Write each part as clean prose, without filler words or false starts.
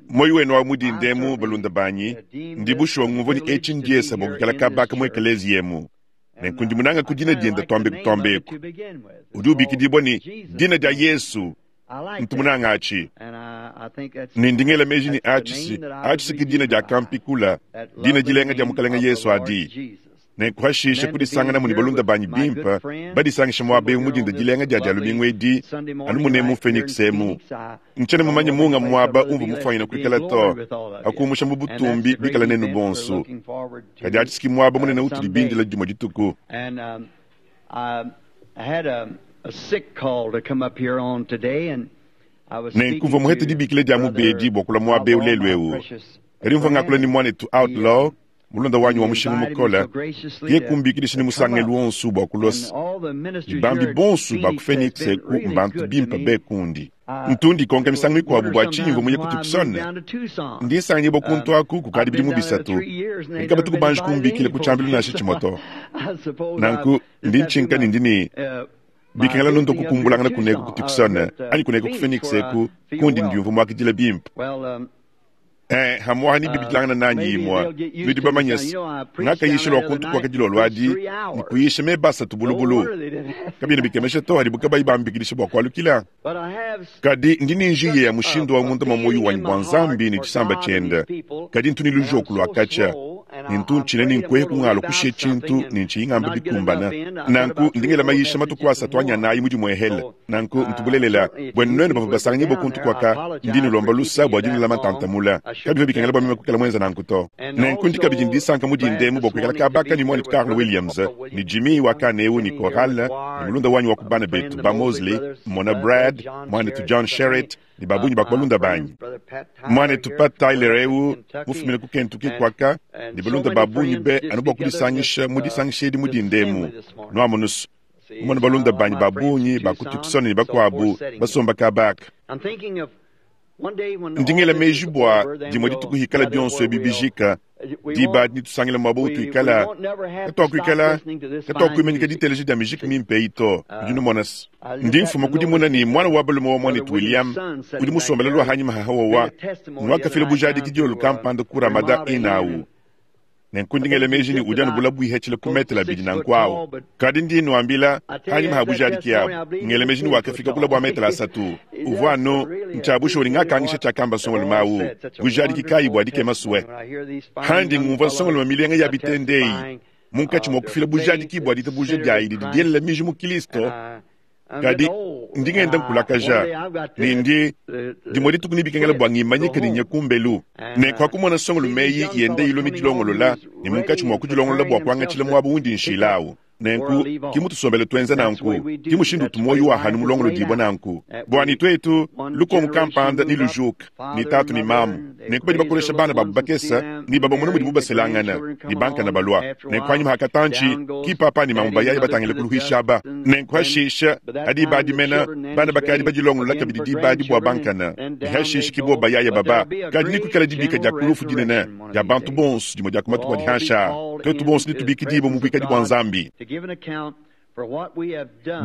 Moyo wenu wa mudinda emu, balunda banyi, ndi bushuwa ngumvua ne etshi ndiesa bua kuikala kabaka mu ekeleziya emu. Nenku ndi munanga ku dina dienda tuambe kutuamba eku. Udi ubikidibua ne dina dia Yesu. Ntu munanga atshi. Ne ndi ngela meji ne atshi si atshi si ke dina dia kampikula, dina dilenga dia Mukalenga Yesu adi. Nenku hashishe kudisanganamu ne balunda banyi bimpe badisangisha muaba eu mu dinda dilenga dia Dia lumingu edi, anu munemu mu Phoenix emu. Ntshiena mumanye munga muaba umvua mufuanyine kuikala to, pa kumusha mu butumbi bikala nenu bonso. Kadi atshi si ke muaba munene utudi bindile dimue dituku. Nenku mvua muhete dibikila dia mubedi bua kulua muaba eu lelu eu. Kadi mvua ngakula ne muanetu Outlaw, mulunda wanyi wa mushinga mukole, ye kumbikidisha ne musangelu wonso bua kulua ne bambi bonso ba ku Phoenix eku mbantu bimpe be kundi. Ntu ndikonka misangu mikuabu bua tshinyi mvua muye ku Tucson. Ndi nsanganyibua kuntu aku kukadi bidimu bisatu, kadi kabatu kubanji kumbikila ku tshiambilu nansha tshimue to. Nanku ndi ntshinka ne ndi ne bikengela nuntu kukumbulangana kuneku ku Tucson anyi kuneku ku Phoenix eku kundi ndiumvua muakidila bimpe. Eh, hamuaha ni bibidilangana nanyi imua. Nudi bamanye se, ngakayisha lua kuntu kuaka dilolo adi ne kuyisha meba asatu bulubulu. Kabiena bikemesha to hadibu kabayi bambikidisha bua kualukila. Kadi ndi ne njiya ya mushindu wa munda mua muoyo wanyi bua Nzambi ne tshisamba tshiende. Kadi ntu ne lujoku lua katshia, ne ntu ntshina ne nkuehe kungalo kushiya tshintu ne ntshiyi ngamba bikumbana. Nanku ndi ngela mayisha matuku asatu anyi anayi mu dimuehele. Nanku ntu bulelela, buenu nuenu bavua basanganyibua kuntu kuaka, ndi nulomba lusa bua dinulama ntanta mula. Kabivua bikengela bua meme kuikala muenza nanku to. Nenku ndi kabidi ne disanka mu dinda emu bua kuikala kabaka ne muanetu Carl Williams, ne Jimmy wa kana eu, ne Coral, ne mulunda wanyi wa ku bana betu ba Mosley, mmona Brad, muanetu John Sherritt, ne ba bungi ba ku balunda banyi. Muanetu Pat Tyler eu, mufumine ku Kentucky kuaka, ne balunda ba bungi be anu bua kudisangisha mu disangisha edi mu dinda emu. Nuamonu's, kumona balunda banyi ba bungi ba ku Tucson ne bakuabu basomba kaba aka. Ndi ngela meji bua dimue dituku hikala bionso ebi bijika, diba adi netusangile muaba utuikala, katuakuikala katuakuimanyika diteleja dia mijiki mimpe eyi to. Nudi numona se, ndi mfuma ku dimona ne muana wa balume wa muanetu William udi musombele lua hanyima ha Hawawa nuakafila bujadiki dilolo kampanda ku Ramada Inn awu. Nenku ndi ngela meji ne udi anu bula buihetshile ku metele abidi nanku awu. Kadi ndi nnuambila, hanyima ha bujadiki abu, ngela meji ne wakafika kula bua metele asatu. Uvua anu ntshia bushuwa ne ngakangisha tshiakamba nsongalume awu. Bujadiki kayi bua dikema sue! Handi ngumvua nsongalume milenga ya bitende eyi munkatshi mua kufila bujadiki bua ditabuja diayi didi dielela miji mu Kilisto, Kadi ndi ngenda nkulakaja, ne ndi dimue dituku nebikengela bua ngimanyike ne nye kumbelu. Nenku hakumona nsongalume eyi yenda ilua midilongolola, ne munkatshi mua kudilongolola bua kuangatshila muaba undi nshila au. Nenku ki mutusombele tuenza nanku, ki mushindu utu muoyo wa hanu mulongolodibua nanku. Buanyi tuetu, lukongo kampanda nelujuke, ne tatu ne mamu, nenku badi bakolesha bana babu bakese ne babamona mudibu baselangana ne bankana balua. Nenku hanyima ha katantshi, ki papa ne mamu bayaya batangile kuluhuisha aba. Nenku hashisha, ha diba adi mena, bana bakadi badilongolola kabidi diba adi bua bankana, ne hashisha ki bobo bayaya baba. Kadi nekuikale dibika dia ku lufu dinene dia bantu bonso dimue dia ku matuku adi hanshi aa. Tuetu bonso netubikidibue mu buikadi bua Nzambi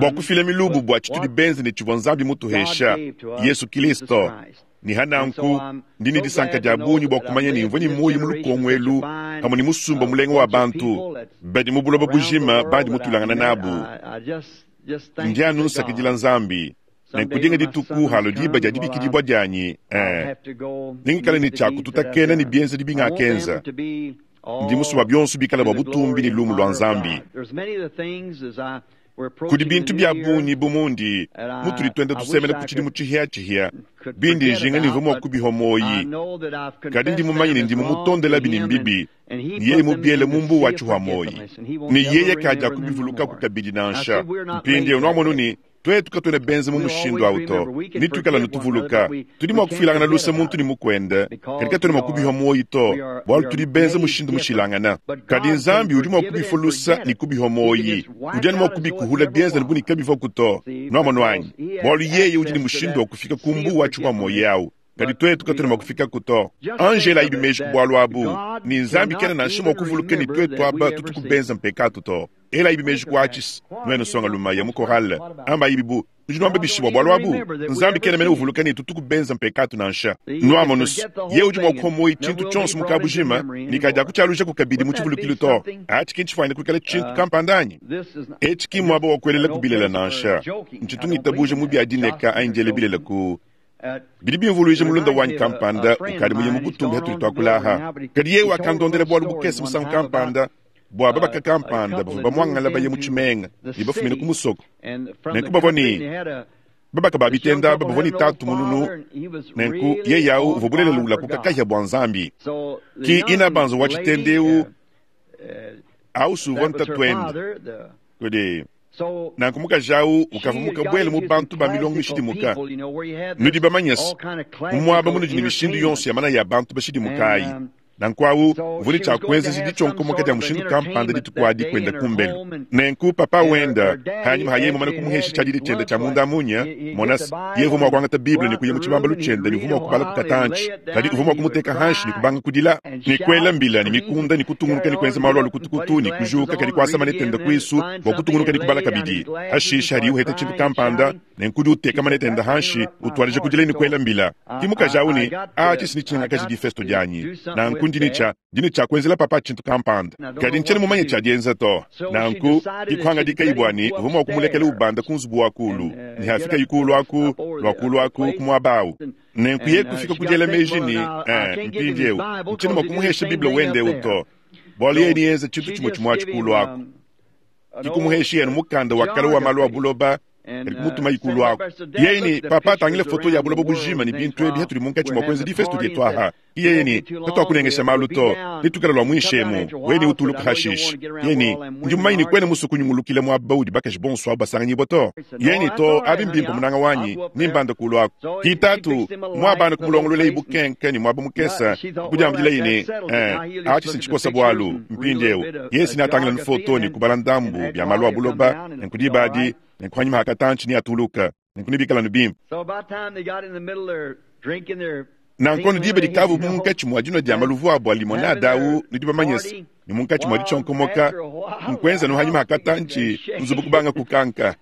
bua kufila milubu bua tshitudi benze ne tshivua Nzambi mutuhesha, Yesu Kilisto. Ne ha nanku, ndi ne disanka dia bungi bua kumanya ne mvua ne muoyo mu lukongo elu pamue ne musumba mulenga wa bantu badi mu buloba bujima bandi mutuilangana nabu. Ndi anu nsakidila Nzambi. Nenku dinga dituku halua diba dia dibikidibua dianyi, eh, nengikale ne tshia kututakena ne bienzedi bingakenza. Ndi musue bua bionso bikale bua butumbi ne lumu lua Nzambi. Kudi bintu bia bungi bu mundi mutudi tuenda tusemena ku tshidimu tshihiatshihia bindi njinga ne mvua mua kubihua muoyi, kadi ndi mumanye ne ndi mumutondelabi ne mbibi, ne yeye mubiele mu mbuwa wa tshihua muoyi, ne yeye kadiakubivulukaku kabidi nansha. Mpindieu nuamonu ne, Tuetu katuena benze mu mushindu au to, ne tuikala anu tuvuluka. Tudi mua kufuilangana luse muntu ne mukuende, kadi katuena mua kubihua muoyo to, bualu tudi benze mushindu mushilangana. Kadi Nzambi udi mua kubifua lusa ne kubihua muoyo. Udi anu mua kubikuhula bienza bu ne kabivuaku to. Nuamonu anyi? Bualu yeye udi ne mushindu wa kufika ku mbuu wa tshihua muoyo au. Kadi tuetu katuena mua kufikaku to. Anji elayibi meji ku bualu abu, ne Nzambi kena nansha mua kuvuluka ne tuetu aba tutuku benze mpekatu to. Elayibi meji ku atshi, nuenu nsongalume ya mu korale, ambayibi bu. Nudi nuamba bishi bua bualu abu? Nzambi kena mene uvuluka ne tutuku benza mpekatu nansha. Nuamonus, yeye udi mua kupua muoyo tshintu tshionso mu kabujima ne kadiakutshialujaku kabidi mu tshivulukilu to. Atshi ki ntshifuanyine kuikala tshintu kampanda anyi? Etshi ki mmuaba wa kuelelaku bilele nansha. Ntshitu ngitabuja mu bia dineka anyi diela bilele ku Bidi bimvuluija mulunda wanyi kampanda ukadi muye mu butumbi hatudi tuakula aha. Kadi yeye wakandondela bualu bukese musangu kampanda bua babaka kampanda bavua bamuangala baye mu tshimenga ne bafumine ku musoko. Nenku bavua ne babaka ba bitenda aba bavua ne tatu mununu, nenku yeye au uvua bulelela ulakuka kahia bua Nzambi. Ki inabanza wa tshitenda eu au si uvua ntatuende kudi Nanku mukaji awu ukavua mukabuele mu bantu ba milongo mishidimuka. Nudi bamanye se, mu muaba munudi ne mishindu yonso ya manaya a bantu bashidimuka ayi. Nanku awu uvua ne tshia kuenzeja ditshionkomoka dia mushindu kampanda dituku adi kuenda kumbelu. Nenku papa wenda, panyima ha yeye mumane kumuhesha tshiadidi tshiende tshia munda munya, mona se, yeye uvua mua kuangata Bible ne kuya mu tshibambalu tshiende ne uvua mua kubala ku katantshi, kadi uvua mua kumuteka hanshi ne kubanga kudila, ne kuela mbila ne mikunda ne kutungunuka ne kuenza malu a lukutukutu ne kujuka kadi kuasa maneta ende kuisu bua kutungunuka ne kubala kabidi. Hashishe hadiye uheta tshintu kampanda, nenku udi uteka maneta ende hanshi, utuadija kudila ne kuela mbila. Ki mukaji au ne, Ah, tshisi netshinyangakaje difesto dianyi. Nanku ndi ne tshia, ndi ne tshia kuenzela papa tshintu kampanda. Kadi ntshiena mumanye tshia dienza to. Nanku, dikuhangadika bua ne uvua mua kumulekela ubanda ku nzubu wa kuulu, ne hafikayi kuulu aku, lua kuulu aku, ku muaba au. Nenku yeye kufika ku diela meji ne, Eh, mpindieu, ntshiena mua kumuhesha Bible wende eu to, bualu yeye neenze tshintu tshimue tshimue atshi kuulu aku. Ki kumuhesha yenu mukanda wa kale wa malu a buloba, kadi kumutumayi kuulu aku. Yeye ne, Papa, tangila foto ya buloba bujima ne bintu ebi hatudi munkatshi mua kuenza difesto dietu aha. Yeye ne, Katuakunengesha malu to, netuikale lua muinshi emu, wewe neutuluke hashishe. Yeye ne, Ndi mumanye ne kuena musue kunyungulukila muaba udi bakaji bonso abu basanganyibua to. Yeye ne, To, abi mbimpe munanga wanyi, nembande kuulu aku. Ki tatu, muabana kumulongoluelayi bukenke ne muaba mukese, kudiambidilaye ne, Eh, atshi si ntshikosa bualu. Mpindieu, yeye si neatangila foto ne kubala ndambu bia malu a buloba, nenku diba adi, nenku hanyima ha katantshi neatuluke, nenku nebikale anu bimpe. Nanku anu diba dikavu munkatshi mua dinua dia maluvu abu a limonade au, nudi bamanye se, ne munkatshi mua ditshionkomoka, nkuenza anu hanyima ha katantshi, nzubu kubanga kukanka.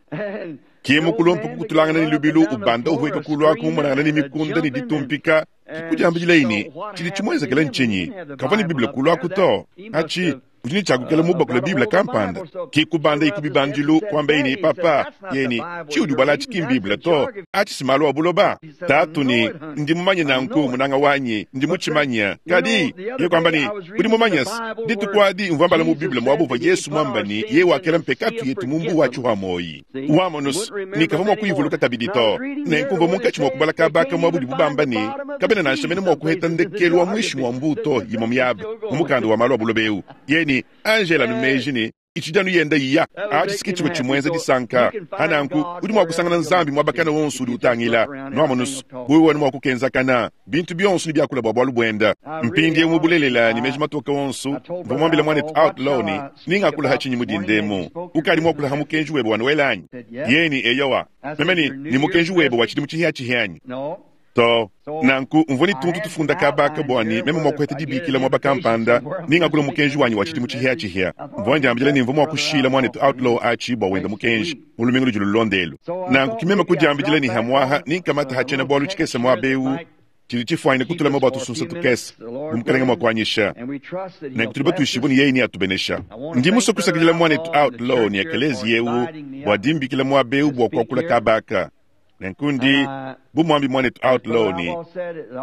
Ki mukulumpe kukutulangana ne lubilu ubanda uhueka kulu aku mumonangana ne mikunda ne ditumpika, kikudiambidilayi ne, tshidi tshimuenzekele ntshinyi? Kavua ne Bible kulu aku to. Atshi, udi ne tshia kuikala mubakule Bible kampanda. Ki kubandayi ku bibandilu, kuambaye ne, Papa, yeye ne, tshiudi ubala atshi ki m'Bible to. Atshi si malu a buloba. Tatu ne, Ndi mumanye nanku, munanga wanyi, ndi mutshimanye. Kadi, yeye kuamba ne, udi mumanye se, dituku adi mvua mbala mu Bible muaba uvua Yesu muamba ne, yeye wakela mpekatu yetu mu mbuwa tshihua muoyi. Wamonus, ne kavua mua kuyivuluka kabidi to. Nenku mvua munkatshi mua kubala kaba ka muaba udibu bamba ne, kabena nansha mene mua kuheta ndekelu wa muinshi mua mbuu to, imue miaba, mu mukanda wa malu a buloba eu. Yeye ne, Angela anu meji ne, itshidi anu yenda iya. Atshi si ke tshivua tshimuenza disanka. Pa nanku, udi mua kusangana Nzambi muaba kana wonso udi utangila. Nuamonus, wewe anu mua kukenzakana, bintu bionso nebiakula bua bualu buenda. Mpindieu mu bulelela ne meji matoke onso, mvua muambile muanetu Outlaw ne, Nengakula ha tshinyi mu dinda emu? Ukadi muakula ha mukenji webe wa Noele anyi? Yeye ne, Eyowa. Meme ne, Ne mukenji webe wa tshidimu tshihiatshihia anyi? To. Nanku mvua ne tuntu tufunda kaba aka bua ne meme mua kuheta dibikila muaba kampanda ne ngakula mukenji wanyi wa tshidimu tshihiatshihia. Mvua ndiambila ne mvua mua kushila muanetu Outlaw atshi bua wenda mukenji mu lumingu ludi lulonda elu. Nanku ki meme kudiambidila ne hamuaha ne nkamata ha tshiena-bualu tshikese muaba eu tshidi tshifuanyine kutulama bua tusunsa tukese, bu Mukelenge mua kuanyisha. Nenku tudi batuishibue ne yeye neatubenesha. Ndi musue kusakidila muanetu Outlaw ne ekeleziya eu bua dimbikila muaba eu bua kuakula kaba aka. Nenku ndi bu muambi muanetu Outlaw ne,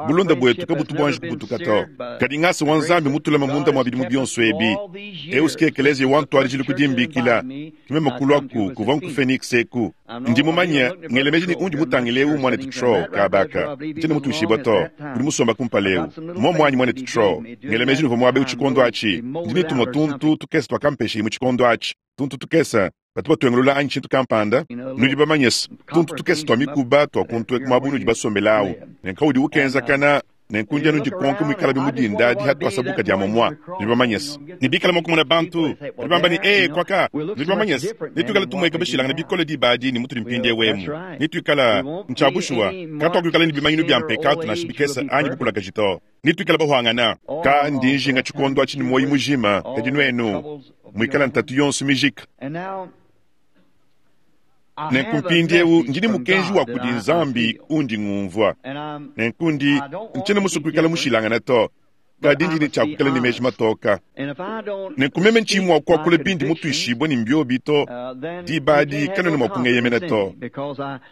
bulunda buetu kabutu buanji kubutuka to. Kadi ngasa wa Nzambi mutulama munda mua bidimu bionso ebi. Eu si ke ekeleziya wa ntuadijilu ku dimbikila, ke meme kulua ku kuvua nku Phoenix eku. Ndi mumanye, ngela meji ne undi mutangile eu muanetu Trow kaba aka. Ntshiena mutuishibua to. Udi musomba kumpala eu. Mmuomu anyi muanetu Trow? Ngela meji nuvua muaba eu tshikondo atshi. Ndi ne tumue tuntu tukese tuakampeshaye mu tshikondo atshi, tuntu tukese batu batuengulula anyi tshintu kampanda. Nudi bamanye se, tuntu tukese tua mikuba tua kuntu eku muaba unudi basombele awu, ne nkaudi ukenzakana, nenku ndi anu ndikonka muikalabi mu dinda adi hatuasabuka dia momua. Nudi bamanye se, ne bikala mua kumona bantu, badi bamba ne, Ee, kuaka, nudi bamanye se, netuikale tumueka bashilangane bikole diba adi ne mutudi mpindieu emu. Netuikala, ntshia bushuwa, katuakuikala ne bimanyinu bia mpekatu nansha bikese anyi bukulakaji to. Netuikale bahuangana. Ka ndi njinga tshikondo atshi ne muoyo mujima, kadi nuenu muikala ntatu yonso mijika. Nenku mpindiewu ndi ne mukenji wa kudi Nzambi undi ngumvua. Nenku ndi, ntshiena musue kuikala mushilangane to, kadi ndi ne tshia kuikala ne meji matoka. Nenku meme ntshiyi mua kuakula bindi mutuishibue ne mbiobi to, diba adi kanuena mua kungeyemena to,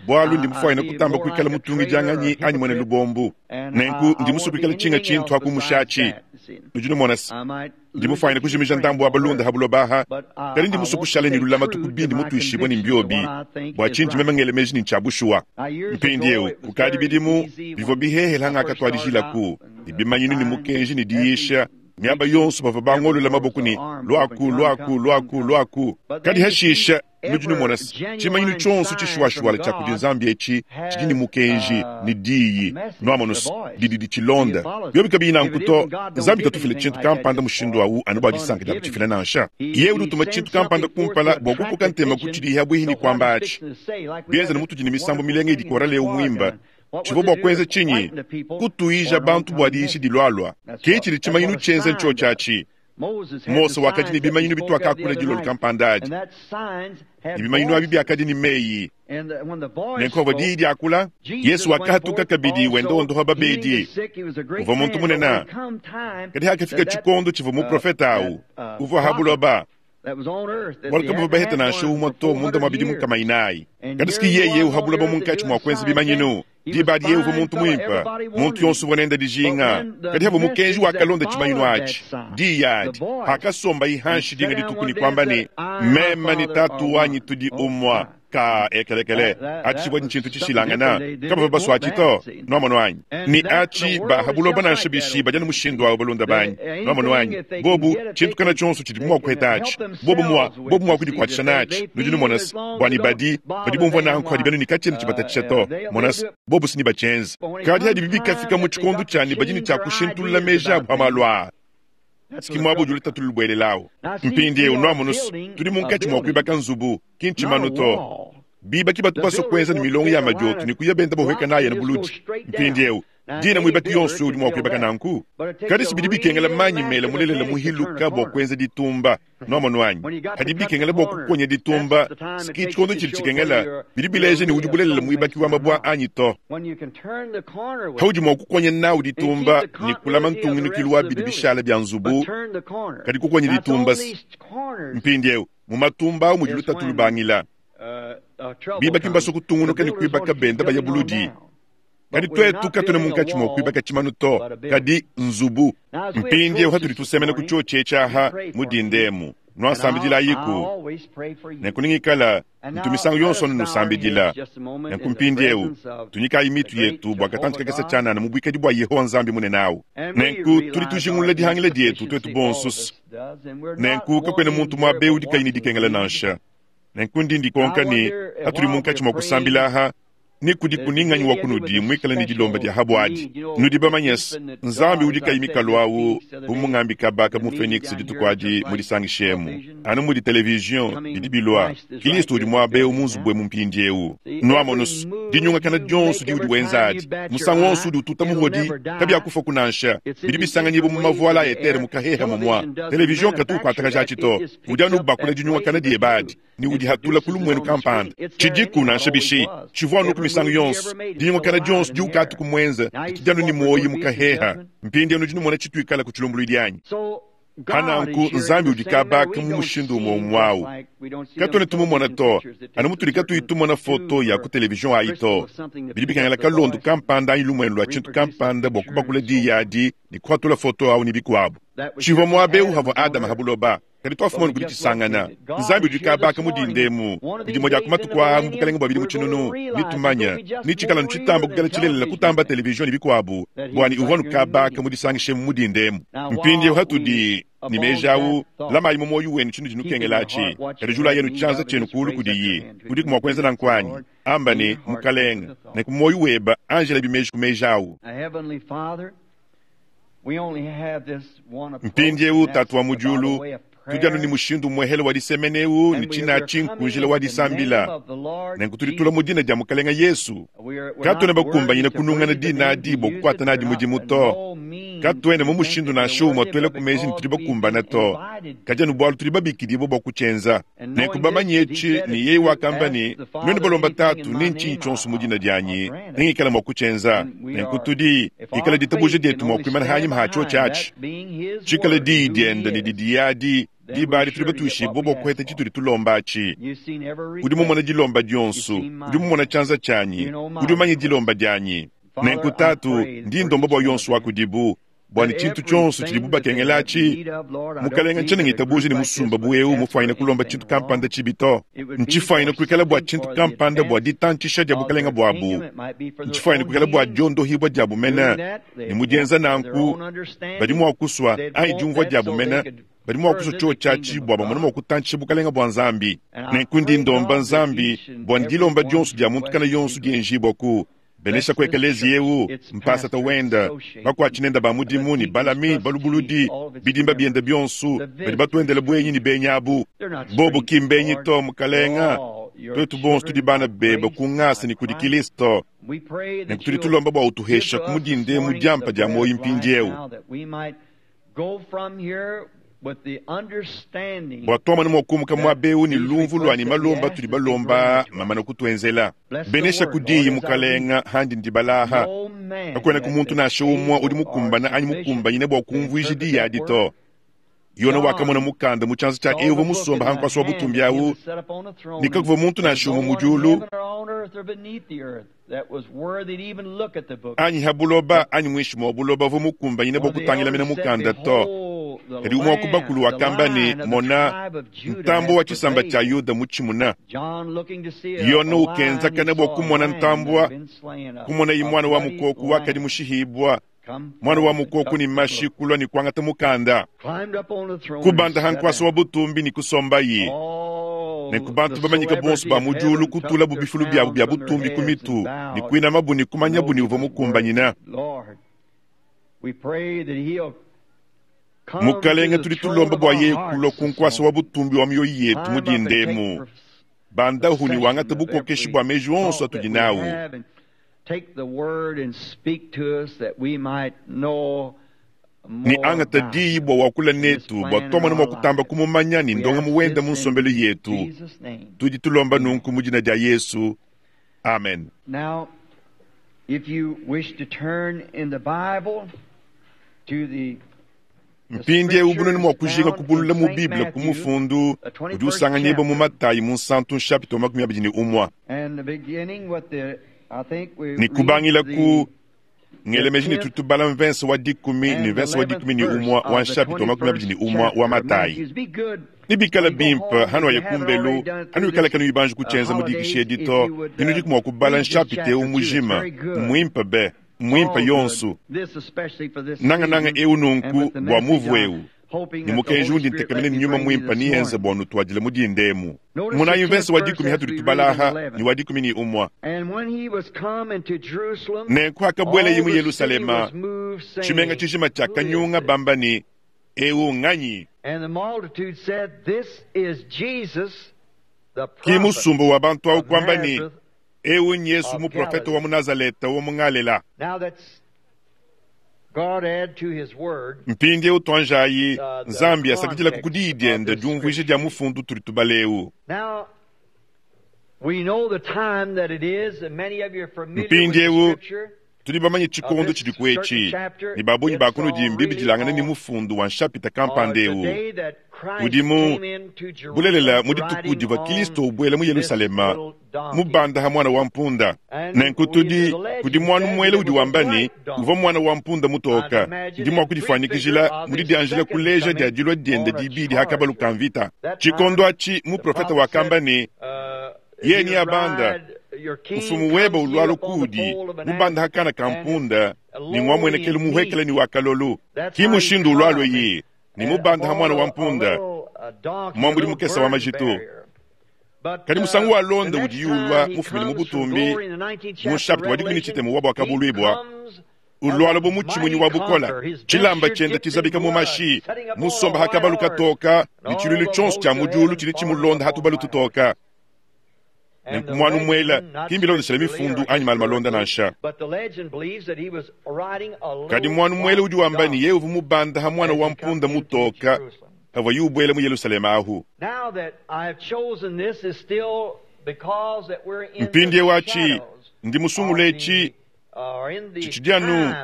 bualu ndi mufuanyine kutamba kuikala mutungidianganyi anyi muena lubombu. Nenku ndi musue kuikala tshinga tshintu ha kumushatshi. Nudi numona se, ndi mufuanyine kujimija ndambu wa balunda ha buloba aha, kadi ndi musue kushala ne lulamatu ku bindi mutuishibue ne mbiobi, bua tshindi meme ngela meji ne ntshia bushuwa. Mpindieu, kukadi bidimu, bivua bihehela ngakatuadijilaku ne bimanyinu ne mukenji ne diyisha miaba yonso bavua bangolola maboko ne, Luaku, luaku, luaku, luaku. Kadi hashisha, nudi numona se, tshimanyinu tshionso tshishuwashuwala tshia kudi Nzambi etshi tshidi ne mukenji ne diyi, nuamonu se, didi ditshilonda. Biobi kabiyi nanku to, Nzambi katufila tshintu kampanda mushindu au anu bua disanka dia kutshifila nansha. Yeye udi utuma tshintu kampanda kumpala bua kukoka ntema ku tshidiye pabuipi ne kuamba atshi. Bienza ne mutudi ne misambu milenga idi korale eu muimba, tshivua bua kuenza tshinyi? Kutuija bantu bua diyisha dilualua. Ke tshidi tshimanyinu tshienza ntshiotshi atshi. Mose wakadi ne bimanyinu bituakakula dilolo kampanda adi, ne bimanyinu abi biakadi ne meyi. Nenku pavua diyi diakula, Yesu wakahatuka kabidi wenda wondopa babedi. Uvua muntu munene, kadi hakafika tshikondo tshivua muprofete au uvua ha buloba, bualu kabavua baheta nansha umue to munda mua bidimu nkama inayi. Kadi siki yeye eu ha buloba munkatshi mua kuenza bimanyinu. Diba adi yeye uvua muntu muimpe, muntu yonso uvua nende dijinga. Kadi havua mukenji wakalonda tshimanyinu atshi, diyi adi, hakasombaye hanshi dinga dituku ne kuamba ne, Meme ne Tatu wanyi tudi umue. Ka ekelekele, atshi tshivua ntshintu tshishilangana, kabavua basua atshi to. Nuamonu anyi? Ne atshi ba ha buloba nansha bishi badi anu mushindu awu, balunda banyi. Nuamonu anyi? Bobu, tshintu kana tshionso tshidibu mua kuheta atshi, bobu mua, bobu mua kudikuatshisha natshi. Nudi numona se, bua ne badi, badi bumvua nanku hadi benu ne katshiena tshibatatshisha to. Mona se, bobu se nebatshienze. Kadi hadibi bikafika mu tshikondo tshia ne badi ne tshia kushintulula meji abu pa malu aa, ki muaba udi lutatu lulubuelelawu. Mpindieu, nuamonu se, tudi munkatshi mua kuibaka nzubu, ki ntshimanu to. Bibaki batu basue kuenza ne milongo ya madioto ne kuya benda bahueka nayi anu buludi. Mpindieu, dina muibaki yonso udi mua kuibaka nanku. Kadi si bidi bikengela manyi mela mulelela muhiluka bua kuenza ditumba. Nuamonu anyi? Kadi bikengela bua kukonya ditumba, si tshikondo tshidi tshikengela, bidi bileja ne udi bulelela muibaki wa mabua anyi to. Paudi mua kukonya nawu ditumba ne kulama ntungunukilu wa bidi bishala bia nzubu, kadi kukonya ditumba si. Mpindieu, mu matumba au mudi lutatu lubangila. Bibaki mbasue kutungunuka ne kuibaka benda baya buludi. Kadi tuetu katuena munkatshi mua kuibaka tshimanu to, kadi nzubu. Mpindieu hatudi tusemena ku tshiotshi etshi aha mu dinda emu, nuasambidilayiku. Nenku ningikala ntu misangu yonso anu nusambidila. Nenku mpindieu tunyikayi mitu yetu bua katantshi kakese tshianana mu buikadi bua Yehowa Nzambi munene au. Nenku tudi tujingulula dihangila dietu tuetu bonso. Nenku kakuena muntu muaba eu udi kayi ne dikengela nansha. Nenku ndi ndikonka ne, hatudi munkatshi mua kusambila aha, ne kudi kuninganyi wa kunudi muikale ne dilomba dia habuadi. Nudi bamanye se, Nzambi udi kayi mikalu awu, bu mungambi kaba ka mu Phoenix dituku adi mu disangisha emu, anu mudi television bidi bilua, Kilisto udi muaba eu mu nzubu emu mpindieu. Nuamonu se, dinyungakana dionso diudi wenza adi, musangu wonso udi ututa muhodi, kabiakufaku nansha. Bidi bisanganyibua mu mavuala a etere mu kaheha mumua. Television katu ukuatakaja atshi to. Udi anu ubakula dinyungakana diebe adi ne udihatula ku lumuenu kampanda. Tshidiku nansha bishi, tshivua anuku misangu yonso. Dinyungakana dionso diukatu kumuenza ditshidi anu ne muoyo mu kaheha. Mpindieu nudi numona tshituikala ku tshilumbuluidi anyi? Pa nanku Nzambi udi kabaka mu mushindu umue umue au. Katuena tumumona to, anu mutudi katuyi tumona foto ya ku televizion ayi to. Bidi bikengela kalondo kampanda anyi lumuenu lua tshintu kampanda bua kubakula diyi adi ne kuhatula foto au ne bikuabu. Tshivua muaba eu havua Adama ha buloba, kadi tuafumanu kudi tshisangana. Nzambi udi kabaka mu dinda emu, bidimue dia ku matuku aa mu bukalenge bua bidimu tshinunu, netumanye ne tshikala anu tshitamba kuikala tshilelela kutamba televizion ne bikuabu, bua ne uvua anu kabaka mu disangisha emu mu dinda emu. Mpindieu hatudi ne meji au, lamayi mu muoyo wenu tshinudi nukengela atshi, kadi julayi anu tshianza tshienu kuulu kudiyi. Udiku mua kuenza nanku anyi? Amba ne, Mukalenge, nenku muoyo weba anjelabi meji ku meji au. Mpindieu, Tatu wa mu diulu, tudi anu ne mushindu umuehele wa disemena eu ne tshinatshi nku njila wa disambila. Nenku tudi tulua mu dina dia Mukalenge Yesu. Katuena bakumbanyine kunungana dina adi bua kukuata nadi mudimu to. Katuena mu mushindu nansha umue tuelaku meji ne tudi bakumbane to, kadi anu bualu tudi babikidibue bua kutshienza. Nenku bamanye etshi ne, yeye wakamba ne, Nuenu balomba Tatu ne ntshinyi tshionso mu dina dianyi, nengikale mua kutshienza. Nenku tudi, pikala ditabuja dietu mua kuimana hanyima ha tshiotshi atshi, tshikale diyi diende ne didiye adi, diba adi tudi batuishibue bua kuheta tshitudi tulomba atshi. Udi mumone dilomba dionso, udi mumone tshianza tshianyi, udi umanye dilomba dianyi. Nenku Tatu, ndi ndomba bua yonso wa kudibu, bua ne tshintu tshionso tshidibu bakengela atshi, Mukalenga, ntshiena ngitabuja ne musumba bu eu mufuanyine kulomba tshintu kampanda tshibi to. Ntshifuanyine kuikala bua tshintu kampanda bua ditantshisha dia bukalenga buabu. Ntshifuanyine kuikala bua diondohibua diabu mene, ne mu dienza nanku, badi mua kusua, anyi diumvua diabu mene, badi mua kusua tshiotshi atshi bua bamone mua kutantshisha bukalenga bua Nzambi. Nenku ndi ndomba Nzambi bua ne dilomba dionso dia muntu kana yonso dienjibua ku Benesha ku ekeleziya eu, mpasata wenda, bakuatshi nenda ba mudimu ne balami balubuludi, bidimba bienda bionso, badi batuendela buenyi ne benyi abu. Bobu ki mbenyi to, Mukalenga. Tuetu bonso tudi bana beba ku ngasa ne kudi Kilisto. Nenku tudi tulomba bua utuhesha ku mudinda emu diampa dia muoyo mpindieu, bua tuamone mua kumuka muaba eu ne lumvu lua ne malomba atudi balomba mamana kutuenzela. Benesha ku diyi, Mukalenga, handi ndibala aha. Kakuenaku muntu nansha umue udi mukumbana anyi mukumbanyine bua kumvuija diyi adi to. Yone wakamona mukanda mu tshianza tshia eu uvua musomba ha nkuasa wa butumbi au, ne kakuvua muntu nansha umue mu diulu anyi ha buloba anyi muinshi mua buloba uvua mukumbanyine bua kutangila mena mukanda to. Kadi umue wa ku bakulu wakamba ne, Mona, ntambue wa tshisamba tshia Yuda mutshimuna. Yone ukenzakana bua kumona ntambua, kumonaye muana wa mukoko wakadi mushihibua, muana wa mukoko ne mashi kulua ne kuangata mukanda, kubanda ha nkuasa wa butumbi ne kusombaye. Nenku bantu bamanyike bonso ba mu diulu kutulabu bifulu biabu bia butumbi ku mitu ne kuinamabu ne kumanyabu ne uvua mukumbanyina. Mukalenge, tudi tulomba bua yeye kulua ku nkuasa wa butumbi wa mioyo yetu mu dinda emu. Bandahu ne wangata bukokeshi bua meji onso atudi nawu. Ne angata diyi bua wakula netu bua tuamona mua kutamba kumumanya ne ndongamu wenda mu nsombelu yetu. Tudi tulomba nunku mu dina dia Yesu. Amen. Now, if you wish to turn in the Bible to the Mpindieu bunene mua kujinga kubulula mu Bible ku mufundu udi usanganyibua mu Matayi Munsantu nshapita wa 21. Ne kubangila ku ngele meji ne tudi tubala mvense wa dikumi ne mvense wa 11 wa nshapita wa 21 wa Matayi. Nebikale bimpe hanuaya kumbelu, hanuikala kanuyi banji kutshienza mu dikisha edi to, ne nudiku mua kubala nshapita eu mujima. Mmuimpe be, mmuimpe yonso. Nangananga eu nunku bua muvu eu ne mukenji undi ntekemena ne Nyuma Muimpe neyenze bua nutuadile mu dinda emu. Monayi mvese wa dikumi hatudi tubala aha ne wa 11. Nenku hakabuelaye mu Yelushalema, tshimenga tshijima tshiakanyunga bamba ne, Eu nganyi? Ki musumba wa bantu au kuamba ne, Eu n'Yesu muprofete wa mu Nazaleta wa mu Ngalela. Mpindieu tuanjayi Nzambi asakidilaku ku diyi diende diumvuija dia mufundu utudi tubala eu. Mpindieu tudi bamanye tshikondo tshidiku etshi, ne ba bungi ba kunudi mbibidilangane ne mufundu wa nshapita kampanda eu. Udi mu bulelela mu dituku divua Kilisto ubuela mu Yelushalema mubanda ha muana wa mpunda. Nenku tudi kudi muanu muele udi wamba ne, uvua muana wa mpunda mutoka. Ndi mua kudifuanyikijila mu didianjila kuleja dia dilua diende dibidi ha kabalu ka mvita. Tshikondo atshi muprofete wakamba ne, Yeye neabanda, mfumu webe ulualu kuudi, mubanda ha kana ka mpunda, ne ngua muenekelu muhuekele ne wa kalolu. Ki mushindu ulualue ye, ne mubanda ha muana wa mpunda, muambudi mukese wa majitu. Kadi musangu walonda udiye ulua mufumine mu butumbi, mu nshapita wa 13 wa Buakabuluibua, ulualua bu mutshimunyi wa bukola, tshilamba tshiende tshizabika mu mashi, musomba ha kabalu katoka, ne tshiluilu tshionso tshia mu diulu tshidi tshimulonda ha tubalu tutoka. Nenku mwanu mwela ki mbilondeshile mifundu anyi malu malonda nansha. Kadi mwanu mwela udi wamba ne yeye uvua mubanda ha mwana wa mpunda mutoka pavuaye ubuela mu Yelushalema ahu. Mpindieu atshi, ndi musungule etshi tshitshidi anu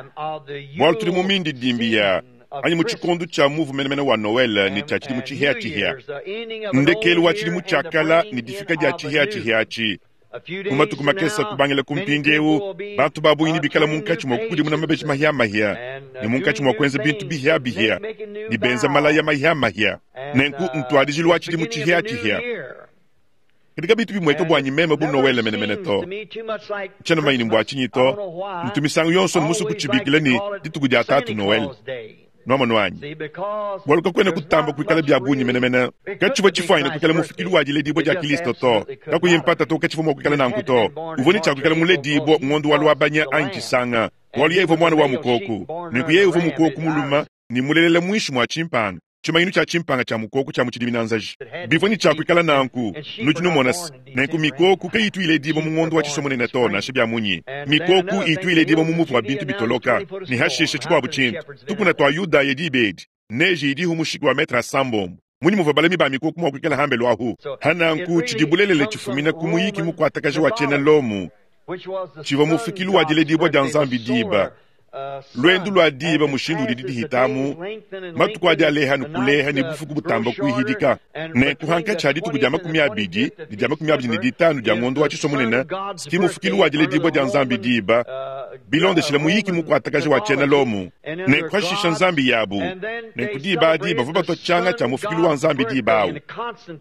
bualu tudi mu mindidimbi ya anyi mu tshikondo tshia muvu menemene wa Noele ne tshia tshidimu tshihiatshihia, ndekelu wa tshidimu tshia kala ne difika dia tshihiatshihia atshi. Mu matuku makese kubangila ku mpindieu, bantu ba bungi nebikale munkatshi mua kukudimuna mabeji mahiamahia ne munkatshi mua kuenza bintu bihiabihia ne benza malaya mahiamahia. Nenku ntuadijilu wa tshidimu tshihiatshihia. Kadi kabitu bimueka buanyi meme bu Noele menemene to. Tshiena mumanye ni mbua tshinyi to, ntu misangu yonso mmusue kutshibikila ne, dituku dia Tatu Noele. Nuamonu anyi? Bualu kakuena kutamba kuikala bia bungi menemene. Katshivua tshifuanyine kuikala mufikilu wa diledibua dia Kilisto to. Kakuyi mpata to, katshivua mua kuikala nanku to. Uvua ne tshia kuikala muledibua ngondo wa Luabanya anyi Tshisanga, bualu yeye uvua muana wa mukoku. Nenku yeye uvua mukoku mulume ne mulelela muinshi mua tshimpanga. Tshimanyinu tshia tshimpanga tshia mukoko tshia mu tshidiminanzaji bivua ne tshia kuikala nanku. Nudi numona se, nenku mikoko kayitu iledibua mu ngondo wa Tshisomunene to, nansha bia munyi. Mikoko itu iledibua mu muvu wa bintu bitoloka, ne hashishe tshikuabu tshintu. Tukuna tua Yudaya diba edi, neje idihu mushiki wa metre asambombo. Munyi muvua balami ba mikoko mua kuikala hambelu ahu? Ha nanku, tshidi bulelela tshifumina ku muyiki mukuatakaja wa tshiena Lomo, tshivua mufikilu wa diledibua dia Nzambi diba. Luendu lua diba mushindu udidi dihitamu, matuku adi aleha ne kuleha ne bufuku butamba kuihidika. Nenku hankatshi ha dituku dia 25 ne dia 25 dia ngondo wa Tshisua munene ki mufukilu wa diledibua dia Nzambi diba, bilondeshile muyiki mukuatakaja wa tshiena Lomo. Nenku hashisha nzambi yabu, nenku diba adi bavua batua tshianga tshia mufukilu wa Nzambi diba awu,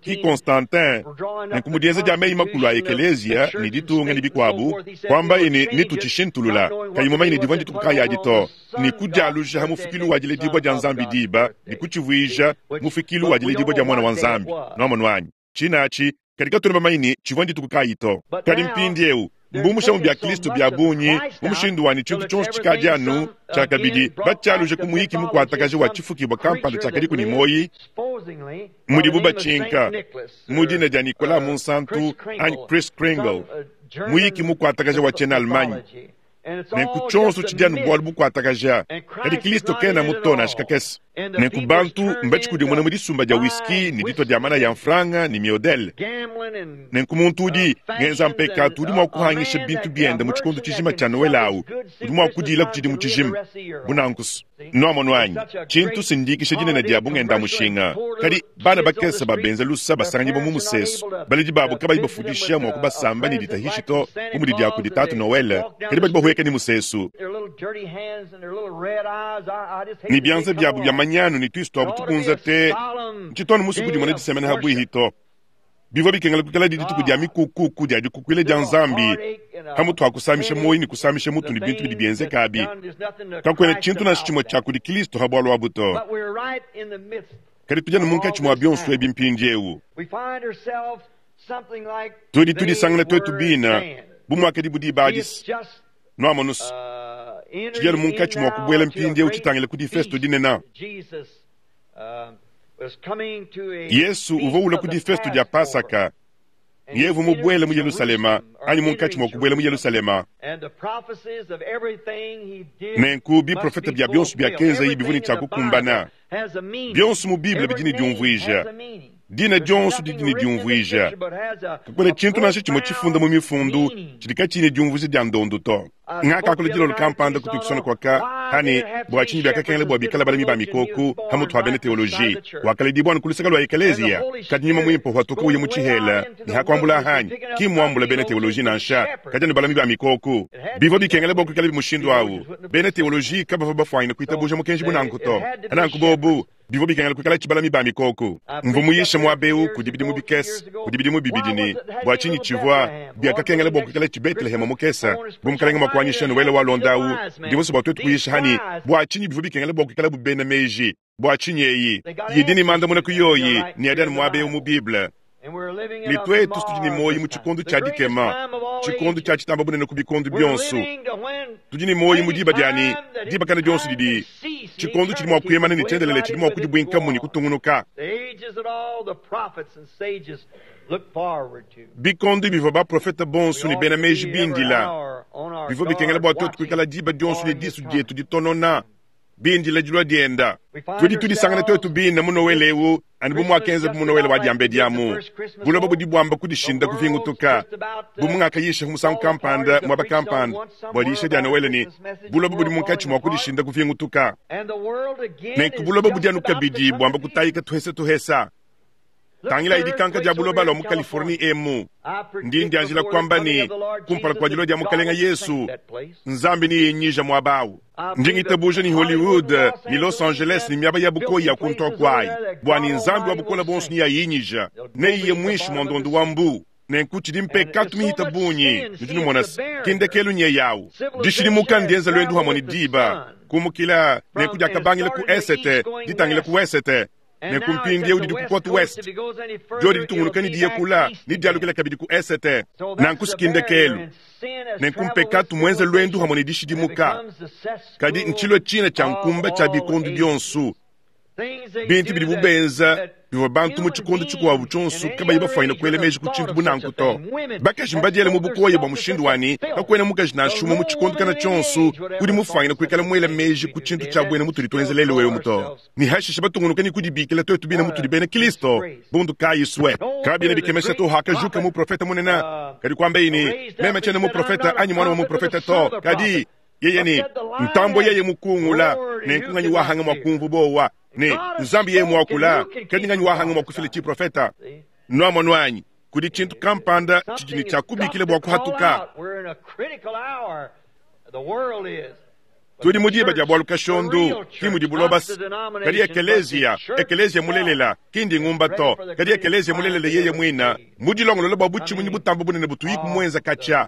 ki Constantin. Nenku mu dienza dia meyi makulu a ekeleziya ne ditunga ne bikuabu, kuambaye ne, Netutshishintulula, kayi mumanye ne divua ndituku kayi adi to, ne kudialuja ha mufukilu wa diledibua dia Nzambi diba, ne kutshivuija mufukilu wa diledibua dia Muana wa Nzambi. Nuamonu anyi? Tshine atshi, kadi katuena bamanye ne tshivua ndituku kayi to. Kadi mpindieu, mbumushamu bia Kristo bia bungi mu mushindu wa ne tshintu tshionso tshikadi anu tshiakabidi batshialuje ku muyiki mukuatakaja wa tshifukibua kampanda tshiakadiku ne muoyi, mudibu batshinka mu dina dia Nicolas Munsantu anyi Kris Kringle, muyiki mukuatakaja wa tshiena-Allemagne. Nenku tshionso tshidi anu bualu bukuatakaja, kadi Kristo kenamu to nansha kakese. Nenku bantu mbatshikudimune mu disumba dia whisky ne ditua dia manaya a mfranga ne miodele. Nenku muntu udi ngenza mpekatu udi mua kuhangisha bintu biende mu tshikondo tshijima tshia Noele awu, udi mua kudilaku tshidimu tshijima. Bu nanku. Nuamonu anyi? Tshintu sindikisha dinene dia bungenda-mushinga. Kadi bana bakese ba benza lusa basanganyibua mu musesu, baledi babu kabayi bafudisha mua kubasamba ne ditahishi to, bu mudi dia kudi Tatu Noele, kadi badi bahueka ne musesu. Ne bianza biabu bia manyanu ne tuisu tuabu tukunza te, ntshitu anu musue kudimona disemena ha buihi to. Bivua bikengela kuikaladi dituku dia mikukuku dia dikukuila dia Nzambi, pamutu pa kusamisha muoyo ne kusamisha mutu ne bintu bidi bienzeka abi. Kakuena tshintu nansha tshimue tshia kudi Kristo ha bualu abu to. Kadi tudi anu munkatshi mua bionso ebi mpindieu. Tudi tudisangana tuetu bine bu muakadibu diba adi. Nuamonu's, tudi anu munkatshi mua kubuela mpindieu tshitangila ku difesto dinene. Yesu uvua ulua ku difesto dia Pasaka, ne yeye uvua mubuele mu Yelushalema anyi munkatshi mua kubuela mu Yelushalema. Nenku biprofete bia bionso biakenzaye bivua ne tshia kukumbana. Bionso mu Bible bidi ne diumvuija. Dina dionso didi ne diumvuija. Kakuena tshintu nansha tshimue tshifunda mu Mifundu tshidi katshiyi ne diumvuija dia ndondu to. Ngakakula dilolo kampanda ku Tucson kuaka ha ne, Bua tshinyi biakakengela bua bikala balami ba mikoko ha mutu ha bena teoloji? Wakaledibua anu ku luseke lua ekeleziya, kadi Nyuma Muimpe watuka uya mu tshihela ne ha kuambula hanyi? Ki mmuambula bena teoloji nansha, kadi anu balami ba mikoko. Bivua bikengela bua kuikalabi mushindu au. Bena teoloji kabavua bafuanyine kuitabuja mukenji bu nanku to. Nanku bobu Bivua bikengela kuikala tshibalami ba mikoko. Mvua muyishe muaba eu kudi bidimu bikese, kudi bidimu bibidi ne, bua tshinyi tshivua biakakengela bua kuikala tshi Beteleheme mukese? Bu Mukalenge mua kuanyisha Noele walonda au, ndi musue bua tuetu kuyisha hanyi, bua tshinyi bivua bikengela bua kuikala bu bena meji? Bua tshinyi eyi idi ne mandamuna ku yoyi ne adi anu muaba eu mu Bible? Ne tuetu tudi ne muoyo mu tshikondo tshia dikema, tshikondo tshia tshitamba bunene ku bikondo bionso. Tudi ne muoyo mu diba dia ne diba kana dionso didi tshikondo tshidi mua kuimana ne tshiendelele tshidi mua kudibuinkamu ne kutungunuka. Bikondo bivua baprofete bonso ne bena meji bindila, bivua bikengela bua tuetu kuikala diba dionso ne disu dietu ditonona, bindila dilua dienda. Tudi tudisangana tuetu bine mu Nowele eu anu bu muakenza mu Nowele wa diambedi amu. Buloba budi buamba kudishinda kuvingutuka. Bu mungakayisha musangu kampanda muaba kampanda bua diyisha dia Nowele ne buloba budi munkatshi mua kudishinda kuvingutuka. Nenku buloba budi anu kabidi buamba kutayika tuhesa tuhesa. Tangila dikanka dia buloba lua mu Californie emu. Ndi ndianjila kuamba ne kumpala kua dilua dia Mukalenga Yesu, Nzambi neyenyija muaba awu. Ndi ngitabuja ni Hollywood ni Los Angeles ni miaba ya bukoyi ya kuntua kuayi, bua ne Nzambi wa bukole bonso neyayinyija, neiye muinshi mua ndondo wa mbu. Nenku tshidi mpekatu mihita bungi, nudi numona se kindekelu nye yawu. Dishidimuka ndienza luendu hamwe ne diba, kumukila nenku diakabangila ku esete ditangila ku wesete. Nenku mpindieu didi ku kote west, diodi ditungunuka ne diya kula ne dialukila kabidi ku esete. Nanku sikindekelu. Nenku mpekatu muenze luendu hamwe ne dishidimuka, kadi ntshilue tshina tshia nkumba tshia bikondo bionso. Bintu bidibu benza bivua bantu mu tshikondo tshikuabu tshionso kabayi bafuanyine kuela meji ku tshintu bu nanku to. Bakaji mbadiele mu bukoya bua mushindu wa ne, kakuena mukaji nansha umue mu tshikondo kana tshionso udi mufuanyine kuikala muela meji ku tshintu tshia buena mutudi tuenza lelu eu to. Ne hashishe batungunuka ne kudibikila tuetu bine mutudi bena Kristo, bundu kayi sue. Kabiena bikemesha to hakajuka muprofete munene, kadi kuambaye ne, meme tshiena muprofete anyi mwana wa muprofete to, kadi yeye ne ntambue yeye mukungula, nenku nganyi wahanga mua kumvu bowa ne Nzambi yeye muakula, kadi nganyi wahanga mua kufila tshiprofeta. Nuamonu anyi, kudi tshintu kampanda tshidi ne tshia kubikila bua kuhatuka. Tudi mu diba dia bualu kashondu, ki mudi buloba se, kadi ekeleziya, ekeleziya mulelela, ki ndi ngumba to, kadi ekeleziya mulelela yeye muina, mudilongolola bua butshimunyi butamba bunene butuyiku muenza katshia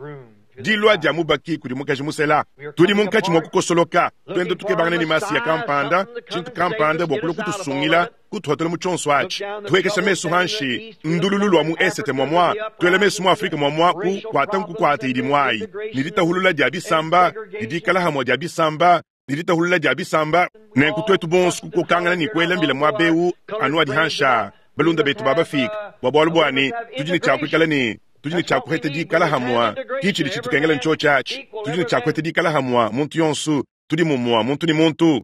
dilua dia mubaki kudi mukaji musela. Tudi munkatshi mua kukosoloka, tuenda tukebangana ne masiya kampanda, tshintu kampanda bua kulua kutusungila, kutuhatula mu tshionso atshi. Tuekesha mesu hanshi, ndululu lua mu esete muamua, tuela mesu mu Afrika muamua ku kuata nkukuata idi muayi, ne ditahulula dia bisamba, ne dikala hamua dia bisamba, ne ditahulula dia bisamba. Nenku tuetu bonso kukokangana ne kuela mbila muaba eu anu adi hansha balunda betu babafika, bua bualu bua ne tudi ne tshia kuikala ne tudi ne tshia kuheta dikala hamua, ki tshidi tshitukengela ntshiotshi atshi. Tudi ne tshia kuheta dikala hamua muntu yonso, tudi mumua muntu ne muntu.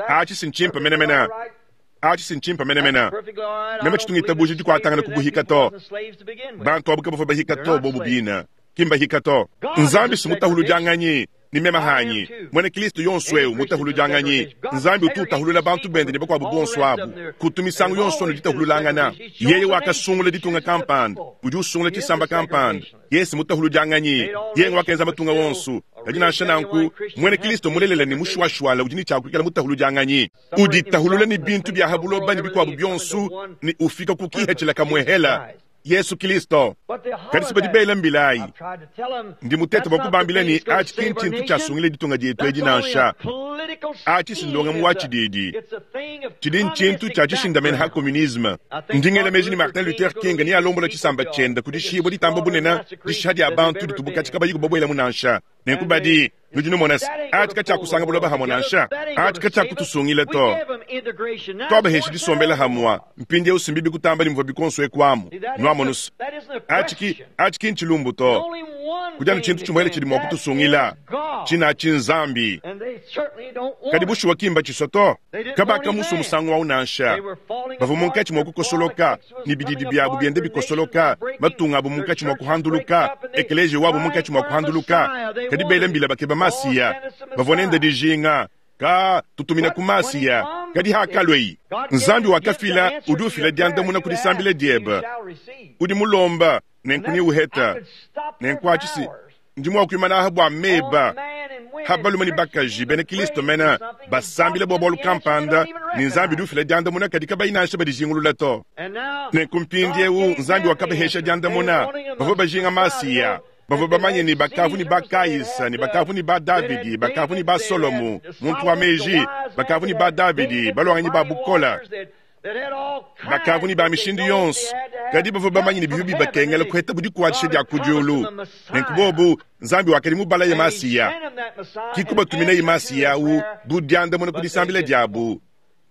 Atshi si ntshimpe menemene, atshi si ntshimpe menemene. Meme tshitu ngitabuja dikuatangana ku buhika to. Bantu abu kabavua bahika to, bobu bina ki mbahika to. Nzambi si mutahuludianganyi ne meme hanyi muena Kristo yonso eu mutahuludianganyi. Nzambi utu utahulula bantu bende ne bakuabu bonso abu, kutu misangu yonso anu ditahululangana. Yeye wakasungula ditunga kampanda, udi usungula tshisamba kampanda. Yesu mutahuludianganyi, yeye wakenza matunga wonso. Kadi nansha nanku, muena Kristo mulelela ne mushuashuala udi ne tshia kuikala mutahuludianganyi, uditahulula ne bintu bia ha buloba ne bikuabu bionso, ne ufika ku kihatshila kamuehela Yesu Kristo. Kadi si badi bela mbilayi, ndi mutete bua kubambila ne atshi ki ntshintu tshiasungila ditunga dietu edi nansha. Atshi si ndongamu wa tshididi, tshidi ntshintu tshia tshishindamene ha communisme. Ndi ngela meji ne Martin Luther King nealombola tshisamba tshiende ku dishibua ditamba bunene, dishiha dia bantu ditubu katshi kabayi kubabuelamu nansha. Nenku badi nudi numona se atshi katshiakusanga buloba hamue nansha, atshi katshiakutusungila to. Twabahesha disombela hamua mpindieu simbibi kutamba ne muvua bikonso ekuamu. Nuamonu se atshi atshi ki ntshilumbu to. Kudi anu tshintu tshimuele tshidi mua kutusungila, tshina atshi Nzambi. Kadi bushuwa ki mbatshisua to. Kabakamusua musangu au nansha. Bavua munkatshi mua kukosoloka, ne bididi biabu biende bikosoloka, matunga abu munkatshi mua kuhanduluka, ekeleziya wabu munkatshi mua kuhanduluka. Kadi bela mbila bakeba Masiya, bavua nende dijinga ka tutumina ku Masiya. Kadi hakalue Nzambi wakafila, udi ufila diandamuna ku disambila diebe. Udi mulomba, nenku neuheta. Nenku atshi si ndi mua kuimana aha bua meba ha balume ne bakaji bena Kristo mena basambila bua bualu kampanda, ne Nzambi udi ufila diandamuna kadi kabayi nansha badijingulula to. Nenku mpindieu Nzambi wakabahesha diandamuna. Bavua bajinga Masiya, bavua bamanye ne bakavu ne ba Kaisa ne bakavu ne ba Davidi, bakavu ne ba Solomo muntu wa meji, bakavu ne ba Davidi baluanganyi ba bukola, bakavu ne ba mishindu yonso, kadi bavua bamanye ne bivua bibakengela kuheta bu dikuatshisha dia ku diulu. Nenku bobu Nzambi wakadi mubalaye Masiya, ki kubatuminaye Masiya au bu diandamuna ku disambila diabu.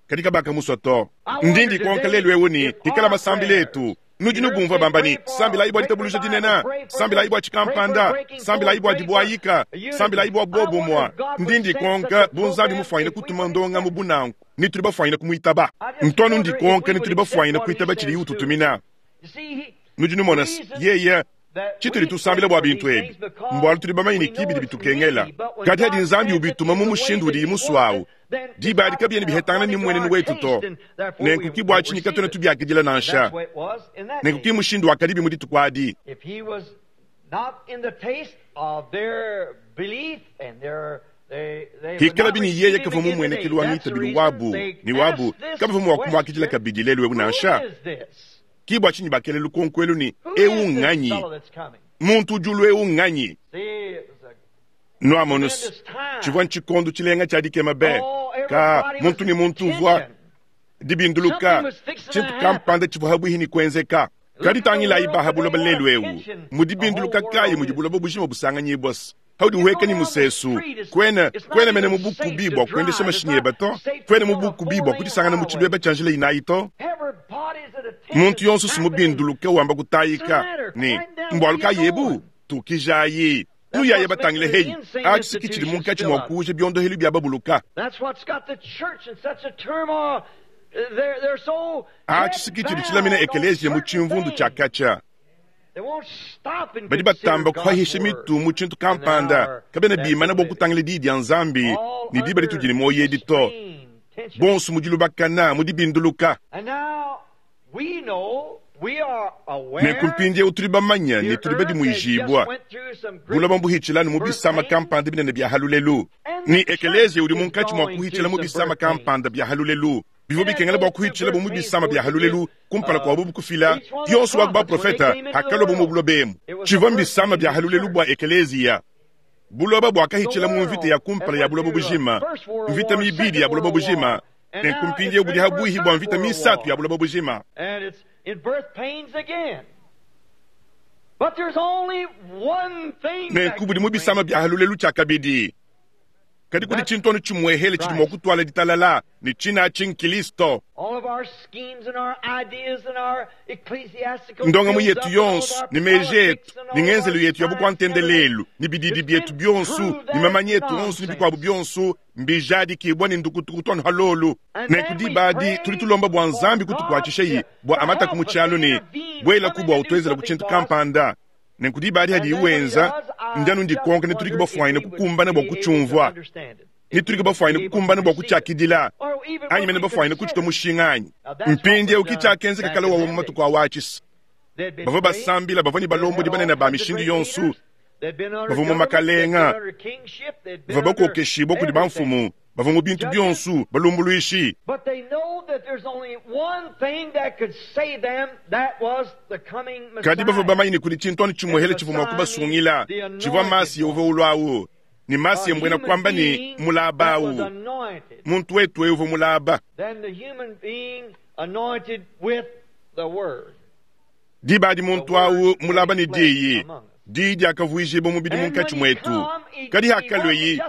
Kadi kabakamusua to. Ndi ndikonka lelu eu ne, Hikala masambila etu, nudi nubumvua bamba ne, Sambilayi bua ditabuluja dinene, sambilayi bua tshikampanda, sambilayi bua dibuayika, sambilayi bua bobumua. Ndi ndikonka bu Nzambi mufuanyine kutuma ndongamu bu nanku, ne tudi bafuanyine kumuitaba. Ntu anu ndikonka ne tudi bafuanyine kuitaba tshidiye ututumina. Nudi numona se, yeye Tshitudi tusambila bua bintu ebi mbualu tudi bamanye ne, ki bidi bitukengela. Kadi hadi Nzambi ubituma mu mushindu udiye musue au, diba adi kabiena bihetangana ne mmuenenu wetu to. Nenku ki bua tshinyi katuena tubiakidila nansha. Nenku ki mushindu wakadibi mu dituku adi. Hikalabi ne yeye kavua mu mmuenekelu wa ngitabilu wabu ne wabu, kabavua mua kumuakidila kabidi lelu'eu nansha. Ki bua tshinyi bakela lukonko elu ne, Eu nnganyi? Muntu udi ulua eu nnganyi? Nuamonu, tshivua ntshikondo tshilenga tshia dikema be! Ka muntu ne muntu uvua dibinduluka, tshintu kampanda tshivua pabuipi ne kuenzeka. Kadi tangilayi ba ha buloba lelu eu, mu dibinduluka kayi mudi buloba bujima busanganyibua? Haudi uhueka ne musesu, kuena, kuena mene mu bukubi bua kuendesha mashinyi eba to, kuena mu bukubi bua kudisangana mu tshibeba tshia njila inayi to. Muntu yonso si mubinduluke wamba kutayika ne, Mbualu kayi ebu? Tukijayi, nuyaye batangile heyi. Atshi si ki tshidi munkatshi mua kuuja biondohelu bia babuluka. Atshi si ki tshidi tshilamina ekeleziya mu tshimvundu tshia katshia. Badi batamba kuhahisha mitu mu tshintu kampanda, kabena bimana bua kutangila Diyi dia Nzambi ne diba ditudi ne muoyo edi to. Bonso mu dilubakana, mu dibinduluka. Nenku mpindieu tudi bamanye ne tudi badimuijibua. Buloba mbuhitshila anu mu bisama kampanda binene bia ha lulelu, ne ekeleziya udi munkatshi mua kuhitshila mu bisama kampanda bia ha lulelu. Bivua bikengela bua kuhitshilabo mu bisama bia ha lulelu kumpala kua bobu kufila yonso wa ku baprofete hakaluabo mu buloba emu. Tshivua mbisama bia ha lulelu bua ekeleziya. Buloba buakahitshila mu mvita ya kumpala ya buloba bujima, mvita mibidi ya buloba bujima, nenku mpindieu budi ha buihi bua mvita misatu ya buloba bujima. Nenku budi mu bisama bia ha lulelu tshiakabidi. Kadi kudi tshintu anu tshimuehele tshidi mua kutuala ditalala, ne tshina atshi n'Kilisto. Ndongamu yetu yonso, ne meji etu, ne ngenzelu yetu ya bukua-ntendelelu, ne bididi bietu bionso, ne mamanya etu onso, ne bikuabu bionso, mbijadikibua ne ndukutukutu anu halolu. Nenku diba adi tudi tulomba bua Nzambi kutukuatshishaye bua amataku mu tshialu ne buelaku bua utuenzelaku tshintu kampanda. Nenku diba adi hadiye wenza, ndi anu ndikonka ne tudi bafuanyine kukumbana bua kutshiumvua, ne tudi bafuanyine kukumbana bua kutshiakidila, anyi mene bafuanyine kutshitua mushinga anyi? Mpindieu ki tshiakenzeka kale wawa mu matuku awa atshisa. Bavua basambila, bavua ne balombodi banene ba mishindu yonso, bavua mu makalenga, bavua bakokeshibua kudi bamfumu, bavua mu bintu bionso balumbuluishi. Kadi bavua bamanye ne kudi tshintu anu tshimuehele tshivua mua kubasungila, tshivua Masiya uvua ulua au. Ne Masiya mbuena kuamba ne mulaba au, muntu wetu eu uvua mulaba. Diba adi muntu au mulaba ne diyi, diyi diakavuijibua mubidi munkatshi muetu. Kadi hakalueyi,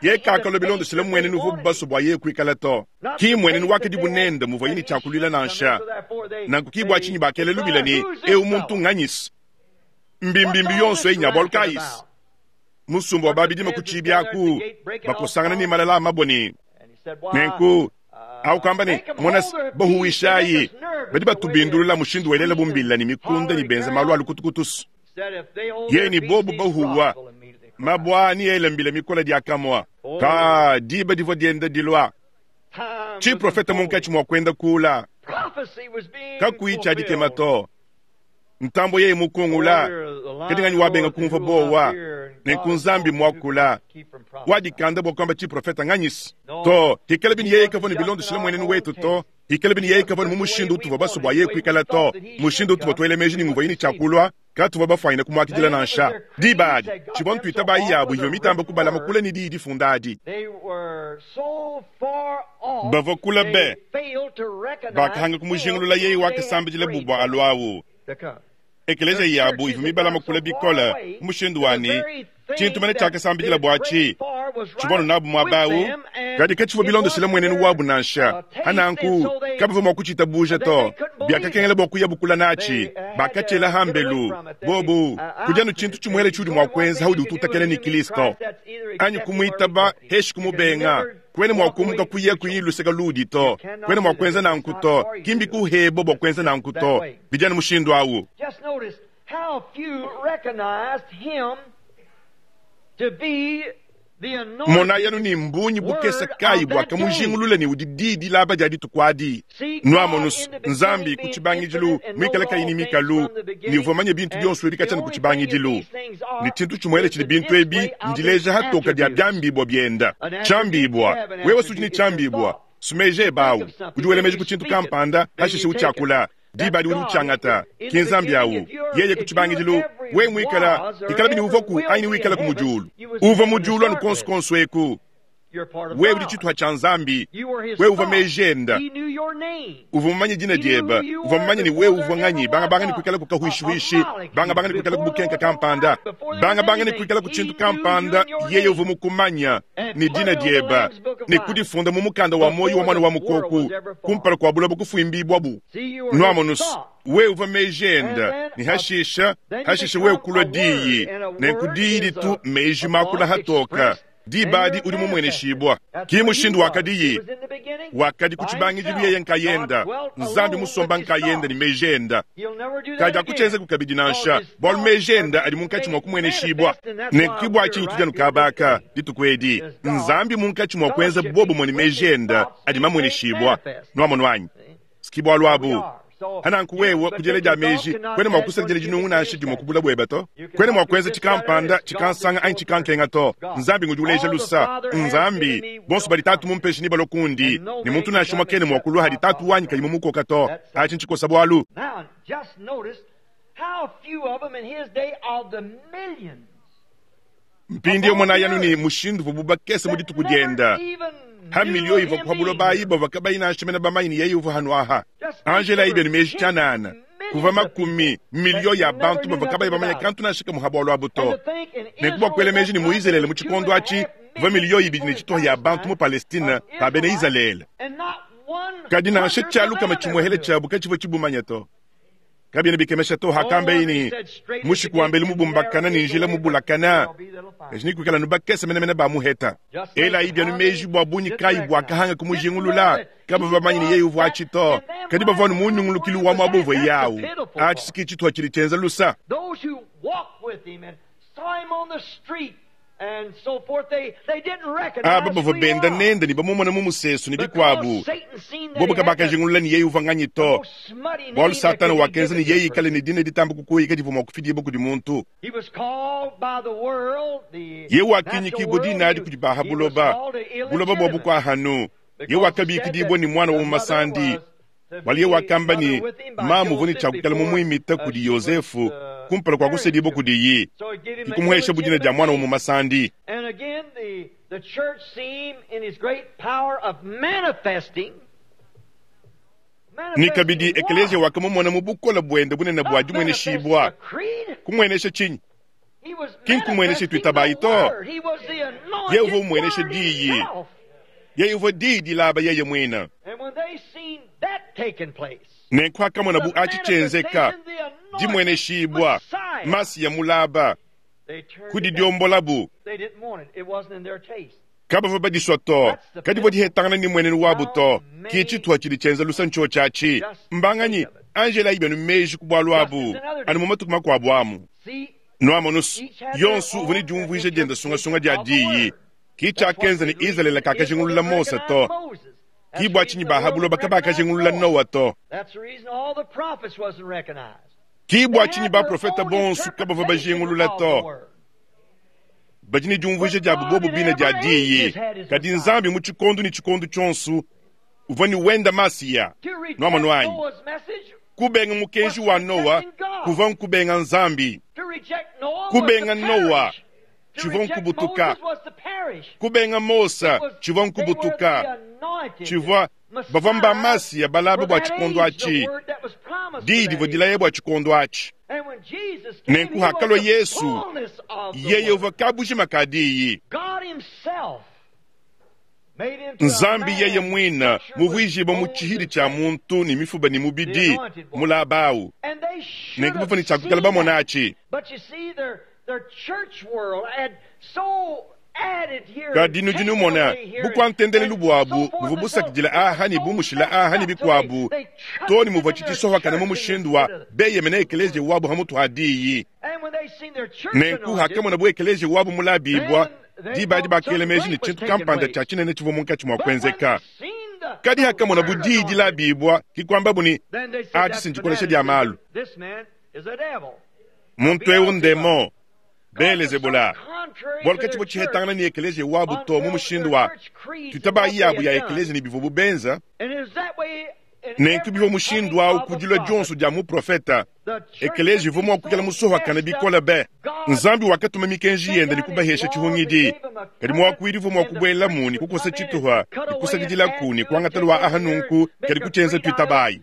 yeye kakalua bilondeshile mmuenenu uvuabu basue bua yeye kuikala to. Ki mmuenenu wakadibu nende muvuaye ne tshia kuluila nansha. Nanku ki bua tshinyi bakela lubila ne, Eu muntu nganyi-se? Mbimbimbi yonso eyi nya bualu kayi-se? Musumba wa ba bidima ku tshiibi aku bakosangana ne malala a mabue ne nenku au kamba ne, Mona, bahuwishayi badi batubindulula mushindu welela bumbila ne mikunda ne benza malu a lukutukutusu. Yeye ne bobu bahuwa mabua ni ela mbila mikola diakamua. Ka diba divua dienda dilua, tshiprofete munkatshi mua kuenda kula, kakuyi tshia dikema to. Ntambue yeye mukungula, kadi nganyi wabenga kumvua buowa? Nenku Nzambi muakula, wadikanda bua kuamba tshiprofete nganyisi to. Hikalabi ne yeye kavua ne bilondeshile mmuenenu wetu to. Hikalabi ne yeye kavua ne mu mushindu utuvua basue bua yeye kuikala to, mushindu utuvua tuela meji ne nguvuaye ne tshia kulua, katuvua bafuanyine kumuakidila nansha. Diba adi, tshivua ntuitabayi yabu ivua mitamba kubalama kule ne diyi difunda adi. Bavua kule be, bakahanga kumujingulula yeye wakasambidila bu bua alu au. Ekeleziya yabu ivua mibalama kule bikole mu mushindu wa ne, Tshintu mene tshiakasambidila buatshi tshivua anu nabu muaba au, kadi katshivua bilondeshile mmuenenu wabu nansha. Pa nanku kabavua mua kutshitabuja to. Biakakengela bua kuya bukula natshi. Bakatshiela hambelu. Bobu, kudi anu tshintu tshimuele tshiudi mua kuenza haudi ututakena ne Kristo, anyi kumuitaba heshi kumubenga. Kuena mua kumuka kuya kuyi luseke luudi to. Kuena mua kuenza nanku to. Ki mbikuhebua bua kuenza nanku to. Bidi anu mushindu au. How few recognized him to be the anointed Monayi anu ne mbungi bukese word kayi of that day. buakamujingulula ne udi diyi dilaba dia dituku adi. See God Nuamonus, in the beginning Nzambi ku being tshibangidilu infinite and muikale knowing kayi ne all things mikalu, from the ne beginning, uvua mumanye bintu and bionso ebi the katshia ne ku only thing that tshibangidilu. these things Ne are tshintu tshimuele is tshidi the bintu ebi display of his ndileja hatoka dia attributes. biambibua bienda. An attribute, you Tshiambibua, have an wewe sudi ne attribute, it's your tshiambibua. thought. Sumeje You think ebawu, of something, udi wela then meji you ku tshintu speak it, kampanda, then pashishe you take it. utshiakula. That's Diba adi udi God. utshiangata. In Ki the Nzambi beginning, awu. if you're, Yeye ku if you tshibangidilu, ever wewe muikala, was or ikala bini ever uvuaku will anyi be in wikala ku heaven, mudiulu. you was in Uvua heaven to mudiulu anu start konso with. konso eku. You're part of Wewe udi God. tshituha tshia Nzambi. You were his Wewe uvua thought. meji enda. He knew your name. Uvua mumanye dina He knew diebe. who you Uvua were mumanye ne before wewe there uvua ever nganyi. Bangabanga ne was kuikala ku a kahuishihuishi. molecule, Bangabanga ne kuikala ku before there bukenka was a kampanda. light, before there was Bangabanga ne anything. kuikala ku He tshintu knew you kampanda. and your Yeye name uvua mukumanya and ne put dina it on the diebe Lamb's Book of ne Life kudifunda mu mukanda wa muoyo before wa mwana the wa world mukoku was ever formed. kumpala kua buloba kufuimbibuabu. See, you were his Nuamonus, thought. wewe uvua meji And enda then, ne hashisha then you hashisha wewe become kulua a word, diyi and a nenku word diyi is ditu a, meji a makula thought hatoka expressed, and diba adi you're udi manifested. mumueneshibua. That's Ki what he mushindu was. He wakadiyi was in the beginning wakadi ku by tshibangidilu himself. yeye God nkayenda dwelt Nzambi alone with musomba his nkayenda ne thought. meji enda. He'll never do that Kadi again. akutshienzeku kabidi Because nansha his bualu thoughts meji are enda adi being munkatshi made mua kumueneshibua. manifest, and that's why Nenku bua we're tshinyi right tudi anu here this kabaka day. dituku edi Is God Nzambi munkatshi mua kuenza fellowshipping bobumue ne with meji his enda thoughts adi being made mamueneshibua. manifest. Nuamonu anyi? See? Siki bualu There we abu. are. So Hananku you wewe but kudiela then dia your thought meji cannot kwena mua add one kusadila cubic dinungu to nansha your dimue stature. kubula bueba to. You Kwena cannot mua do kuenza this, that, or tshikampanda this. God is tshikansanga anyi so perfect. tshikankenga to. God. Nzambi ngudi uleja All the lusa. Father has given Nzambi me bonso will badi tatu come. mumpeshe ni balokundi And no ne man muntu can nansha come mwakene mua except kulua hadi by tatu Father wanyi kayi draw. mumukoka to. That's Achi nchikosa bualu. Now, just notice how few of them in his day of the millions of Mpindi all mwana the yanu ni earth mushindu vububakese mu that dituku never dienda. even Ha knew miliyo of iva him kuha being buloba here. ayi bava kabayi nansha mena bamanyi ni yeye uva hanu aha. Just think Angela there ibe were ni meji 10 tshanana. Kuva millions of people makumi that miliyo ya never bantu knew bava kabayi nothing bamanya about it. kantu nansha kamuha bualu abu And to. to think in Nenku bua Israel kuela at meji that ni mu time there Izalele were mu two tshikondo and a atshi half kuva million miliyo ibidi people ne in tshituha ya bantu mu Palestine Palestina of ba bena Israelites, Izalele. and not Kadi nansha 100th of tshialu kama them ever tshimuehele knew it. tshiabu katshivua tshibumanya to. Kabiena bikemesha to No hakamba wonder he ini said straight is the mushiku gate wa mbelu and narrow mubumbakana ne is the njila way, but few mubulakana. there'll be that'll find it. Kadi kuikala nubakese menemene ba muheta. Just think Ela ibi anu how meji many bua bungi didn't kayi recognize. buakahanga Didn't know kumujingulula. that Kaba he bamanyi ne was yeye uvua that atshi to. and them Kadi right bavua nu there where munyungulukilu he wa was at. muabu uvua That's the yawu. pitiful Atshi part. siki tshituha tshidi tshienza lusa. Those who walked with him and saw him on the street and so forth, they didn't Aba recognize who bavua he benda was. nende ne bamumona mu musesu ne Because bikuabu. Satan seen that Bobo he had the, kabakajingulula ne yeye uvua nganyi the to. most smutty Bualu name that Satana could be wakenza given ne to a yeye ikale person. ne dina ditamba kukuika divua mua kufidibua kudi muntu. He was called by the world, the Ye natural wakinyikibwa world, dina adi he, kudi baha he was buloba. called an Buloba bua illegitimate bukua hanu. Ye because he said wakabikidibwa that ni mwana wa the mother mumasandi. was to Waliye be wakamba mother ni with him by mamu uvua ne Joseph tshiakukala before mumuimita kudi she was Yosefu kumpala kua married kusedibua to him. kudiyi. So he gave him an Kikumuhesha budina dia illegitimate mwana wa name. mumasandi. And again, the church seen him in his great power of manifesting. Ni kabidi Manifesting ekeleziya what? wakamumona mu bukola buende bunene bua Not manifesting a dimueneshibua. creed. Kumuenesha tshinyi? He was Ki nkumuenesha manifesting the tuitabayi to. Word. He was the Ye uvua anointed umuenesha Word diyi. himself. Ye uvua diyi dilaba yeye muina. And when they seen that taking place, Nenku akamona the bu achi tshienzeka manifestation, the anointed dimueneshibua Messiah, masiya mulaba they turned kudi it down. diombolabu They didn't want it. It wasn't in their taste. kabavua badisua to That's the kadi bua pitiful. dihetangana ne muenenu wabu How to ki many tshituha tshidi tshienza lusa ntsho tshiatshi just think mbanganyi of it. angela ibenu meji ku bualu Just abu as another anu day. mu matuku makuabu amu See, nuamonusu each had their yonsu uvua ne own diumvuija dienda sungasunga interpretation dia of the diyi word. ki That's what tshiakenza the ne Izalele reason Israel kakajingulula didn't Mose recognize to Moses. ki That's bua the tshinyi reason the baha world buloba didn't recognize kabakajingulula Noah. Noa to That's the reason all the prophets wasn't recognized. ki They bua tshinyi had their baprofeta own bonso kabavua interpretation bajingulula of the to word. badi ne diumvuija But diabu God bobu in bina dia every age diyi has had his kadi Messiah. Nzambi mu tshikondo ne tshikondo tshionso uvua ne wenda masiya To reject nuamonu anyi Noah's message kubenga was mukenji wa Noa rejecting God. kuvua nkubenga Nzambi To reject Noah was to kubenga Noa perish. To tshivua reject nkubutuka Moses was to perish. kubenga Mosa It was tshivua they were the nkubutuka anointed tshivua bavua mba Messiah masiya balaba for bua that tshikondo age, the atshi word that was promised for diyi that divua age. dilaya bua tshikondo atshi And when Nenku hakalua Yesu, yeye uvua kabujima ka diyi. Nzambi yeye muine muvuijibue mu tshihidi tshia muntu ne mifuba ne mubidi mulaba awu. Nenku bavua ne tshia kuikala bamona atshi. Kadi nudi numona, bukua-ntendelelu buabu buvua busakidila aha ne bumushila aha ne bikuabu, too ne muvua tshitshisohakana mu mushindu wa beyemena ekeleziya wabu hamutu ha diyi. Nenku hakamonabu ekeleziya wabu mulabibua, diba adi bakela meji ne tshintu kampanda tshia tshinene tshivua munkatshi mua kuenzeka. Kadi hakamonabu diyi dilabibua, ke kuambabu ne, Atshi si ndikolesha dia malu. Muntu eu ndemon, Beelezebula, bualu katshivua tshihetangana ne ekeleziya wabu to mu mushindu wa tuitabayi yabu ya ekeleziya ne bivuabu benza. Nenku bivua mushindu au ku dilua dionso dia muprofeta, ekeleziya uvua mua kuikala musohakane bikole be. Nzambi wakatuma mikenji yende ne kubahesha tshihungidi, kadi muakuidi uvua mua kubuelamu ne kukosa tshituha ne kusakidilaku ne kuangata lua aha nunku, kadi kutshienza tuitabayi.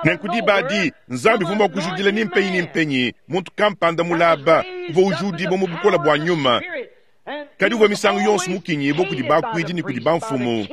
Nenku diba adi, Nzambi uvua mua kujudila ni mpenyi ni mpenyi muntu kampanda mulaba uvua ujudibua mu bukole bua nyuma, kadi uvua misangu yonso mukinyibue kudi bakuidi ne kudi bamfumu.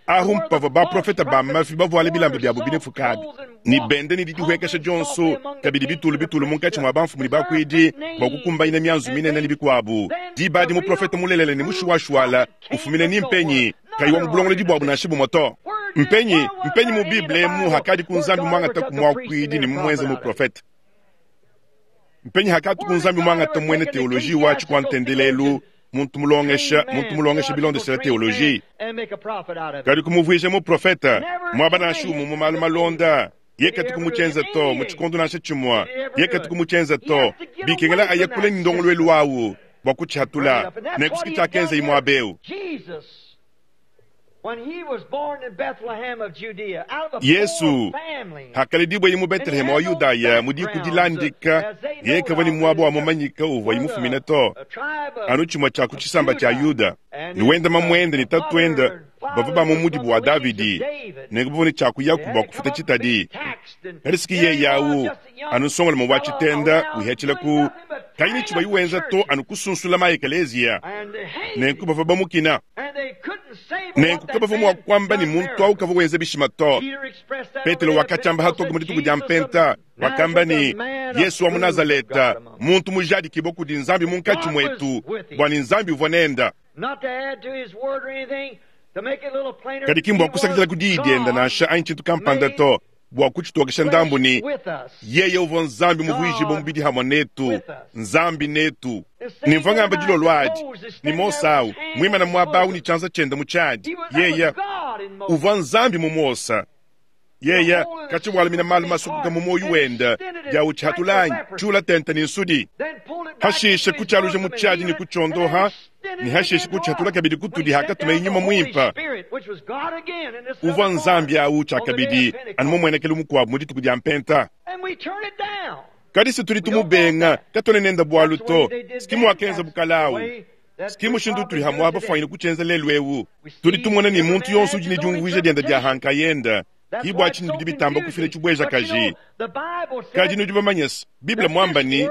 Ahu mpavua baprofete ba mafi bavuale bilamba biabu binefuka abi ne benda ne didihuekesha dionso, kabidi bitulu bitulu munkatshi mua bamfumu ne bakuidi bua kukumbanyina mianzu minene ne bikuabu. Diba adi muprofete mulelela ne mushuwashuwala ufumina ni mpenyi, kayi wa mu bulongolodi buabu nansha bumue to. Mpenyi, mpenyi mu Bible emu hakadi ku Nzambi muangata ku muakuidi ne mumuenze muprofete? Mpenyi hakatu ku Nzambi muangata muena teoloji wa tshikua ntendelelu, muntu mulongesha, muntu mulongesha bilondeshela teoloji, kadi kumuvuija muprofete? Muaba nansha umue mu malu malonda, ye katu kumutshienza to, mu tshikondo nansha tshimue, ye katu kumutshienza to. Bikengela aye kule ne ndongoluelu wawu bua kutshihatula. Nenku siki tshiakenzayi muaba eu. Yesu hakaledibueye mu Beteleheme wa Yudaya mu diku dilandika, yeye kavua ne muaba wa mumanyika uvuaye mufumine to, anu tshimue tshia ku tshisamba tshia Yuda. Ne wenda mamuende ne tatuende bavua ba mu mudibu wa Davidi, nenku bavua ne tshia kuyaku bua kufuta tshitadi. Kadi siki yeye au anu nsongalume wa tshitenda uhetshila ku kayi ne tshivuaye wenza to anu kusunsula ma ekeleziya, nenku bavua bamukina. Nenku kabavua mua kuamba ne muntu au kavua wenza bishima to. Petelo wakatshiamba hatoke mu dituku dia Mpenta, wakamba ne, Yesu wa mu Nazaleta, muntu mujadikibue kudi Nzambi munkatshi muetu, bua ne Nzambi uvua nenda. Kadi ki mbua kusakidila ku diyi dienda nansha anyi tshintu kampanda to, bua kutshitokesha ndambu ne, yeye uvua Nzambi muvuijibue mubidi hamue netu, Nzambi netu. Ne mvua ngamba dilolo adi ne Mose au muimane muaba au ne tshianza tshiende mu tshiadi, yeye uvua Nzambi mu Mose. Yeye katshivualamina malu masukuka mu muoyo wende dia utshihatula anyi tshiula tente ne nsudi, hashishe kutshialuja mu tshiadi ne kutshiondoha, ne hashishe kutshihatula kabidi kutudi hakatumeye Nyuma Muimpe. Uvua Nzambi au tshiakabidi anu mumuenekelu mukuabu mu dituku dia Mpenta. Kadi se tudi tumubenga, katuena nende bualu to. Siki muakenza bukala au. Siki mushindu utudi hamuaba fuanyine kutshienza lelu eu. Tudi tumona ne muntu yonso udi ne diumvuija diende dia ha nkayende. Ki bua tshinyi bidi bitamba kufila tshibuejakaji. Kadi nudi bamanye se, Bible muamba ne,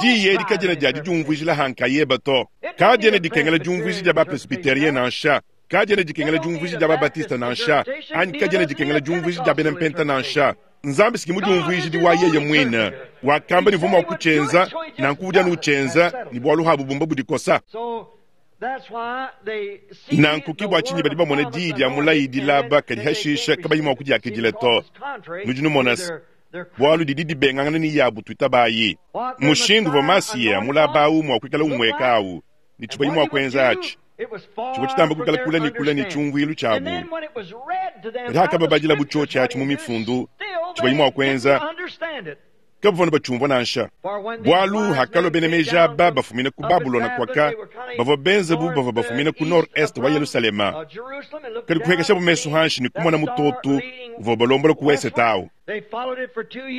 Diyi edi kadiena dia didiumvuijila ha nkayeba to. Kadiena dikengela diumvuija dia ba-presbyterien nansha. Kadiena dikengela diumvuija dia ba-batiste nansha. Anyi kadiena dikengela diumvuija dia bena mpenta nansha. Nzambi siki mudiumvuijidi wa yeye muine. Wakamba ne uvua mua kutshienza, nanku udi anu utshienza, ne bualu habu bumba budikosa. Nanku ke bua tshinyi badi bamona diyi dia mulayi dilaba kadi hashishe kabayi mua kudiakidila to. Nudi numona se, bualu didi dibengangana ne yabu tuitabayi. Mushindu uvua Masiya mulaba au mua kuikala umueka au ne tshivuaye mua kuenza atshi tshivua tshitamba kuikala kule ne kule ne tshiumvuilu tshiabu. Kadi hakababadilabu tshiotshi atshi mu mifundu, tshivuaye mua kuenza, kabavua batshiumvua nansha. Bualu hakalua bena meji aba bafumina ku Babulona kuaka, bavua benze bu bavua bafumina ku nord-est wa Yelushalema, kadi kupuekeshabu mesu hanshi ne kumona mutotu uvua ubalombola ku wesete au.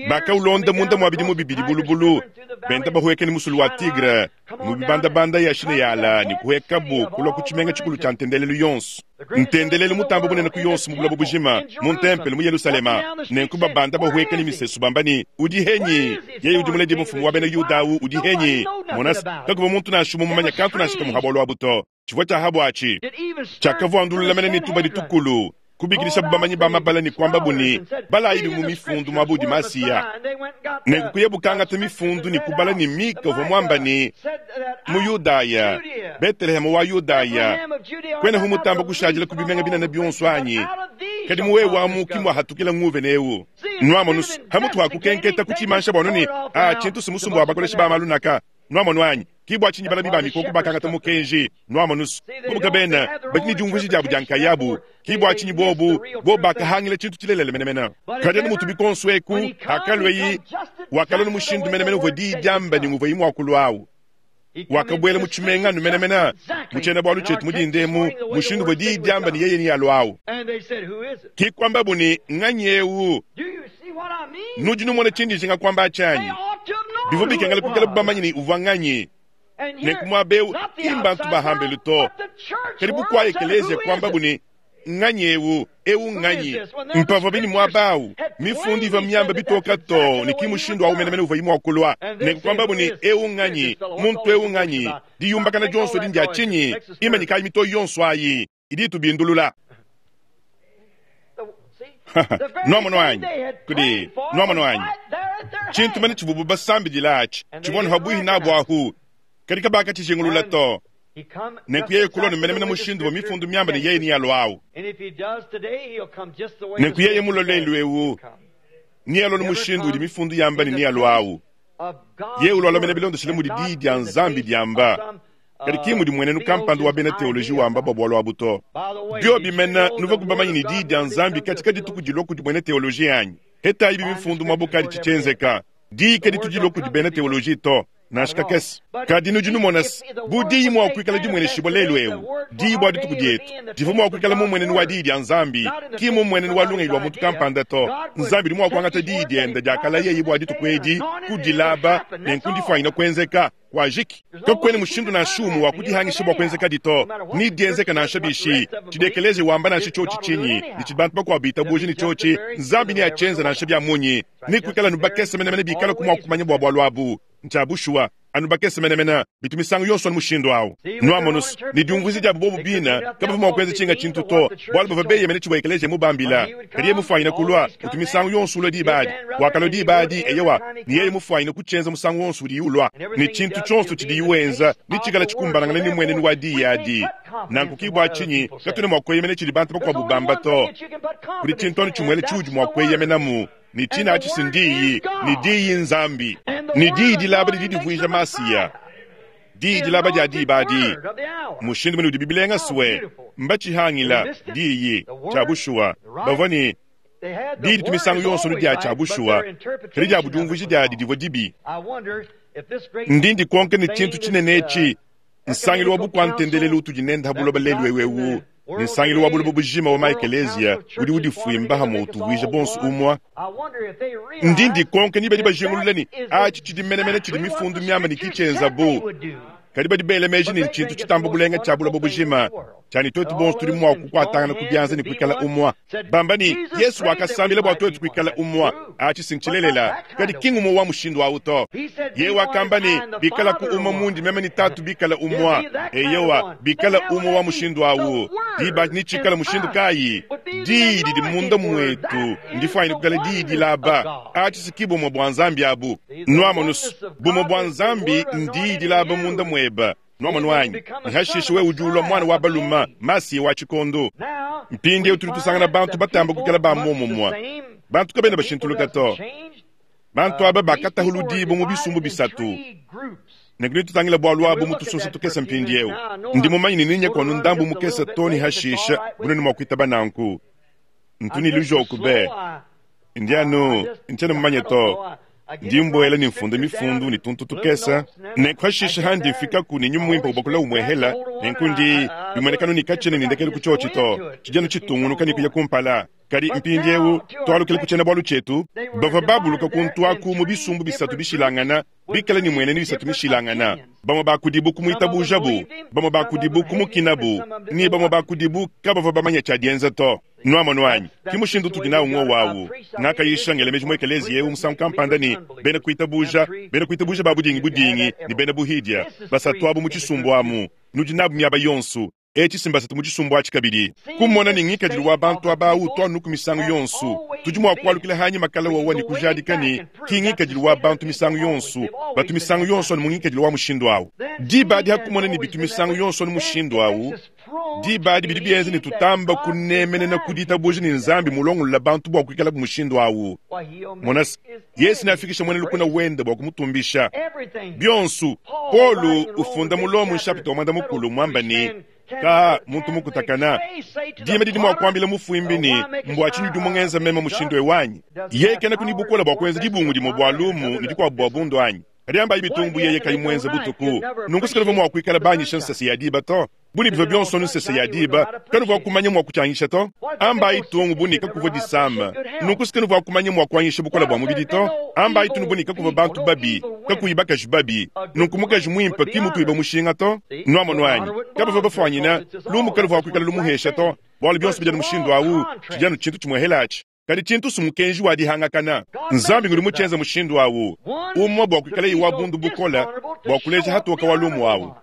Bakaulonda munda mua bidimu bibidi bulubulu, benda bahueka ne musulu wa Tigre mu bibandabanda ya Shineyala ne kuhuekabu kulua ku tshimenga tshikulu tshia ntendelelu yonso, ntendelelu mutambe bunene ku yonso mu buloba bujima, mu ntempelo mu Yelushalema. Nenku babanda bahueka ne misesu bamba ne, Udi henyi? Yeye udi muledi mfumu wa bena Yuda awu udi henyi? Mona, kakuvua muntu nansha umue mumanye kantu nansha kamue ha bualu abu to. Tshivua tshia ha buatshi tshiakavuandulula mene ne tubadi tukulu, kubikidishabu bamanyi ba mabala ne kuambabu ne, Balayi mu mifundu muaba udi Masiya. Nenku kuyabu kangata mifundu ne kubala ne Mika uvua muamba ne, Mu Yudaya, Beteleheme wa Yudaya, kuenahu mutamba kushadila ku bimenga binene bionso anyi? Kadi mu wewe amu ki muahatukila nguvene eu. Nuamonu, hamutu ha kukenketa kutshimansha buanu ne, A tshintu si musumba wa bakoleshi ba malu naka. Nuamonu anyi? Ki bua tshinyi balami ba mikoko bakangata mukenji. Nuamonu, bobu kabena badi ne diumvuija diabu dia nkayabu. Ki bua tshinyi bobu, bobu bakahangila tshintu tshilelela menemene. Kadi anu mutu bikonso eku, hakalueyi, wakalua ne mushindu menemene uvua diyi diamba ne nguvuayi mua kulua awu. Wakabuela mu tshimenga anu menemene mu tshiena-bualu tshietu mu dinda emu, mushindu uvua diyi diamba ne yeye nealue awu. Ki kuambabu ne, Nganyi eu? Nudi numona tshindi njinga kuamba atshi anyi? Bivua bikengela kuikala bamanye ne uvua nganyi. Nenku muaba eu ki mbantu ba hambelu to, kadi bukua ekeleziya kuambabu ne, Nganyi eu? Eu nganyi? Mpavua bini muaba au, mifundu ivua miamba bitoka too ne ki mushindu au menemene uvuayi mua kulua. Nenku kuambabu ne, Eu nganyi? Muntu eu nganyi? Diyumbakana dionso edi ndia tshinyi? Imanyikayi mitoyi yonso ayi idi itubindulula. Nuamonu anyi? Kudi, nuamonu anyi? Tshintu mene tshivuabu basambidila atshi tshivua anu pabuihi nabu ahu, kadi kabakatshijingulula to. Nenku yeye kulua ne menemene mushindu uvua mifundu miamba ne yeye nealua awu. Nenku yeye mulue lelu eu, nealue ne mushindu udi mifundu yamba ne nealua awu. Yeye ulua mene bilondeshile mudi Diyi dia Nzambi diamba, kadi ki mudi mmuenenu kampanda wa bena teoloji wamba bua bualu abu to. Biobi mene, nuvuaku bamanye ne Diyi dia Nzambi katshi kadituku dilua kudi muena teoloji anyi? Hetayi bi mifundu muabu kadi tshitshienzeka. Diyi kaditu dilua kudi bena teoloji to, nansha kakese. Kadi nudi numona se, bu Diyi mua kuikala dimueneshibua lelu'eu, Diyi bua dituku dietu, divua mua kuikala mu mmuenenu wa Diyi dia Nzambi, ki mmu mmuenenu wa lungenyi lua muntu kampanda to. Nzambi udi mua kuangata Diyi diende diakalayeye bua dituku edi, kudilaba, nenku ndifuanyine kuenzeka. Kuajiki. Kakuena mushindu nansha umue wa kudihangisha bua kuenzekadi to. Nedienzeke nansha bishi. Tshidi ekeleziya wamba nansha tshiotshi tshinyi, ne tshidi bantu bakuabu bitabuja ne tshiotshi, Nzambi neatshienze nansha bia munyi. Nekuikale anu bakese menemene bikalaku mua kumanya bua bualu abu. Ntshia bushuwa, anu bakese menemene. Bitu misangu yonso anu mushindu au. Nuamonus, ne diumvuija diabu bobu bine, kabavua mua kuenza tshinga tshintu to, bualu bavua beyemene tshivua ekeleziya mubambila. Kadi yeye mufuanyine kulua, utu misangu yonso ulua diba adi. Wakalua diba adi, eyowa, ne yeye mufuanyine kutshienza musangu wonso udiye ulua. Ne tshintu tshionso tshidiye wenza netshikale tshikumbanangane ne mmuenenu wa diyi adi. Nanku ke bua tshinyi katuena mua kueyemena tshidi bantu bakuabu bamba to. Kudi tshintu anu tshimuele tshiudi mua kueyemenamu, ne tshine atshi si n'Diyi, ne Diyi n'Nzambi. Ne Diyi dilaba didi divuija Masiya. Diyi dilaba dia diba adi, mushindu mene udibi bilenga swe, mbatshihangila Diyi. Tshia bushuwa, bavua ne Diyi ditu misangu yonso anu dia tshia bushuwa, kadi diabu diumvuija diadi divua dibi. Ndi ndikonka ne tshintu tshinene etshi, nsangilu wa bukua-ntendelelu utudi nende ha buloba lelu'eu eu, ne nsangilu wa buloba bujima wa ma-ekeleziya udi udifuimba hamue utuvuija bonso umue. Ndi ndikonka ni badi bajingulula ne atshi tshidi menemene tshidi mifundu miamba ne ki tshienzabu, kadi badi bela meji ne ntshintu tshitamba bulenga tshia buloba bujima tshia ne tuetu bonso tudi mua kukuatangana ku bianza ne kuikala umue. Bamba ne, Yesu wakasambila bua tuetu kuikala umue. Atshi si ntshilelela, kadi ki ngumue wa mushindu au to. Yeye wakamba ne, Bikalaku umue mundi meme ne Tatu bikale umue. Eyowa, bikala umue wa mushindu au, diba adi netshikale mushindu kayi? Diyi didi munda muetu ndifuanyine kuikala diyi dilaba. Atshi si ki bumue bua Nzambi abu. Nuamonus, bumue bua Nzambi ndiyi dilaba munda muebe. Nuamonu anyi? Ne hashishe wewe udi ulua muana wa balume, Masiya wa tshikondo. Mpindieu tudi tusangana bantu batamba kuikala ba muomumue. Bantu kabena bashintuluka to. Bantu aba bakatahuludibua mu bisumbu bisatu. Nenku netutangile bualu abu mu tusosa tukese mpindieu. Ndi mumanye ne nenye anu ndambu mukese to ne hashishe, bunene mua kuitaba nanku. Ntu ne lujoku be. Ndi anu, ntshiena mumanye to. Ndi mbuela ne mfunda mifundu ne tuntu tukese, nenku hashishe handi mfikaku ne Nyuma Muimpe ubakula umuehela, nenku ndi bimueneka anu ne katshiena ne ndekelu ku tshiotshi to, tshidi anu tshitungunuka ne kuya kumpala. Kadi mpindieu tualukile ku tshiena-bualu tshietu. Bavua babuluka kuntu aku mu bisumbu bisatu bishilangana, bikale ne mmuenenu isatu mishilangana. Bamue ba kudibu kumuitabujabu, bamue ba kudibu kumukinabu, ne bamue ba kudibu kabavua bamanye tshia dienza to. Nuamonu anyi? Ke mushindu utudi nawu ng'wowu awu. Ngakayisha ngela meji mu ekeleziya eu musangu kampanda ne, bena kuitabuja, bena kuitabuja ba budingibudingi ne bena buhidia, basatu abu mu tshisumbu amu, nudi nabu miaba yonso. Etshi si mbasatu mu tshisumbu atshi kabidi. Kumona ne ngikadilu wa bantu aba utu anuku misangu yonso, tudi mua kualukila hanyima kala wowa ne kujadika ne, ki ngikadilu wa bantu misangu yonso, batu misangu yonso anu mu ngikadilu wa mushindu awu. Diba adi ha kumona ne bitu misangu yonso anu mushindu awu, diba adi bidi bienza ne tutamba kunemenena ku ditabuja ne Nzambi mulongolola bantu bua kuikalabu mushindu awu. Mona se, Yesu neafikishe muena lukuna wende bua kumutumbisha. Bionso, Paulo ufunda mu Lomo nshapita wa muanda mukulu muamba ne, Ka muntu mukutakana, dima didi mua kuambila mufuimbi ne, mbua tshinyi udi mungenza meme mushindu eu anyi? Yeye kenaku ne bukole bua kuenza dibungu dimue bua lumu ne dikuabu bua bundu anyi? Kadi ambayi bitungu bu yeye kayi muenze butuku, nunku sikanuvua mua kuikala banyisha nsese ya diba to. Bu ne bivua bionso anu nsese ya diba, kanuvua kumanya mua kutshianyisha to. Ambayi tungu bu ne kakuvua disama, nunku sikanuvua kumanya mua kuanyisha bukole bua mubidi to. Ambayi tunu bu ne kakuvua bantu babi, kakuyi bakaji babi, nunku mukaji muimpe ki mutuiba mushinga to. Nuamonu anyi? Kabavua bafuanyina, lumu kaluvua kuikala lumuhesha to, bualu bionso bidi anu mushindu au, tshidi anu tshintu tshimuehela atshi. Kadi tshintu si mukenji wa dihangakana. Nzambi ngudi mutshienza mushindu au, umue bua kuikalaye wa bundu bukole bua kuleja hatoka wa lumu au,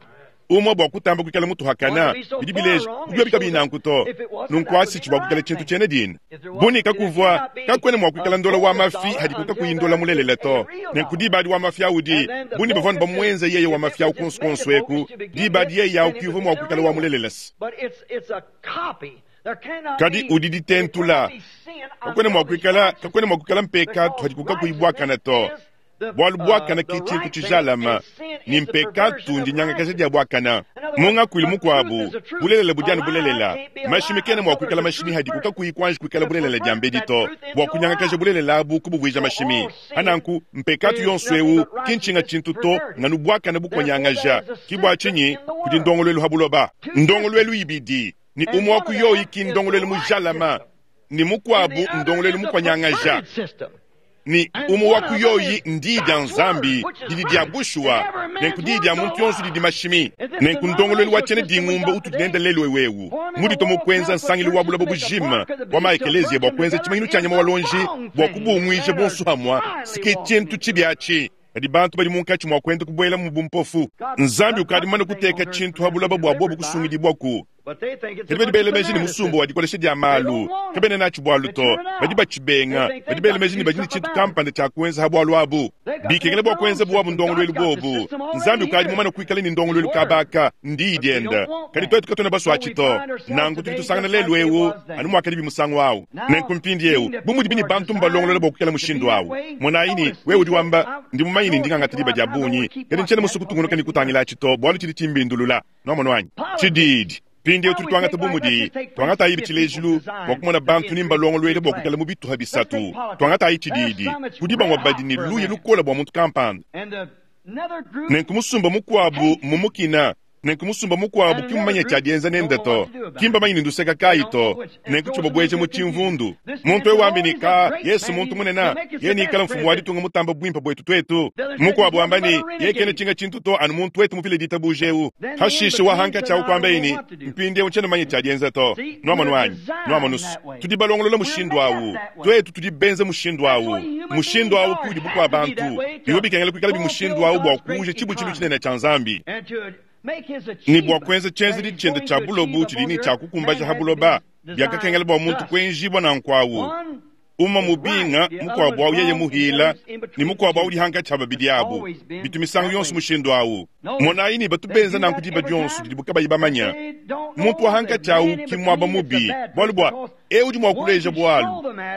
umue bua kutamba kuikala mutuhakana. Bidi bileja bu biobi kabiyi nanku to, nunku asitshi bua kuikala tshintu tshiena dina. Bu ne kakuvua, kakuena mua kuikala ndola wa mafi hadiku kakuyi ndola mulelela to. Nenku diba adi wa mafi au di, bu ne bavua anu bamuenza yeye wa mafi au kuonso kuonso eku, diba adi yeye au ki uvua mua kuikala wa mulelela se. Kadi udi ditentula. Kakuena mua kuikala, kakuena mua kuikala mpekatu hadiku kakuyi buakane to, bualu buakane ke tshintu tshijalama, ne mpekatu ndinyangakaja dia buakane. Mu ngakuilu mukuabu, bulelela budi anu bulelela. Mashimi kena mua kuikala mashimi hadiku kakuyi kuanji kuikala bulelela diambedi to, bua kunyangakaja bulelela abu kubuvuija mashimi. Pa nanku, mpekatu yonso eu ki ntshinga tshintu to, nganu buakane bukonyangaja. Ki bua tshinyi kudi ndongoluelu ha buloba. Ndongoluelu ibidi, ne umue wa ku yoyi ki ndongoluelu mujalama, ne mukuabu ndongoluelu mukonyangaja. Ne umue wa ku yoyi ndiyi dia Nzambi, didi dia bushuwa, nenku diyi dia muntu yonso didi mashimi. Nenku ndongoluelu wa tshiena dingumba utudi nende lelu eu muditua mu kuenza nsangilu wa buloba bujima wa ma-ekeleziya bua kuenza tshimanyinu tshia nyama wa luonji bua kubunguija bonso hamua, si ke tshintu tshibi atshi. Kadi bantu badi munkatshi mua kuenda kubuela mu bumpofu. Nzambi ukadi mumane kuteka tshintu ha buloba bua bobo kusungidibuaku. Kadi badi bela meji ne musumba wa dikolesha dia malu kabena natshi bualu to, badi batshibenga. Badi bela meji ne badi ne tshintu kampanda tshia kuenza ha bualu abu. Bikengela bua kuenza buabu ndongoluelu bobu. Nzambi ukadi mumane kuikala ne ndongoluelu kaba aka, ndiyi diende. Kadi tuetu katuena basue to. Nanku tudi tusangana lelu eu anu muakadibi musangu au. Nenku mpindieu, bu mudibi ne bantu mbalongolola bua kuikala mushindu au, monayi ne, wewe udi wamba, Ndi mumanye ne ndi ngangata diba dia bungi, kadi ntshiena musue kutungunuka ne kutangila atshi to, bualu tshidi tshimbindulula. Nuamonu anyi? Tshididi. Mpindieu tudi tuangata bu mudi, tuangatayibi tshilejilu bua kumona bantu ni mbalongoluele bua kuikala mu bituha bisatu. Tuangatayi tshididi. Kudi bamue badi ne luya lukole bua muntu kampanda. Nenku musumba mukuabu mmumukina. Nenku musumba mukuabu ki mmumanye tshia dienza nende to. Ki mbamanye ne nduseka kayi to. Nenku tshibabueja mu tshimvundu. Muntu eu wambi ne, Ka, Yesu muntu munene, yeye neikale mfumu wa ditunga mutambe buimpe buetu tuetu. Mukuabu wamba ne, Yeye kena tshinga tshintu to, anu muntu wetu mupile ditabuja eu. Hashishe wa hankatshi au kuambaye ne, Mpindieu ntshiena mumanye tshia dienza to. Nuamonu anyi? Nuamonu's, tudi balongolola mushindu au. Tuetu tudi benze mushindu au. Mushindu au ke udi bukua-bantu. Bivua bikengela kuikalabi mushindu au bua kuuja tshibutshilu tshinene tshia Nzambi ne bua kuenza tshienzedi tshiende tshia bulobo tshidi ne tshia kukumbaja ha buloba. Biakakengela bua muntu kuenjibua nanku au, umue mubinga, mukuabu au yeye muhila, ne mukuabu au udi hankatshi ha babidi abu. Bitu misangu yonso mushindu au. Monayi ne, batu benza nanku diba dionso didibu kabayi bamanya. Muntu wa hankatshi au ki muaba mubi, bualu bua eu udi mua kuleja bualu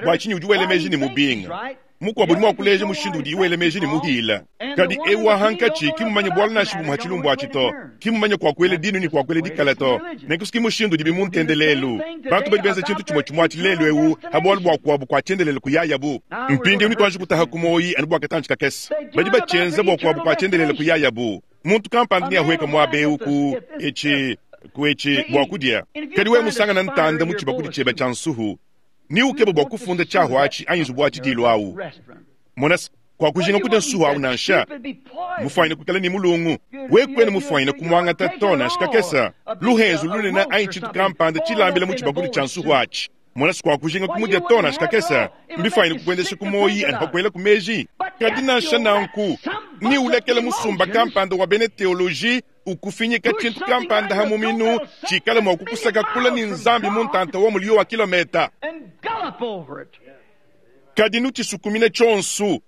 bua tshinyi udi wela meji ne mubinga. Mukuabu udi mua kuleja mushindu udiye wela meji ne muhila. Kadi eu wa hankatshi ki mumanye bualu nansha bumue ha tshilumbu atshi to, ki mumanye kua kuela dinu ne kua kuela dikala to. Nenku ki mushindu udibi mu ntendelelu. Bantu badi benza tshintu tshimue tshimue atshi lelu eu ha bualu bua kuabu kua tshiendelele kuyayabu. Mpindieu netuanji kutaha ku muoyi anu bua katantshi kakese. Badi batshienza bua kuabu kua tshiendelele kuyayabu. Muntu kampanda neahueke muaba eu ku etshi ku etshi bua kudia. Kadi wewe musangana ntanda mu tshibakudi tshiebe tshia nsuhu. Ni ukeba bua kufunda tshiahu atshi anyi nzubu wa tshidiilu awu. Mona se, kuakujinga kudia nsuhu awu nansha. Mufuanyine kuikala ne mulungu, wewe kuena mufuanyine kumuangata to nansha kakese. Luhenzu lunene anyi tshintu kampanda tshilambila mu tshibakudi tshia nsuhu atshi. Mona se, kuakujinga kumudia to nansha kakese. Mbifuanyine kukuendesha ku muoyi anyi pa kuelaku meji. Kadi nansha nanku, ni ulekela musumba kampanda wa bena teoloji ukufinyika tshintu kampanda ha muminu tshikale mua kukusaka kule ne Nzambi mu ntanta wa muliyo wa kilometa. Kadi nutshisukumine tshionso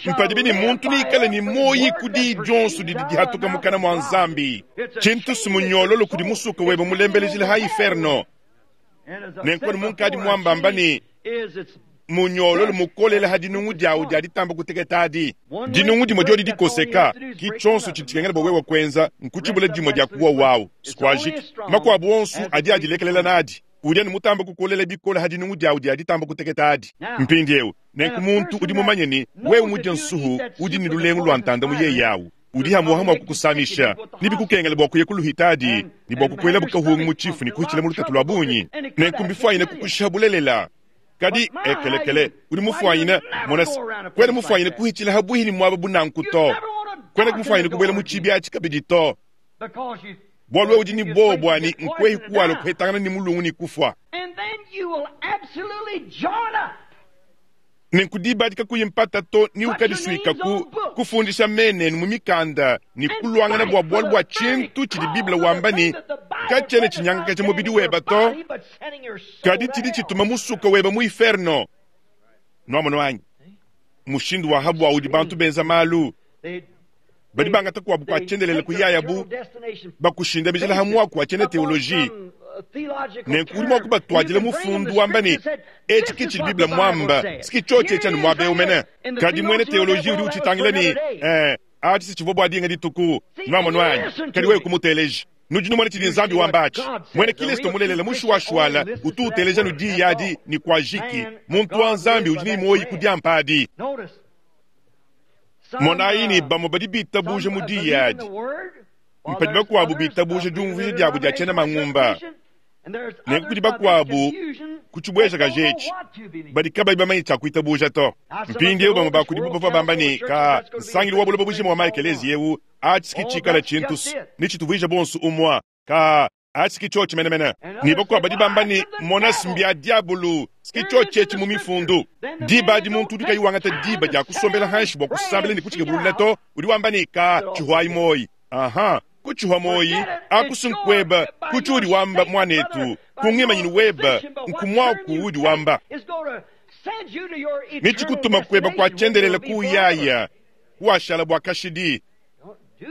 mpadibi ne muntu neikale ne muoyi ku diyi dionso didi dihatuka mukana mua Nzambi. Tshintu si munyololo kudi musuka webe mulembelejile ha iferno. Nenku anu munkadi muambamba ne, Munyololo mukolela ha dinungu diawu dia ditamba kuteketa adi. Dinungu dimue diodi dikoseka, ki tshionso tshidi tshikengela bua wewe kuenza nkutshibula dimue dia ku wowu awu. Sikuajiki. Makuabu onso adi adilekelela nadi. Udi anu mutamba kukolela bikole ha dinungu diawu dia ditamba kuteketa adi. Mpindieu, nenku muntu udi mumanye ne, wewe mudie nsuhu udi ne lulengu lua ntanda mu yeye awu, udi hamuha mua kukusamisha, nebikukengele bua kuya ku luhitadi ne bua kukuelabu kahungu mu tshifu ne kuhitshila mu lutatu lua bungi. Nenku mbifuanyine kukushiha bulelela. Kadi ekelekele, udi mufuanyine, mona se, kuena mufuanyine kuhitshila ha buihi ne muaba bu nanku to. Kuena mufuanyine kubuela mu tshibi atshi kabidi to, bualu wewe udi ne buowa bua ne nkuehi kuwalua kuhetangana ne mulungu ne kufua. Nenku diba adi kakuyi mpata to ne ukadisuikaku kufundisha mena enu mu mikanda ne kuluangana bua bualu bua tshintu tshidi Bible wamba ne, katshiena tshinyangakaja mubidi weba to, kadi tshidi tshituma musuka weba mu iferno. Nuamono anyi? Mushindu wa ha buawu udi bantu benza malu. Badi bangata kuabu kua tshiendelele kuyayabu bakushindamijila ha muaku wa tshiena teoloji. Nenku udi mua kubatuadila mufundu wamba ne, etshi ke tshidi Bible muamba, si tshiotshi etshi anu muaba eu mene. Kadi muena teoloji udi utshitangila ne, eh, atshi si tshivua bua dinga dituku. Nuamonu anyi? Kadi wewe kumuteleja. Nudi numona tshidi Nzambi wamba atshi. Muena Kilisto mulelela mushuwashuwala utu uteleja nu diyi adi ne kuajiki. Muntu wa Nzambi udi ne muoyi ku diampa adi. Monayi ne, bamue badi bitabuja mu diyi adi, mpadi bakuabu bitabuja diumvuija diabu dia tshiena mangumba. Nenku kudi bakuabu ku tshibuejakaji etshi badi kabayi bamanye tshia kuitabuja to. Mpindieu bamue ba kudibu bavua bamba ne, Ka nsangilu wa buloba bujima wa ma-ekeleziya eu atshi ki tshikala tshintu ne tshituvuija bonso umue. Ka Atshi ki tshiotshi menemene. Ne bakuabu badi bamba ne, Mona, mbia diabulu, ki tshiotshi etshi mu mifundu. Diba adi muntu udi kayi wangata diba dia kusombela hanshi bua kusambila ne kutshikebulula to, udi wamba ne, Ka tshihuayi muoyi. Aha, kutshihua muoyi aku si nkueba ku tshiudi wamba, muanetu, ku ngimanyinu weba, nku muaku uudi wamba. Ne tshikutuma kueba kua tshiendelele kuuyaya, kuwashala bua kashidi.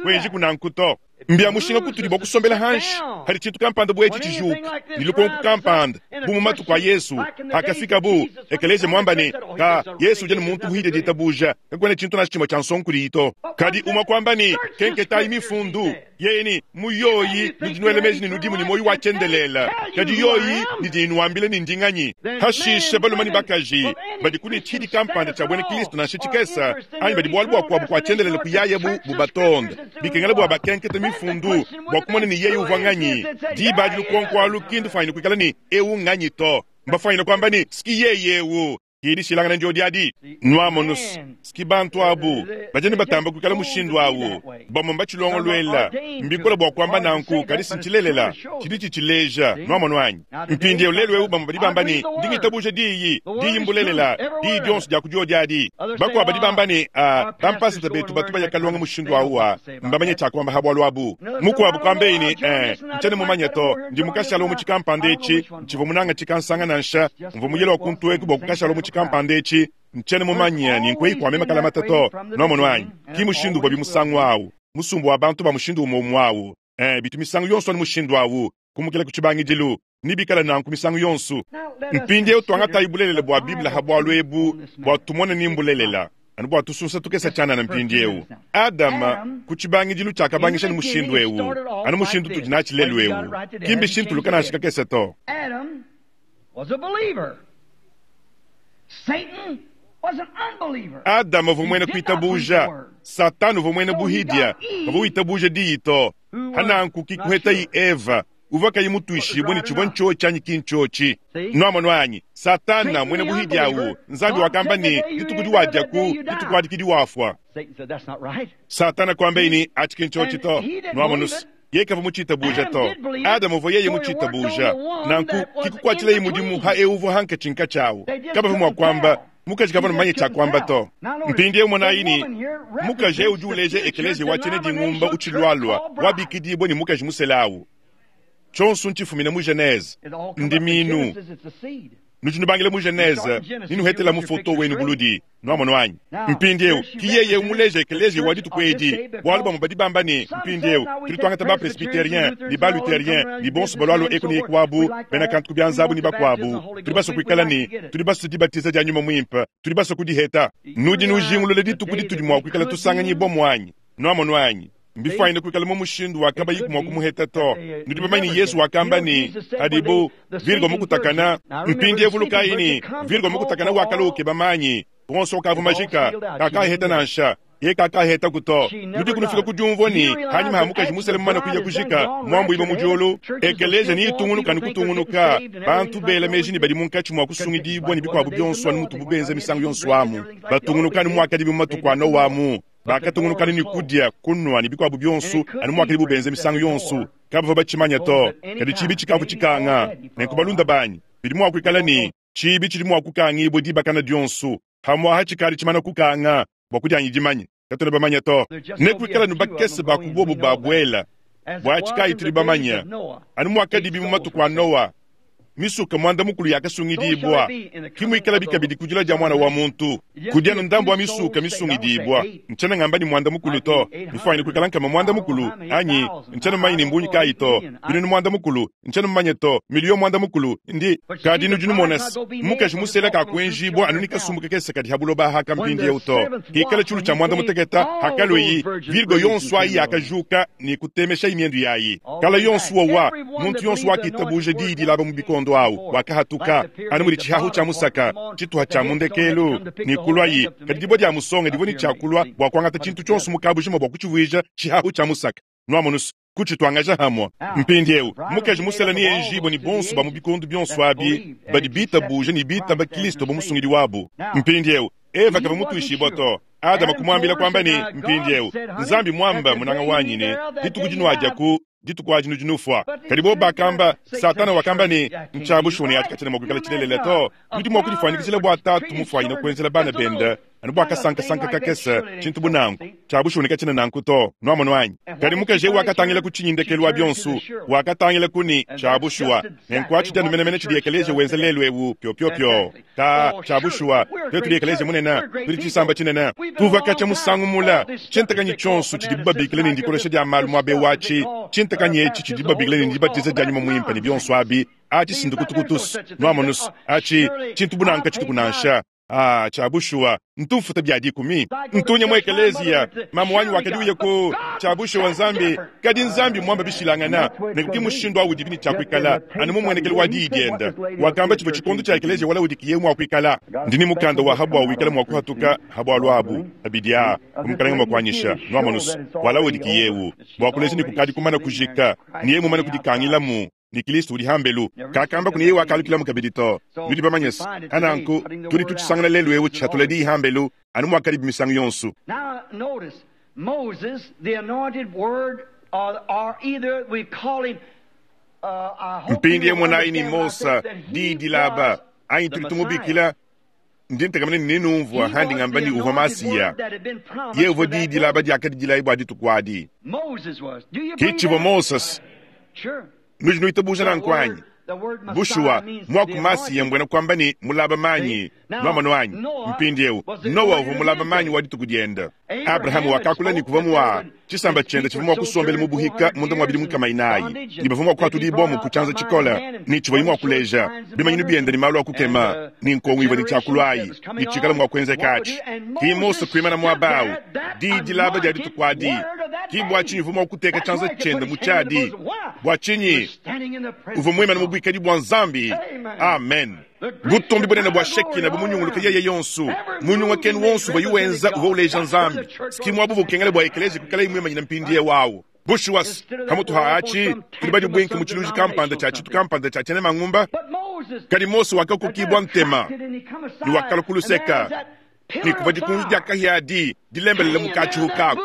Kuenjiku nanku to. Mbia mushinga kutudi bua kusombela hanshi hadi tshintu kampanda bu etshi tshijuka ne lukonko kampanda, bu mu matuku a Yesu hakafikabu ekeleziya muamba ne, Ka Yesu udi anu muntu muhidie ditabuja, kakuena tshintu nansha tshimue tshia nsongo kudiyi to. Kadi umue kuamba ne, Kenketayi mifundu, yeye ne, mu yoyi nudi nuela meji ne nudimu ne muoyo wa tshiendelele, kadi yoyi idi inuambila ne ndi nganyi. Hashishe balume ne bakaji badi ku ne tshidi kampanda tshia buena Kristo nansha tshikese, anyi badi bualu bua kuabu kua tshiendelele kuyayabu bubatonde, bikengela bua bakenkete mifundu bua kumona ne yeye uvua nganyi. Diba adi lukonko alu ki ndufuanyine kuikala ne, Eu nganyi to. Mbafuanyine kuamba ne, Ski yeye eu. Ki dishilangana ndiodi adi. Nuamonu, ski bantu abu badi anu batamba kuikala mushindu awu. Bamue mbatshilongoluela. Mbikole bua kuamba nanku, kadi si ntshilelela. Tshidi tshitshileja. Nuamonu anyi? Mpindieu, lelu eu bamue badi bamba ne, Ndi ngitabuja Diyi. Diyi mbulelela, Diyi dionso dia ku diodi adi. Bakuabu badi bamba ne, Ah, bampasata betu batu baya kalonga mushindu awu wa. Mbamanye tshia kuamba ha bualu abu. Mukuabu kuambeyi ne, Eh, ntshiena mumanye to. Ndi mukashala wa mu tshikampanda etshi. Ntshivua munanga tshikansanga nansha. Mvua muyele wa kuntu eku bua kukashala mu tshikampanda etshi. Ntshiena mumanye ni nkueyi kua meme kalamata to. Nuamonu anyi? Ki mushindu uvuabi musangu awu. Musumba wa bantu ba mushindu umue umue awu. Ee, bitu misangu yonso anu mushindu awu, kumukila ku tshibangidilu. Nebikale nanku misangu yonso. Mpindieu tuangatayi bulelela bua Bible ha bualu ebu bua tumone ni mbulelela, anu bua tusunsa tukese tshianana mpindieu. Adama, ku tshibangidilu tshiakabangisha ne mushindu eu, anu mushindu utudi natshi lelu eu. Ki mbishintuluka nansha kakese to. Adam was a believer. Satan was an unbeliever. Adama uvua muena kuitabuja, Satana uvua muena buhidia, kavua witabuja diyi to. Hananku ki kuhetayi Eva. Uvwa kayi mutwishibwe ni chivwa nchochi anyi ki nchochi. Nwamonu anyi? Satana, mwena buhidi awu, Nzambi wakamba ne, Dituku diwadyaku, dituku adi ki diwafwa. Satana kwambaye ne, Aci ki nchochi to. Nwamonu's? Yeye kavwa mucitabuuja to. Adama uvwa yeye mucitabuuja. Nanku ki kukwacilaye mudimu ha ewu uvwa hankacinkaci awu. Kabavwa mwa kwamba, Mukaji kavwa mumanye cya kwamba to. Mpindyewu monayi ne, mukaji ewu udi uleja ekeleziya wa cyena dingumba ucilwalwa, wabikidibwa ne mukaji musela awu. Cyonso ncifumine mu Genese. Ndimiinu. Nudi nubangila mu Genese ne nuhetela mu foto wenu buludi. Nwamonu anyi? Mpindyewu, ki yeye ewu muleja ekeleziya wa dituku edi, bwalu bamwe badi bamba ne, Mpindyewu, tudi twangata ba-Presbyterien, ne ba-Lutherien, ne bonso balwalwa eku ne eku abu, bena kantu ku byanza abu ne bakwabo. Tudi baswe kwikala ne, tudi baswe dibatiza dya Nyuma Mwimpe. Tudi baswe kudiheta. Nudi nujingulula dituku ditudi mwa kwikala tusanganyibwamu anyi? Nwamonu anyi? Mbifwanyine kwikala mu mushindu wa kabayiku mwa kumuheta to. Nudi bamanye ne Yesu wakamba ne, Padibu, Virgo mukutakana, mpindyewu vulukayi ne, Virgo mukutakana wakalua ukeba manyi, wonso ukavua majika, kakaaheta nansha. Yeye kakaahetaku to. Nudiku nufika ku dyumvua ne, hanyima ha mukaji musele mumane kuya kujika, muambuibue mu dyulu, ekeleziya neyitungunuka anu kutungunuka, bantu bela meji ne badi munkatshi mua kusungidibua ne bikuabu bionso anu mutubu benza misangu yonso amu, batungunuka anu muakadibi mu matuku a Nowa amu. Bakatungunuka anu ne kudia, kunua, ne bikuabu bionso, anu muakadibu benza misangu yonso. Kabavua batshimanya to, kadi tshiibi tshikavua tshikanga. Nenku balunda banyi, bidi mua kuikala ne, tshiibi tshidi mua kukangibua dibakana dionso. Pamu'aha tshikadi tshimana kukanga, bua kudianyi dimanya, katuena bamanya to. Nekuikale anu bakese ba ku bobu babuela. Buatshi kayi tudi bamanya, anu muakadibi mu matuku a Noa, misuka muanda-mukulu yakasungidibua, ki muikalabi kabidi ku dilua dia Muana wa muntu. Kudi anu ndambu wa misuka misungidibua. Ntshiena ngamba ne muanda-mukulu to, mifuanyine kuikala nkama muanda-mukulu, anyi ntshiena mumanye ne mbungi kayi to, binunu muanda-mukulu, ntshiena mumanye to, miliyo muanda-mukulu, ndi. Kadi nudi numona se, mukaji musela kakuenjibua anu ne kasumbu kakese kadi ha buloba aha ka mpindieu to. Hikala tshiulu tshia muanda-muteketa, hakalueyi, virgo yonso ayi yakajuka ne kutemeshayi miendu yayi. Kala yonso wowa, muntu yonso wakitabuja diyi dilaba mu bikondo awu wakahatuka, anu mudi tshihahu tshia musaka, tshituha tshia mu ndekelu, ne kuluayi. Kadi dibue dia musonga divua ne tshia kulua bua kuangata tshintu tshionso mu kabujima bua kutshivuija tshihahu tshia musaka. Nuamonu's, kutshituangaja hamue. Mpindieu, mukaji musela neenjibue ne bonso ba mu bikondo bionso abi badi bitabuja ne bitaba Kristo bu Musungidi wabu. Mpindieu, Eva kavua mutuishibua to. Adama kumuambila kuamba ne, Mpindieu, Nzambi muamba, munanga wanyi, ne, dituku dinuadia ku dituku adi nudi nufua. Kadi bobu bakamba, Satana wakamba ne, Ntshia bushuwa ne atshi katshiena mua kuikala tshilelela to. Nudi mua kudifuanyikijila bua tatu mufuanyine kuenzela bana bende anu bua kasankasanka kakese, tshintu bu nanku. Tshia bushuwa ne katshiena nanku to. Nuamonu anyi? Kadi mukaji eu wakatangila ku tshinyi ndekelu wa bionso? Wakatangila ku ne, Tshia bushuwa, nenku atshi dianu menemene tshidi ekeleziya wenza lelu eu, piopiopio. Ta, tshia bushuwa, tuetu tudi ekeleziya munene, tudi tshisamba tshinene. Tuvua katshia musangu mule, tshintakanyi tshionso tshidibu babikila ne ndikolesha dia malu muaba eu atshi, tshintakanyi etshi tshidibu babikila ne ndibatiza dia Nyuma Muimpe ne bionso abi, atshi si ndukutukutu's. Nuamonu's, atshi, tshintu bu nanku katshituku nansha. Ah, tshia bushuwa, ntu mfuta bia dikumi. Ntu nya mu ekeleziya. Mamu wanyi wakadi uya ku, tshia bushuwa Nzambi, kadi Nzambi mmuamba bishilangana. Nenku ki mushindu awu udibi ne tshia kuikala, anu mu mmuenekelu wa Diyi diende. Wakamba tshivua tshikondo tshia ekeleziya wa Laodikiya mua kuikala. Ndi ne mukanda wa ha bua wikala mua kuhatuka ha bualu abu, abidi aa, bu Mukalenge mua kuanyisha, nwamonu's, wa Laodikiya ewu, bua kuleja ne kukadi kumana kujika, ne yeye mumane kudikangilamu. Ne Kilisto udi hambelu. Kakambaku ne yeye wakalukilamu kabidi to. Nudi bamanye's. Pa nanku, tudi tutshisangana lelu ewu tshihatula diyi hambelu, anu muakadibi misangu yonso. Mpindiewu monayi ne Mose, diyi dilaba, anyi tudi tumubikila, ndi ntekemena ne nenumvua handi ngamba ne uvua Masiya. Yeye uvua diyi dilaba diakadi dilayi bua dituku adi. Ki tshivua Mose. Nudi nuitabuja nanku anyi? Bushuwa, muaku Masiya mbuena kuamba ne mulaba manyi. Nuamonu anyi? Mpindiewu, Nowa uvua mulaba manyi wa dituku diende. Abrahama wakakula ne kuvua mua tshisamba tshiende tshivua mua kusombela mu buhika munda mua bidimu nkama inayi, ne bavua mua kuhatudibua ku tshianza tshikole, ne tshivuaye mua kuleja bimanyinu biende ne malu a kukema, ne nkongo ivua ne tshiakuluayi, ne tshikala mua kuenzeka atshi. Ki Mose kuimana muaba au, diyi dilaba dia dituku adi. Ki bua tshinyi uvua mua kuteka tshianza tshiende mu tshiadi? Bua tshinyi? Uvua muimane mu buikadi bua Nzambi. Amen. Butumbi bunene bua Shekina bumunyunguluke yeye yonso. Munyungakenu wonso uvuaye wenza uvua uleja Nzambi. Ski muaba uvua ukengela bua ekeleziya kuikalaye muimanyine mpindieu au. Bushuwa, pamutu ha atshi, tudi badibuinke mu tshiluji kampanda tshia tshitu kampanda tshia tshiena mangumba. Kadi Mose wakakokibua ntema ne wakalua ku luseka, ne kuvua dikunji dia kahia adi dilembelele mu katshihu kaku.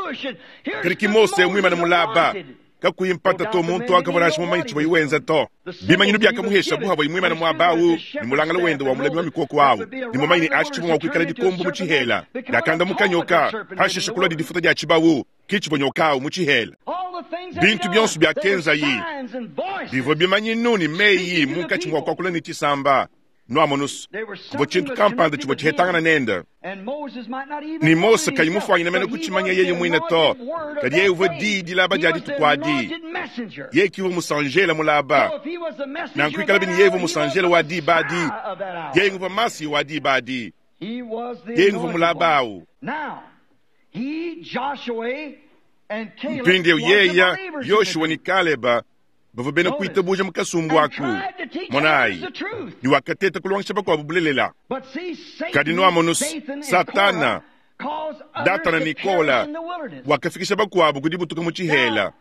Kadi ki Mose muimane mulaba, kakuyi mpata to, muntu akavua nansha mumanye tshivuaye wenza to. Bimanyinu biakamuhesha bu havuaye muimane muaba au ne mulangala wende wa mulami wa mikoko au, ne mumanye ne atshi tshivua mua kuikala dikombo mu tshihela. Diakandamuka nyoka, pashishe kulua difuta dia tshibawu, ki tshivua nyoka au mu tshihela. Bintu bionso biakenzayi bivua bimanyinu ne meyi munkatshi mua kuakula ne tshisamba. Nuamonus, kuvua tshintu kampanda tshivua tshihetangana nende. Ne Mose kayi mufuanyine mene kutshimanya yeye muine to, kadi yeye uvua diyi dilaba dia dituku adi. Yeye ki uvua musanjela mulaba. Nanku ikalabi ne yeye uvua musanjela wa diba adi, yeye nguvua Masiya wa diba adi. Yeye nguvua mulaba awu. Mpindieu yeye, Yoshua ne Kaleba bavua bena kuitabuja mu kasumbu aku. Monayi, ne wakateta kulongesha bakuabu bulelela. Kadi nuamonu, Satana, Datana ne Kola wakafikisha bakuabu ku dibutuka mu tshihela.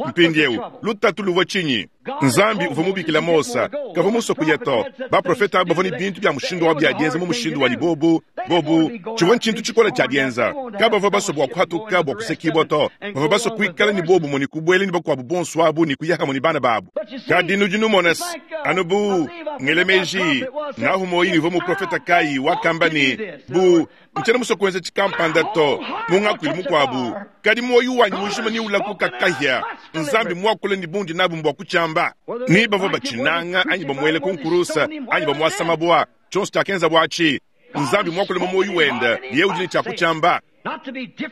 Mpindieu lutatu luvua tshinyi? Nzambi uvua mubikila Mose, kavua musue kuya to. Baprofete aba bavua ne bintu bia mushindu wa bia dienza mu mushindu wa ne bobu bobu tshivua ntshintu tshikole tshia dienza. Kabavua basue bua kuhatuka bua kusekibua to. Bavua basue kuikala ne bobu ne kubuela ne bakuabu bonso abu ne kuya hamue ne bana babu. Kadi nudi numona anu bu ngele meji ngahu moyi ne uvua muprofete kayi wakamba ne bu ntshiena musue kuenza tshikampanda to mu ngakuilu mukuabu, kadi muoyo wanyi mujima ne ulakuka kahia. Nzambi muakule ne bundi nabu mbua kutshiamba. Ni bavua batshinanga anyi bamuele ku nkurusa anyi bamuasa mabua, tshionso tshiakenza buatshi Nzambi muakule mu muoyo wende, yeye udi ne tshia kutshiamba.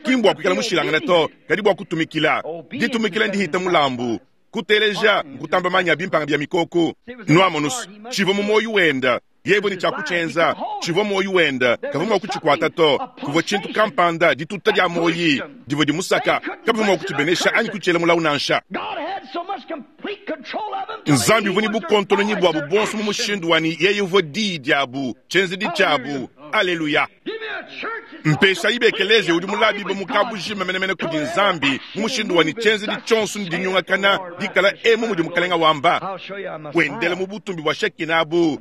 Ki mbua kuikala mushilangane to, kadi bua kutumikila. Ditumikila ndihita mulambu. Kuteleja nkutamba manyi a bimpanga bia mikoko. Nuamonus, tshivua mu muoyo wende, yeye ne tshia kutshienza. Tshivua muoyo wende, kavua mua kutshikuata to. Kuvua tshintu kampanda, dituta dia muoyi divua dimusaka, kabavua mua kutshibenesha anyi kutshiela mulawu nansha. Nzambi uvua ne bukontolonyi buabu buonso mu mushindu wa ne yeye uvua diyi diabu, tshienzedi tshiabu. Aleluya! Mpeshayi bekeleziya udi mulabibe mu kabujima menemene kudi Nzambi mu mushindu wa ne tshienzedi tshionso ne dinyungakana dikala emu mudi Mukalenga wamba, wendela mu butumbi bua Shekina abu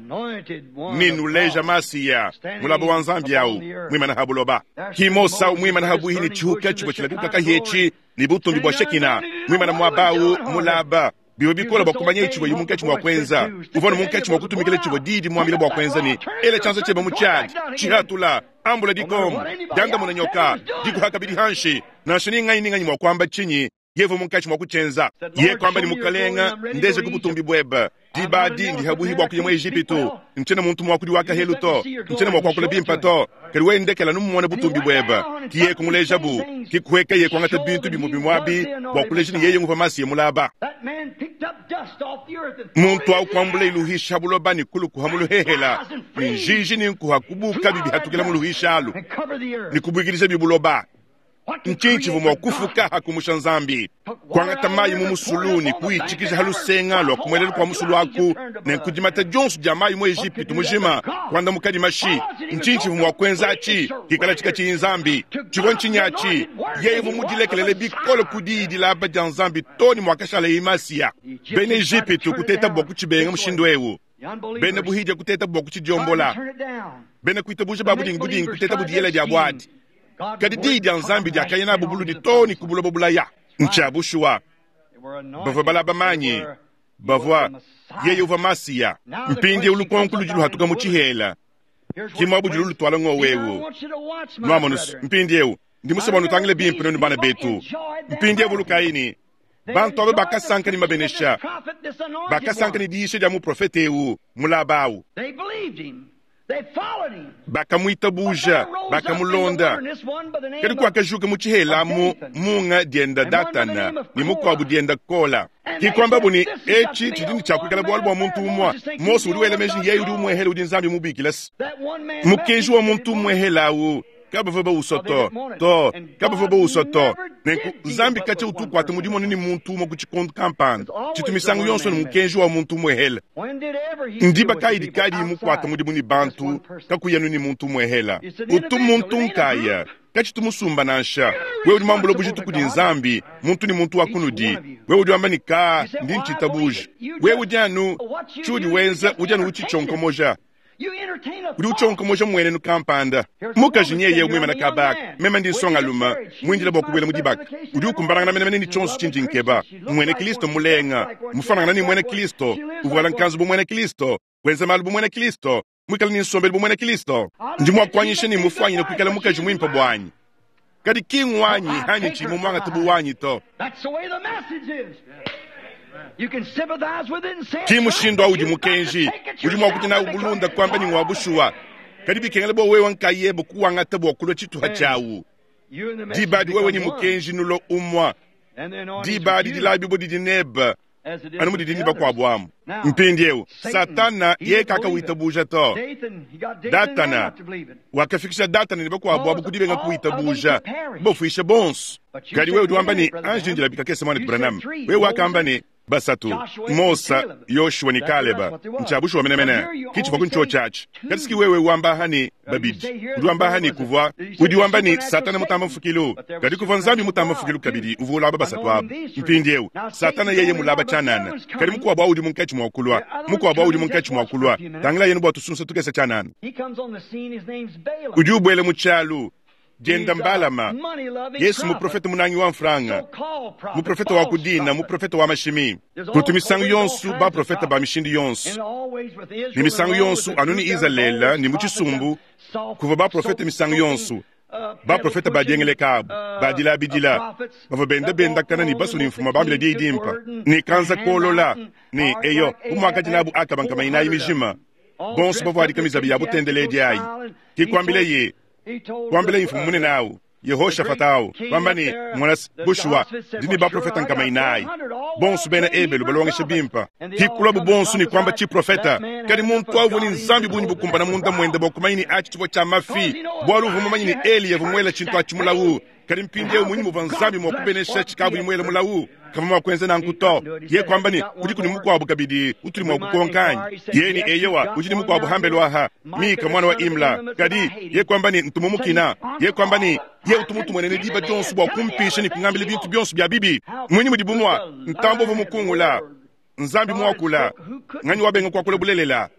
ne nuleja Masiya mulaba wa Nzambi au muimana ha buloba. Ki Mose au muimana ha buihi ne tshihuka tshivua tshilakuka kahietshi ne butumbi bua Shekina muimana muaba au mulaba. Bivua bikole bua kumanya tshivua munkatshi mua kuenza. Uvua ne munkatshi mua kutumikila tshivua diyi dimuambila bua kuenza ne ela tshianza tshiebe mu tshiadi, tshihatula, ambula dikombo, diandamuna nyoka, dikuha kabidi hanshi. Nansha ni nganyi ni nganyi mua kuamba tshinyi, yeye munkatshi mua kutshienza. Yeye kuamba ne, Mukalenga, ndeje ku butumbi buebe. Diba adi ndi habuhi bua kuya mu Ejipitu. Ntshiena muntu muakudi wa kahelu to, ntshiena mua kuakula bimpe to, kadi wewe ndekela numumone butumbi buebe. Ki yeye kumulejabu, ki kuhekeye kuangata bintu bimue bimue abi bua kuleja ne yeye nguvua Masiya mulaba. Muntu au kuambula iluhisha buloba ne kulukuha mu luhehela, ne njiji ne nkuha kubuka bibihatukila mu luhisha alu ne kubuikidija bibuloba. Ntshinyi tshivua mua kufuka ha kumusha Nzambi? Kuangata mayi mu musulu ne kuyitshikija ha lusenga lua ku muelelu kua musulu aku, ne nkudimata dionso dia mayi mu Ejipitu mujima kuandamuka dimashi. Ntshinyi tshivua mua kuenza atshi kikala tshikatshiyi Nzambi? Tshivua ntshinyi atshi? Yeye uvua mudilekelele bikole ku diyi dilaba dia Nzambi too ne muakashalaye Masiya. Bena Ejipitu kuteta bua kutshibenga mushindu eu. Bena buhidia kuteta bua kutshidiombola. Bena kuitabuja ba budingi budingi kuteta budiyela dia buadi. Kadi diyi dia Nzambi diakaya nabu buludi too ne ku buloba bulaya. Ntshia bushuwa, bavua balaba manyi, bavua yeye uvua Masiya. Mpindieu lukonko ludi luhatuka mu tshihela, ki muabu ludi lutuala ngowewu. Nuamonu, mpindieu ndi musue bua nutangile bimpe nuenu bana betu. Mpindieu vulukayi ne bantu aba bakasanka ne mabenesha, bakasanka ne diyisha dia muprofete eu mulaba au. Bakamuitabuja, bakamulonda. Kadi kuakajuka mu tshihela amu munga dienda Datana ne mukuabu dienda Kola. Ki kuambabu ne, etshi tshidi ne tshia kuikala bualu bua muntu umue. Mose udi wela meji ne yeye udi umuehela udi Nzambi mubikila. Mukenji wa muntu umuehela au. Kabavua bawusua to. To, kabavua bawusua to. Nenku, Nzambi katshia utu ukuata mudimu anu ne muntu umue ku tshikondo kampanda. Tshitu misangu yonso ne mukenji wa muntu umuehela. Ndiba kayi dikadiyi mukuate mudimu ne bantu kakuyi anu ne muntu umuehela? Utu muntu nkaya. Katshitu musumba nansha. Wewe udi muambule bujitu kudi Nzambi, muntu ne muntu wa kunudi. Wewe udi wamba ne, Kaa, ndi ntshitabuja. Wewe udi anu, tshiudi wenza, udi anu utshitshionkomoja. Udi utshionkomoja mmuenenu kampanda. Mukaji nyeye muimane kaba aka. Meme ndi nsongalume, muindile bua kubuela mu dibaka. Udi ukumbanangana menemene ne tshionso tshindi nkeba. Mmuena Kristo mulenga, mufuanangane ne muena Kristo, uvuala nkanzu bu muena Kristo, wenza malu bu muena Kristo, muikale ne nsombelu bu muena Kristo. Ndi mua kuanyisha ne mufuanyine kuikala mukaji muimpe buanyi, kadi ki nguanyi anyi tshiyi mumuangate bu wanyi to. Ki mushindu au udi mukenji udi mua kudia nawu bulunda kuamba ne ngua bushuwa, kadi bikengela bua wewe nkayebe kuwangata bua kulua tshituha tshiawu. Diba adi wewe ne mukenji nulua umua. Diba adi dilabibua didi nebe anu mudidi ne bakuabu amu. Mpindieu, Satana yeye kakawitabuja to. Datana wakafikisha Datana ne bakuabu abu ku dibenga kuwitabuja, kubafuisha bonso. Kadi wewe udi wamba ne, Anji ndila kakese, muanetu Branham. Wewe wakamba ne, basatu, Mosa, Yoshua ne Kaleba. Ntshia bushuwa menemene, ki tshivua ku ntshiotshi atshi. Kadi si ki wewe wamba aha ne, babidi. Udi wamba aha ne, kuvua. Udi wamba ne, Satana mutamba mfukilu. Kadi kuvua Nzambi mutamba mfukilu kabidi uvua ulaba basatu abu. Mpindieu, Satana yeye mulaba tshianana. Kadi mukuabu au udi munkatshi mua kulua. Mukuabu au udi munkatshi mua kulua. Tangilayi anu bua tusunsa tukese tshianana. Udi ubuela mu tshialu. Dienda mBalama, Yesu muprofete munangi wa mfranga, muprofete wa ku dina, muprofete wa mashimi. Kutu misangu yonso baprofete ba mishindu yonso, ne misangu yonso anu ne Izalele ne mu tshisumbu kuvua baprofete misangu yonso, baprofete ba diengeleka abu, ba dilabidila, bavua benda bendakana ne basua ne mfumu bambila diyi dimpe, ne kanza kolola, ne eyo, bu muakadi nabu Akaba nkama inayi mijima, bonso bavuadika mizabi ya butendeledi ayi. Ke kuambileye Kuambilaye mfumu munene au, Yehoshafata au, wamba ne, Mona, bushuwa, ndi ne baprofete nkama inayi, bonso bena Ebelu balongesha bimpe. Ke kuluabu bonso ne kuamba tshiprofete. Kadi muntu au uvua ne Nzambi bungi bukumbana munda muende bua kumanya ne atshi tshivua tshia mafi, bualu uvua mumanye ne Eliya uvua muele tshintu atshi mulawu. Kadi mpindieu mmunyi muvua Nzambi mua kubenesha tshikavuyi muele mulawu? Kavua mua kuenza nanku to. Yeye kuamba ne, Kudiku ne mukuabu kabidi utudi mua kukonka anyi? Yeye ne, Eyowa, udi ne mukuabu hambelu aha, Mika muana wa Imla. Kadi yeye kuamba ne, Ntu mumukina. Yeye kuamba ne, Yeye utu mutumuenene diba dionso bua kumpisha ne kungambila bintu bionso bia bibi. Mmunyi mudi bumua ntambue uvua mukungula Nzambi muakula? Nganyi wabenga kuakula bulelela?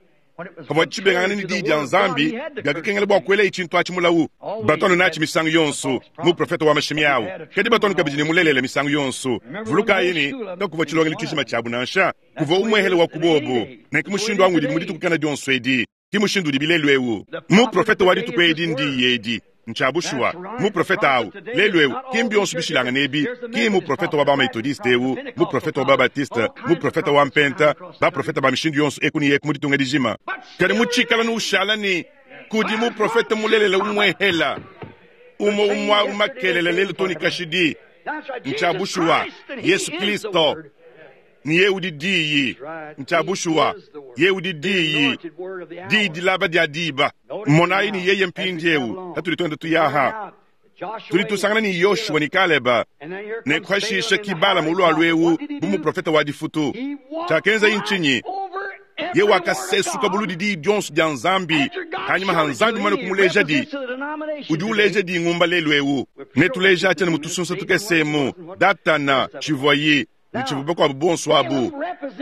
Pavua tshibengangana ne diyi dia Nzambi, biakakengela bua kuelayi tshintu atshi mulawu. Batu anu natshi misangu yonso, muprofete wa mashimi au. Kadi batu anu kabidi ne mulelela misangu yonso. Vulukayi ne, kakuvua tshilongelu tshijima tshiabu nansha. Kuvua umuehele wa ku bobu. Nenku mushindu au ngudibi mu dituku kena dionso edi. Ke mushindu udibi lelu eu. Muprofete wa dituku edi ndiyi edi. Ntshia bushuwa, muprofete au, lelu eu, ki mbionso bishilangane ebi, ki mmuprofete wa ba-Methodiste eu, muprofete wa ba-Baptiste, muprofete wa Mpenta, baprofete ba mishindu yonso eku ne eku mu ditunga dijima. Kadi mu tshikala ne ushala ne kudi muprofete mulelela umuehela, umue umue au makelela lelu too ne kashidi. Ntshia bushuwa, Yesu Kristo. Ne yeye udi Diyi. Ntshia bushuwa, yeye udi Diyi, Diyi dilaba dia diba. Monayi ne yeye mpindieu, patudi tuenda tuya aha, tudi tusangana ne Yoshua ne Kaleba, ne kuhashisha ki Balama ulualu eu bu muprofete wa difutu. Tshiakenzaye ntshinyi? Yeye wakasesuka buludi diyi dionso dia Nzambi hanyima ha Nzambi mumane kumulejadi. Udi uleja dingumba lelu eu. Netuleja atshiana mu tusunsa tukese emu, Datana, tshivuaye ne tshivua bakuabu bonso abu.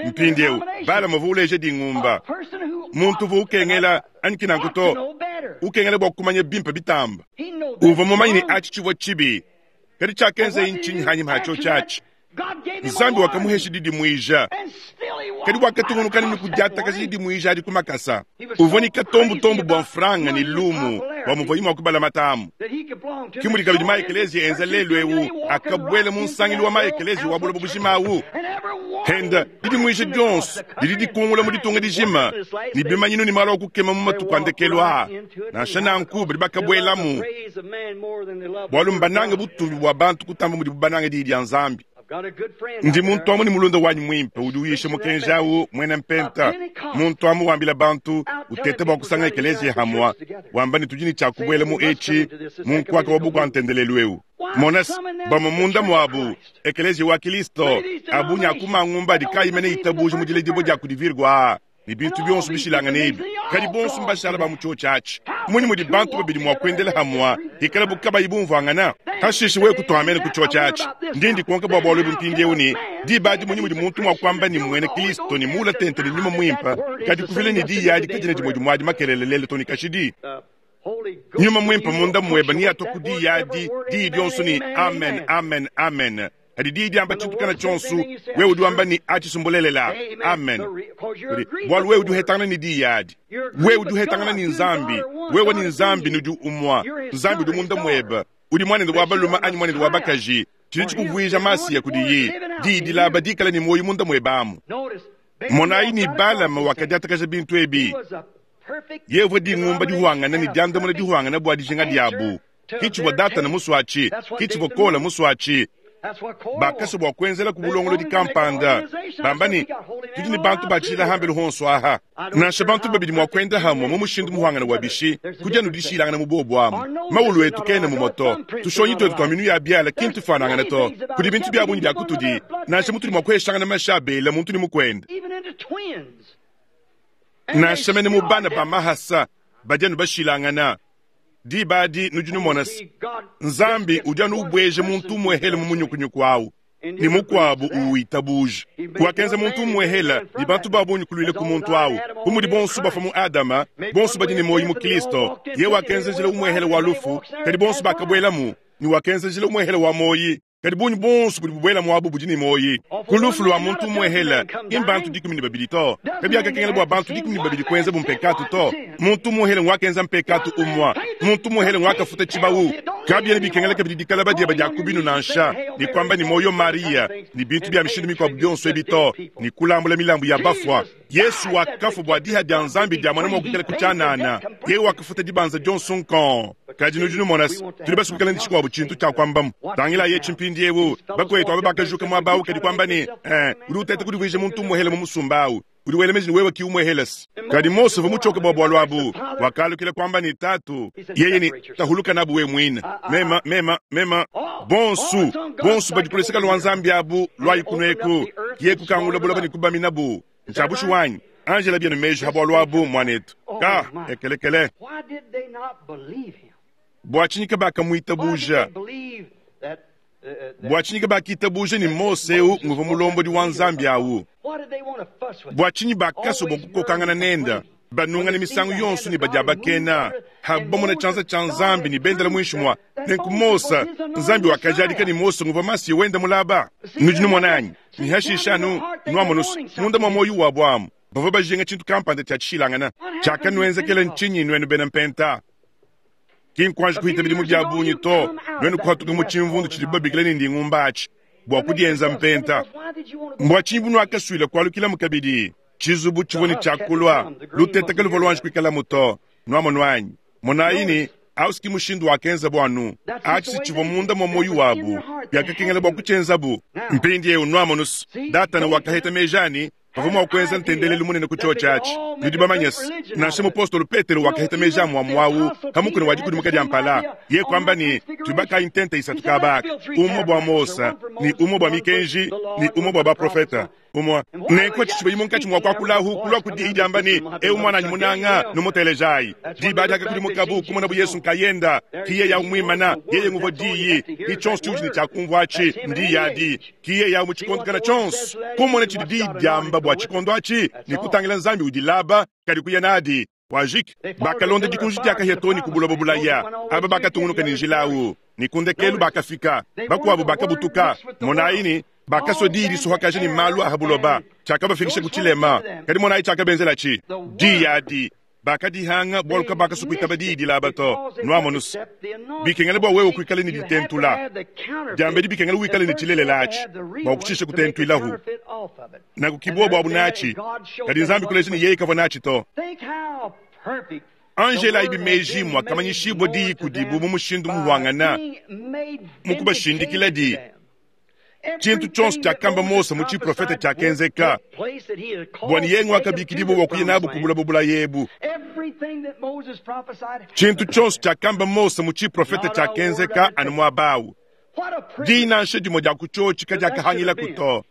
Mpindieu Balama uvua uleja dingumba, muntu uvua ukengela anyi ki nanku to, ukengela bua kumanya bimpe bitamba. Uvua mumanye ne atshi tshivua tshibi, kadi tshiakenzaye ntshinyi hanyima ha tshiotshi atshi? Nzambi wakamuhesha didimuija, kadi wakatungunuka ne kudiatakaja didimuija adi ku makasa. Uvua ne katombutombu bua mfranga ne lumu bua muvuaye mua kubalamata amu. Ke mudi kabidi ma-ekeleziya enza lelu eu akabuela mu nsangilu wa ma-ekeleziya wa buloba bujima au. Henda didimuija dionso didi dikungula mu ditunga dijima ne bimanyinu ne malu a kukema mu matuku a ndekelu aa. Nansha nanku, badi bakabuelamu bualu mbanange butumbi bua bantu kutamba mudibu banange Diyi dia Nzambi. Ndi muntu amu ne mulunda wanyi muimpe udi uyisha mukenji au, muena Mpenta, muntu amu wambila bantu. Uteta bua kusanga ekeleziya hamua, wamba ne tudi ne tshia kubuela mu etshi mu nkuaka wa bukua-ntendelelu eu. Mona se, bamue munda muabu, ekeleziya wa Kilisto, a bungi a ku mangumba adi kaayi mene itabuja mu diledibua dia kudi Virgo aa, ne bintu bionso bishilangane ebi, kadi bonso mbashala ba mu tshiotshi atshi. Mmunyi mudi bantu babidi mua kuendela hamua hikalabu kabayi bumvuangana? Hashishe wewe kutua amene ku tshiotshi atshi. Ndi ndikonka bua bualu ebu mpindieu ne, Diba adi mmunyi mudi muntu mua kuamba ne mmuena Kristo ne muula tente ne Nyuma Muimpe, kadi kuvila ne diyi adi kadiena dimue dimue adi makelela lelu too ne kashidi? Nyuma Muimpe munda muebe neatua ku diyi adi, diyi dionso ne, Amen, amen, amen. Kadi diyi diamba tshintu kana tshionso, wewe udi wamba ne, Atshi si mbulelela. Amen. Bualu wewe udi uhetangana ne diyi adi. Wewe udi uhetangana ne Nzambi. Wewe ne Nzambi nudi umua. Nzambi udi munda muebe. Udi muanende wa balume anyi muanende wa bakaji. Tshidi tshikuvuija Masiya kudiye. Diyi dilaba dikale ne muoyo munda muebe amu. Monayi ne Balama wakadiatakaja bintu ebi. Yeye uvua dingumba dihuangane ne diandamuna dihuangane bua dijinga diabu. Ke tshivua Datana musue atshi, ke tshivua Kola musue atshi. Bakasua bua kuenzelaku bulongolodi kampanda, bamba ne, Tudi ne bantu ba tshijila hambelu honso aha. Nansha bantu babidi mua kuenda hamue mu mushindu muhuangane wa bishi, kudi anu dishilangana mu bobu amu. Mawulu etu kena mumue to, tushonyi tuetu tua minu ya biala ki ntufuanangane to. Kudi bintu bia bungi bia kutudi, nansha mutudi mua kueshangana mashi a bela muntu ne mukuende. Nansha mene mu bana ba mahasa badi anu bashilangana. Diba adi nudi numona se, Nzambi udi anu ubueja muntu umuehele mu munyukunyuku awu, ne mukuabu uwitabuja. Wakenza muntu umuehele, ne bantu ba bungi kuluila ku muntu awu. Bu mudi bonso bafua mu Adama, bonso badi ne muoyo mu Kristo. Yeye wakenza njila umuehele wa lufu, kadi bonso bakabuelamu, ne wakenza njila umuehele wa muoyo, Kadi bungi buonso budi bubuela muabu budi ne muoyi. Ku lufu lua muntu umuehele, ki mbantu 12 to. Kabiakakengela bua bantu 12 kuenzabu mpekatu to. Muntu umuehele nguakenza mpekatu umue. Muntu umuehele nguakafuta tshibawu. Kabiena bikengela kabidi dikalaba diebe dia ku binu nansha, ne kuamba ne muoyo Mariya, ne bintu bia mishindu mikuabu bionso ebi to, ne kulambula milambu ya bafua. Yesu wakafua bua diha dia Nzambi dia muana mua kuikala ku tshianana. Yeye wakafuta dibanza dionso nkong. Kadi nudi numona se, tudi basue kuikala ne tshikuabu tshintu tshia kuambamu. Tangilayi etshi mpindieu, bakuetu aba bakajuka muaba au kadi kuamba ne, Eh, udi uteta kudivuija muntu umuehele mu musumba au. Udi wela meji ne wewe ki umuehele se. Kadi Mose uvua mutshioke bua bualu abu, wakalukila kuamba ne, Tatu, yeye ne, tahuluka nabu wewe muine. Mema, mema, mema, bonsu, bonsu badi ku luseke lua Nzambi abu, luayi kunueku. Kiye kukangula buloba ne kubaminabu. Ntshia bushuwa anyi? Anji ela bienu meji ha bualu abu, muanetu. Ka, ekelekele. Bua tshinyi kabakamuitabuja? Bua tshinyi kabakitabuja ne Mose eu nguvua mulombodi wa Nzambi au? Bua tshinyi bakasua bua kukokangana nende, banungana misangu yonso ne badiabakena, habu bamona tshianza tshia Nzambi ne bendela muinshi mua? Nenku Mose, Nzambi wakajadika ne Mose nguvua Masiya wenda mulaba. Nudi numona anyi? Ne hashishe anu nuamonu munda mua muoyo wabu amu, bavua bajinga tshintu kampanda tshia tshishilangana. Tshiakanuenzekela ntshinyi nuenu bena Mpenta? Ki nkuanji kuhita bidimu bia bungi to, nuenu kuhatuka mu tshimvundu tshidibu babikila ne ndingumba atshi bua kudienza mpenta. Mbua tshinyi bunuakasuila kualukilamu kabidi? Tshizubu tshivua ne tshia kulua, luteta kaluvua luanji kuikalamu to. Nuamonu anyi? Monayi ne, au si ki mushindu wakenzabu anu. Atshi si tshivua munda mua muoyo wabu, biakakengela bua kutshienzabu. Mpindieu nuamonu se, Datana wakaheta meji a ne, bavua mua kuenza ntendelelu munene ku tshiotshi atshi. Nudi bamanye se, nansha mupostolo Petelo wakaheta meji a muamua au pa mukuna wa dikudimuka dia mpala. Yeye kuamba ne, Tuibakayi ntenta isatu kaba aka, umue bua Mose, ne umue bua mikenji, ne umue bua baprofete. Umue. Nenku atshi tshibayi munkatshi mua kuakulahu, kulua ku diyi diamba ne, Eu muananyi munanga, numutelejayi. Diba adi akakudimukabu, kumonabu Yesu nkayenda. Ki yeye au muimana, yeye nguvua diyi. Ki tshionso tshiudi ne tshia kumvua atshi, ndiyi adi. Ki yeye au mu tshikondo kana tshionso. Kumona tshidi diyi diamba bua tshikondo atshi, ne kutangila Nzambi udilaba, kadi kuya nadi. Wajiki. Bakalonda dikunji dia kahia too ne ku buloba bulaya. Aba bakatungunuka ne njila au, ne ku ndekelu bakafika. Bakuabu bakabutuka. Monayi ne, bakasua diyi disuhakaja ne malu a ha buloba, tshiakabafikisha ku tshilema. Kadi monayi tshiakabenzelatshi. Diyi adi bakadihanga, bualu kabakasua kuitaba diyi dilaba to. Nuamonus, bikengela bua wewe kuikala ne ditentula diambedi, bikengela wikale ne tshilelela atshi bua kutshisha kutentuilahu. Nanku ki buobu abu natshi, kadi Nzambi kuleja ne yeye kavua natshi to. Anjelayi meji muakamanyishibua diyi kudibu mu mushindu muhuangana, mu kubashindikila di tshintu tshionso tshiakamba Mose mu tshiprofete tshiakenzeka, bua ne yeye nguakabikidibua bua kuya nabu ku buloba bulaya ebu. Tshintu tshionso tshiakamba Mose mu tshiprofete tshiakenzeka anu muaba au. Diyi nansha dimue dia ku tshiotshi kadiakahangilaku to.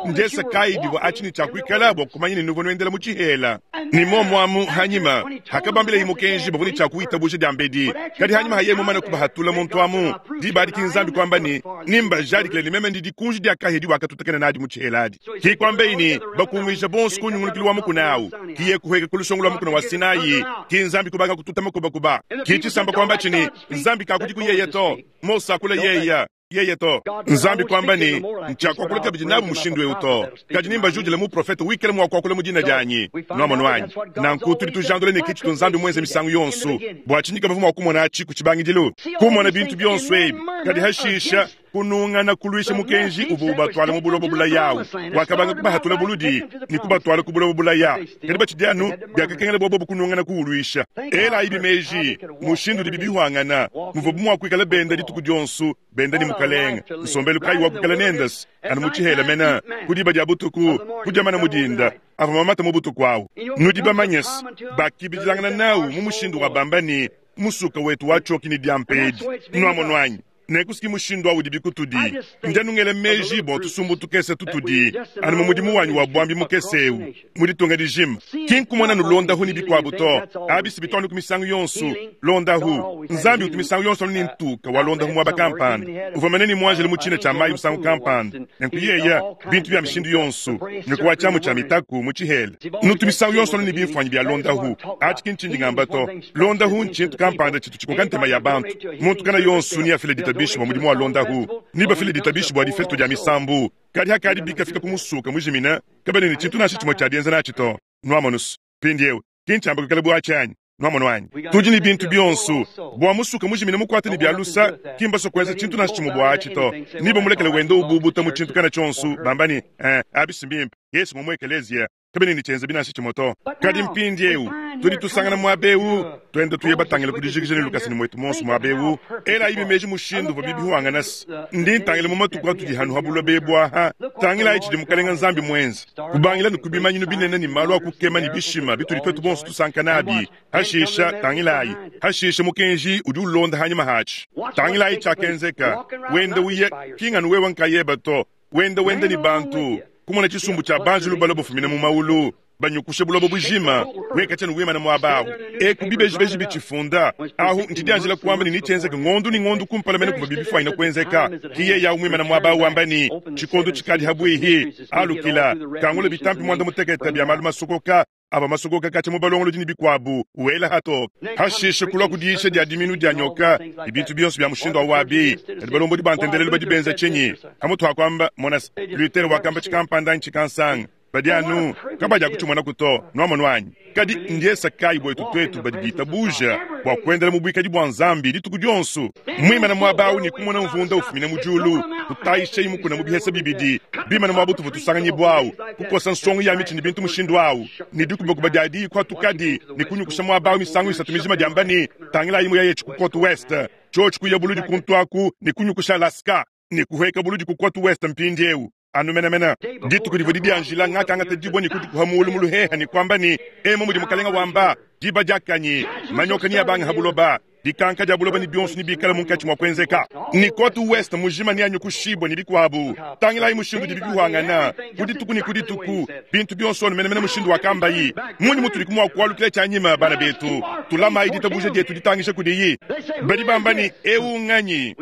Ndiesa kayi divua atshi ne tshia kuikala bua kumanya ne nuvua nuendela mu tshihela? Ne muomu amu hanyima hakabambilayi mukenji bavua ne tshia kuwitabuja diambedi, kadi hanyima ha yeye mumane kubahatula muntu amu, diba adi ki Nzambi kuamba ne, Nimbajadikile ne meme ndi dikunji dia kahia diwakatutakena nadi mu tshihela adi. Ki kuambeyi ne, Bakunguija bonso ku nyungulukilu wa mukuna awu, ki ye kuhueka ku lusongo lua mukuna wa Sinai, ki Nzambi kubanga kututa makubakuba. Ki tshisamba kuambatshi ne, Nzambi kakudiku yeye to, Mose akula yeya. Yeye to. Nzambi kuamba ne, Ntshiakuakula kabidi nabu mushindu eu to, kadi nembajudile muprofete wikala mua kuakula mu dina dianyi. Nuamonu anyi? Nanku tudi tujandula ne ke tshitu Nzambi muenze misangu yonso. Bua tshinyi kabavua mua kumona atshi ku tshibangidilu? Kumona bintu bionso ebi, kadi hashisha kunungana kuluisha mukenji uvua ubatwala mu buloba bulaya awu. Wakabanga kubahatula buludi ne kubatwala ku buloba bulaya, kadi batshidi anu biakakengela bua bobu kunungana kuwuluisha. Elayibi meji mushindu udibi bihuangana, muvuabu mua kuikala benda dituku dionso benda ne Mukalenge. Nsombelu kayi wa kuikala nende? Anu mu tshihela mene, ku diba dia butuku, kudia mana mu dinda, avua mamata mu butuku awu. Nudi bamanye se, bakibidilangana nawu mu mushindu wa bamba ne, Musuka wetu watshioki ne diampa edi. Nuamonu anyi? Nenku si mushindu au udibi kutudi. Ndi anu ngela meji bua tusumbu tukese tutudi anu mu mudimu wanyi wa buambi mukese eu mu ditunga dijima. Ki nkumona anu londahu ne bikuabu to. Abi si bitu anu ku misangu yonso londahu. Nzambi utu misangu yonso anu ne ntuka wa londahu muaba kampanda. Uvua mene ne muanjelu mu tshina tshia mayi musangu kampanda. Nenku yeya bintu bia mishindu yonso, nyoka wa tshiamu tshia mitaku mu tshihela. Nutu misangu yonso anu ne bimfuanyi bia londahu. Atshi ki ntshindi ngamba to. Londahu ntshintu kampanda tshitu tshikoka ntema ya bantu. Muntu kana yonso neafile ditabishi bua mudimu wa londahu, nebafile ditabishi bua difesto dia misambu. Kadi hakadi bikafika ku musuka mujimine, kabena ne tshintu nansha tshimue tshia dienza natshi to. Nuamonus? Mpindieu, ki ntshiamba kuikala bu atshi anyi? Nuamonu anyi? Tudi ne bintu bionso bua musuka mujimine mukuate ne bia lusa, ki mbasue kuenza tshintu nansha tshimue bua atshi to. Nebamulekele wenda ububuta mu tshintu kana tshionso, bamba ne, Eh, abi si mbimpe. Yesu ngua mu ekeleziya. Kabena ne tshienzebi nansha tshimue to. Kadi mpindieu tudi tusangana muaba eu, tuenda tuya batangile ku dijikija ne lukasa ne muetu muonso muaba eu. Elayibi meji mushindu uvua bibihuangana se ndi ntangila mu matuku atudi hanu ha buloba ebu aha. Tangilayi tshidi Mukalenga Nzambi muenze, kubangila ne ku bimanyinu binene ne malu a kukema ne bishima bitudi tuetu bonso tusanka nabi. Hashisha, tangilayi, hashisha mukenji udi ulonda hanyima hatshi. Tangilayi tshiakenzeka, wenda uya, ki nganu wewe nkayeba to, wenda wenda ne bantu, kumona tshisumbu tshia banjelu balua bafumina mu maulu, banyukusha buloba bujima, wekatshia ne wimana muaba awu, eku bibejibeji bitshifunda. Ahu ntshidianjila kuamba ne netshienzeke ngondu ne ngondu kumpala mene kuvua bibifuanyina kuenzeka. Ki yeye awu muimana muaba awu wamba ne, Tshikondo tshikadi habuihi, alukila, kangula bitampi muanda mutekete bia malu masokoka avua masokoka katshia mu balongolodi ne bikuabu, wela hatoke. Hashishe kulua ku diyisha dia diminu dia nyoka ne bintu bionso bia mushindu au abi. Kadi balombodi ba ntendelelu badi benza tshinyi? Pamutu ha kuamba, Mona se, Luther wakamba tshikampanda anyi tshikansanga, badi anu kabadiakutshimonaku to. Nuamonu anyi? Kadi ndiesa kayi buetu tuetu badi bitabuja bua kuendela mu buikadi bua Nzambi dituku dionso, muimane muaba au ne kumona mvunda ufumina mu diulu, kutayishayi mukuna mu bihesa bibidi, bimane muaba utuvua tusanganyibua au, kukosa nsongo ya mitshi ne bintu mushindu au, ne dikubakuba dia diyi kuatukadi ne kunyukusha muaba au misangu isatu mijima diamba ne, Tangilayi muyayetshi ku Cote Ouest, tshiotshi kuya buludi kuntu aku ne kunyukusha Alaska, ne kuhueka buludi ku Cote Ouest mpindieu. Anu menamena dituku divua didianjila, ngakangata dibue ne kudikuha mulu mu luheha ne kuamba ne, Emu mudi Mukalenga wamba, diba diakanyi, manyoka neabange ha buloba, dikanka dia buloba ne bionso nebikale munkatshi mua kuenzeka, ne Cote Ouest mujima neanyukushibue ne bikuabu. Tangilayi mushindu udibi bihuangana ku dituku ne ku dituku, bintu bionso anu menamena mushindu wakambayi. Munyi mutudi mua kualukila tshianyima, bana betu? Tulamayi ditabuja dietu ditangisha kudiyi. Badi bamba ne, Eu nganyi?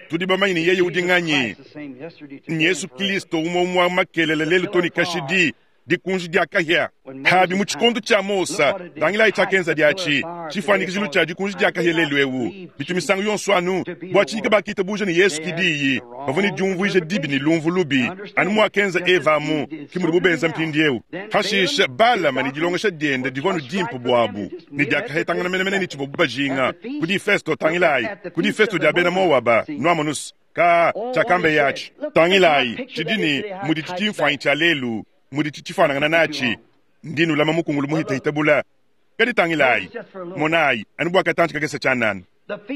Tudi bamanye ne yeye udi nganyi? Nyesu Kilisto umue umue wa makelela lelu to ne kashidi, dikunji dia kahia. Habi mu tshikondo tshia Mose, tangilayi tshiakenza diatshi, tshifuanyikijilu tshia dikunji dia kahia lelu eu. Bitu misangu yonso anu bua tshinyi kabakitabuja ne Yesu ki diyi, bavua ne diumvuija dibi ne lumvu lubi, anu muakenza Eva amu ke mudibu benza mpindieu. Hashishe Balama ne dilongesha diende divua anu dimpe buabu ne diakahetangana menemene ne tshivuabu bajinga. Ku difesto, tangilayi, ku difesto dia bena Moaba, nuamonus, ka tshiakambeye atshi. Tangilayi, tshidi ne muditshi tshimfuanyi tshia lelu, muditshi tshifuanangana natshi. Ndi nulama mukungulu muhitahita bula. Kadi tangilayi, monayi, anu bua katantshi kakese tshianana.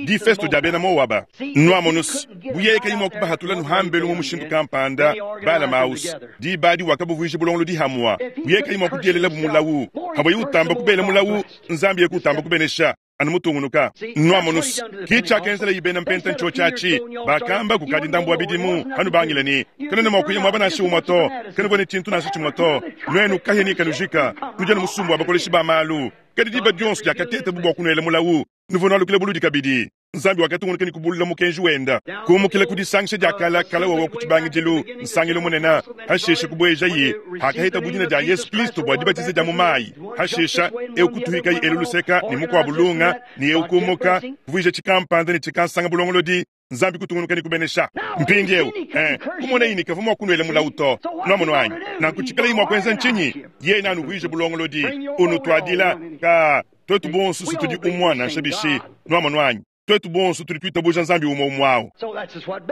Difesto dia bena Moaba. Nwamonu's, bu yeye kayi mua kubahatula nuhambelu mu mushindu kampanda, Balama au's, diba adi wakabuvuija bulongolodi hamua. Bu yeye kayi mua kudielelabu mulawu, havuaye utamba kubela mulawu, Nzambi yeye kutamba kubenesha. Anu mutungunuka. Nwamonu's, ki tshiakenzelayi bena Mpenta ntshiotshi atshi. Bakamba kukadi ndambu wa bidimu, kanubangila ne, Kanuena mua kuya muaba nansha umue to, kanuvua ne tshintu nansha tshimue to. Nuenu kahia ne kanujika, nudi anu musumba wa bakoleshi ba malu. Kadi diba dionso diakatetabu bua kunuela mulawu, nuvua nualukila buludi kabidi. Nzambi wakatungunuka ne kubulula mukenji wenda, kumukila ku disangisha dia kala kala wawa ku tshibangidilu, nsangilu munene, hashishe kubuejaye hakahetabu dina dia Yesu Kristo bua dibatiza dia mu mayi, hashisha eu kutuhikaye elu luseka ne mukuabu lunga, ne eu kumuka, kuvuija tshikampanda ne tshikansanga bulongolodi. Nzambi kutungunuka ne kubenesha. Mpindieu, eh, kumonayi ne kavua mua kunuela mulawu to. Nuamonu anyi? Nanku tshikalayi mua kuenza ntshinyi? Yeye neanuvuije bulongolodi, unutuadila. Ka, tuetu bonso si tudi umua nansha bishi. Nuamonu anyi? Tuetu bonso tudi tuitabuja Nzambi umue umue au.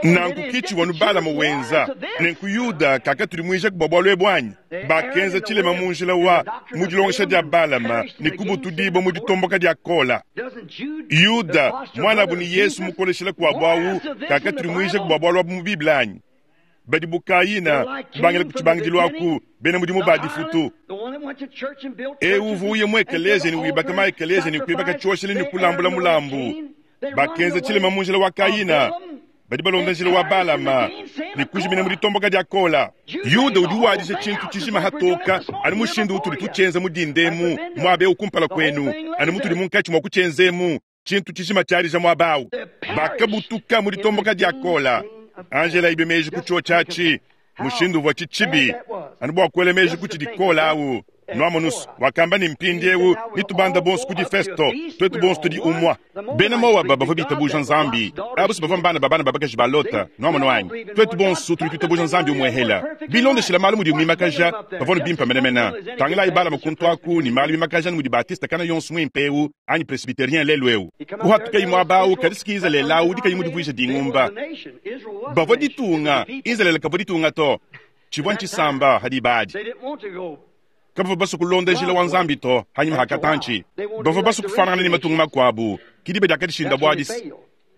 Nanku ki tshivua nu Balama wenza. Nenku Yuda kakatudimuijaku bua bualu ebu anyi? Bakenza tshilema mu njila wa mu dilongesha dia Balama ne kubutudibua mu ditomboka dia Kola. Yuda, muanabu ne Yesu mukoleshila kuabu au, kakatudimuijaku bua bualu abu mu Bible anyi? Badi bu Kayina, kubangila ku tshibangidilu aku, bena mudimu ba difutu. Eu uvua uya mu ekeleziya ne wibaka ma-ekeleziya ne kuibaka tshioshelu ne kulambula mulambu. Bakenza tshilema mu njila wa Kayina. Badi balonda njila wa Balama ne kujimina mu ditomboka dia Kola. Yuda udi wadisha tshintu tshijima hatoka, anu mushindu utudi tutshienza mu dinda emu, muaba eu kumpala kuenu, anu mutudi munkatshi mua kutshienza emu, tshintu tshijima tshiadija muaba au. Bakabutuka mu ditomboka dia Kola. Angela ibe meji ku tshiotshi atshi, mushindu uvuatshi tshibi, anu bua kuela meji ku tshidi Kola au. Nuamonus wakamba ne, Mpindiewu netubanda bonso ku difesto, tuetu bonso tudi umua. Bena Moaba bavua bitabuja Nzambi, abu si bavua mbana ba bana ba bakaji ba Lota. Nuamonu anyi? Tuetu bonso tudi tuitabuja Nzambi umuehela. Bilondeshila malu mudibu mimakaja, bavua ne bimpe menemene. Tangilayi Balama kuntu aku ne malu mimakaja ne mudi Batiste kana yonso muimpe eu anyi Presbyterien lelu eu. Kuhatukayi muaba au, kadi si ki Izalele au udi kayi mudivuije dingumba. Bavua ditunga, Izalele kavua ditunga to. Tshivua ntshisamba ha diba adi. Kabavua basue kulonda njila wa Nzambi to. Hanyima ha katantshi, bavua basue kufuanangana ne matunga makuabu. Ke diba diakadishindabu adi.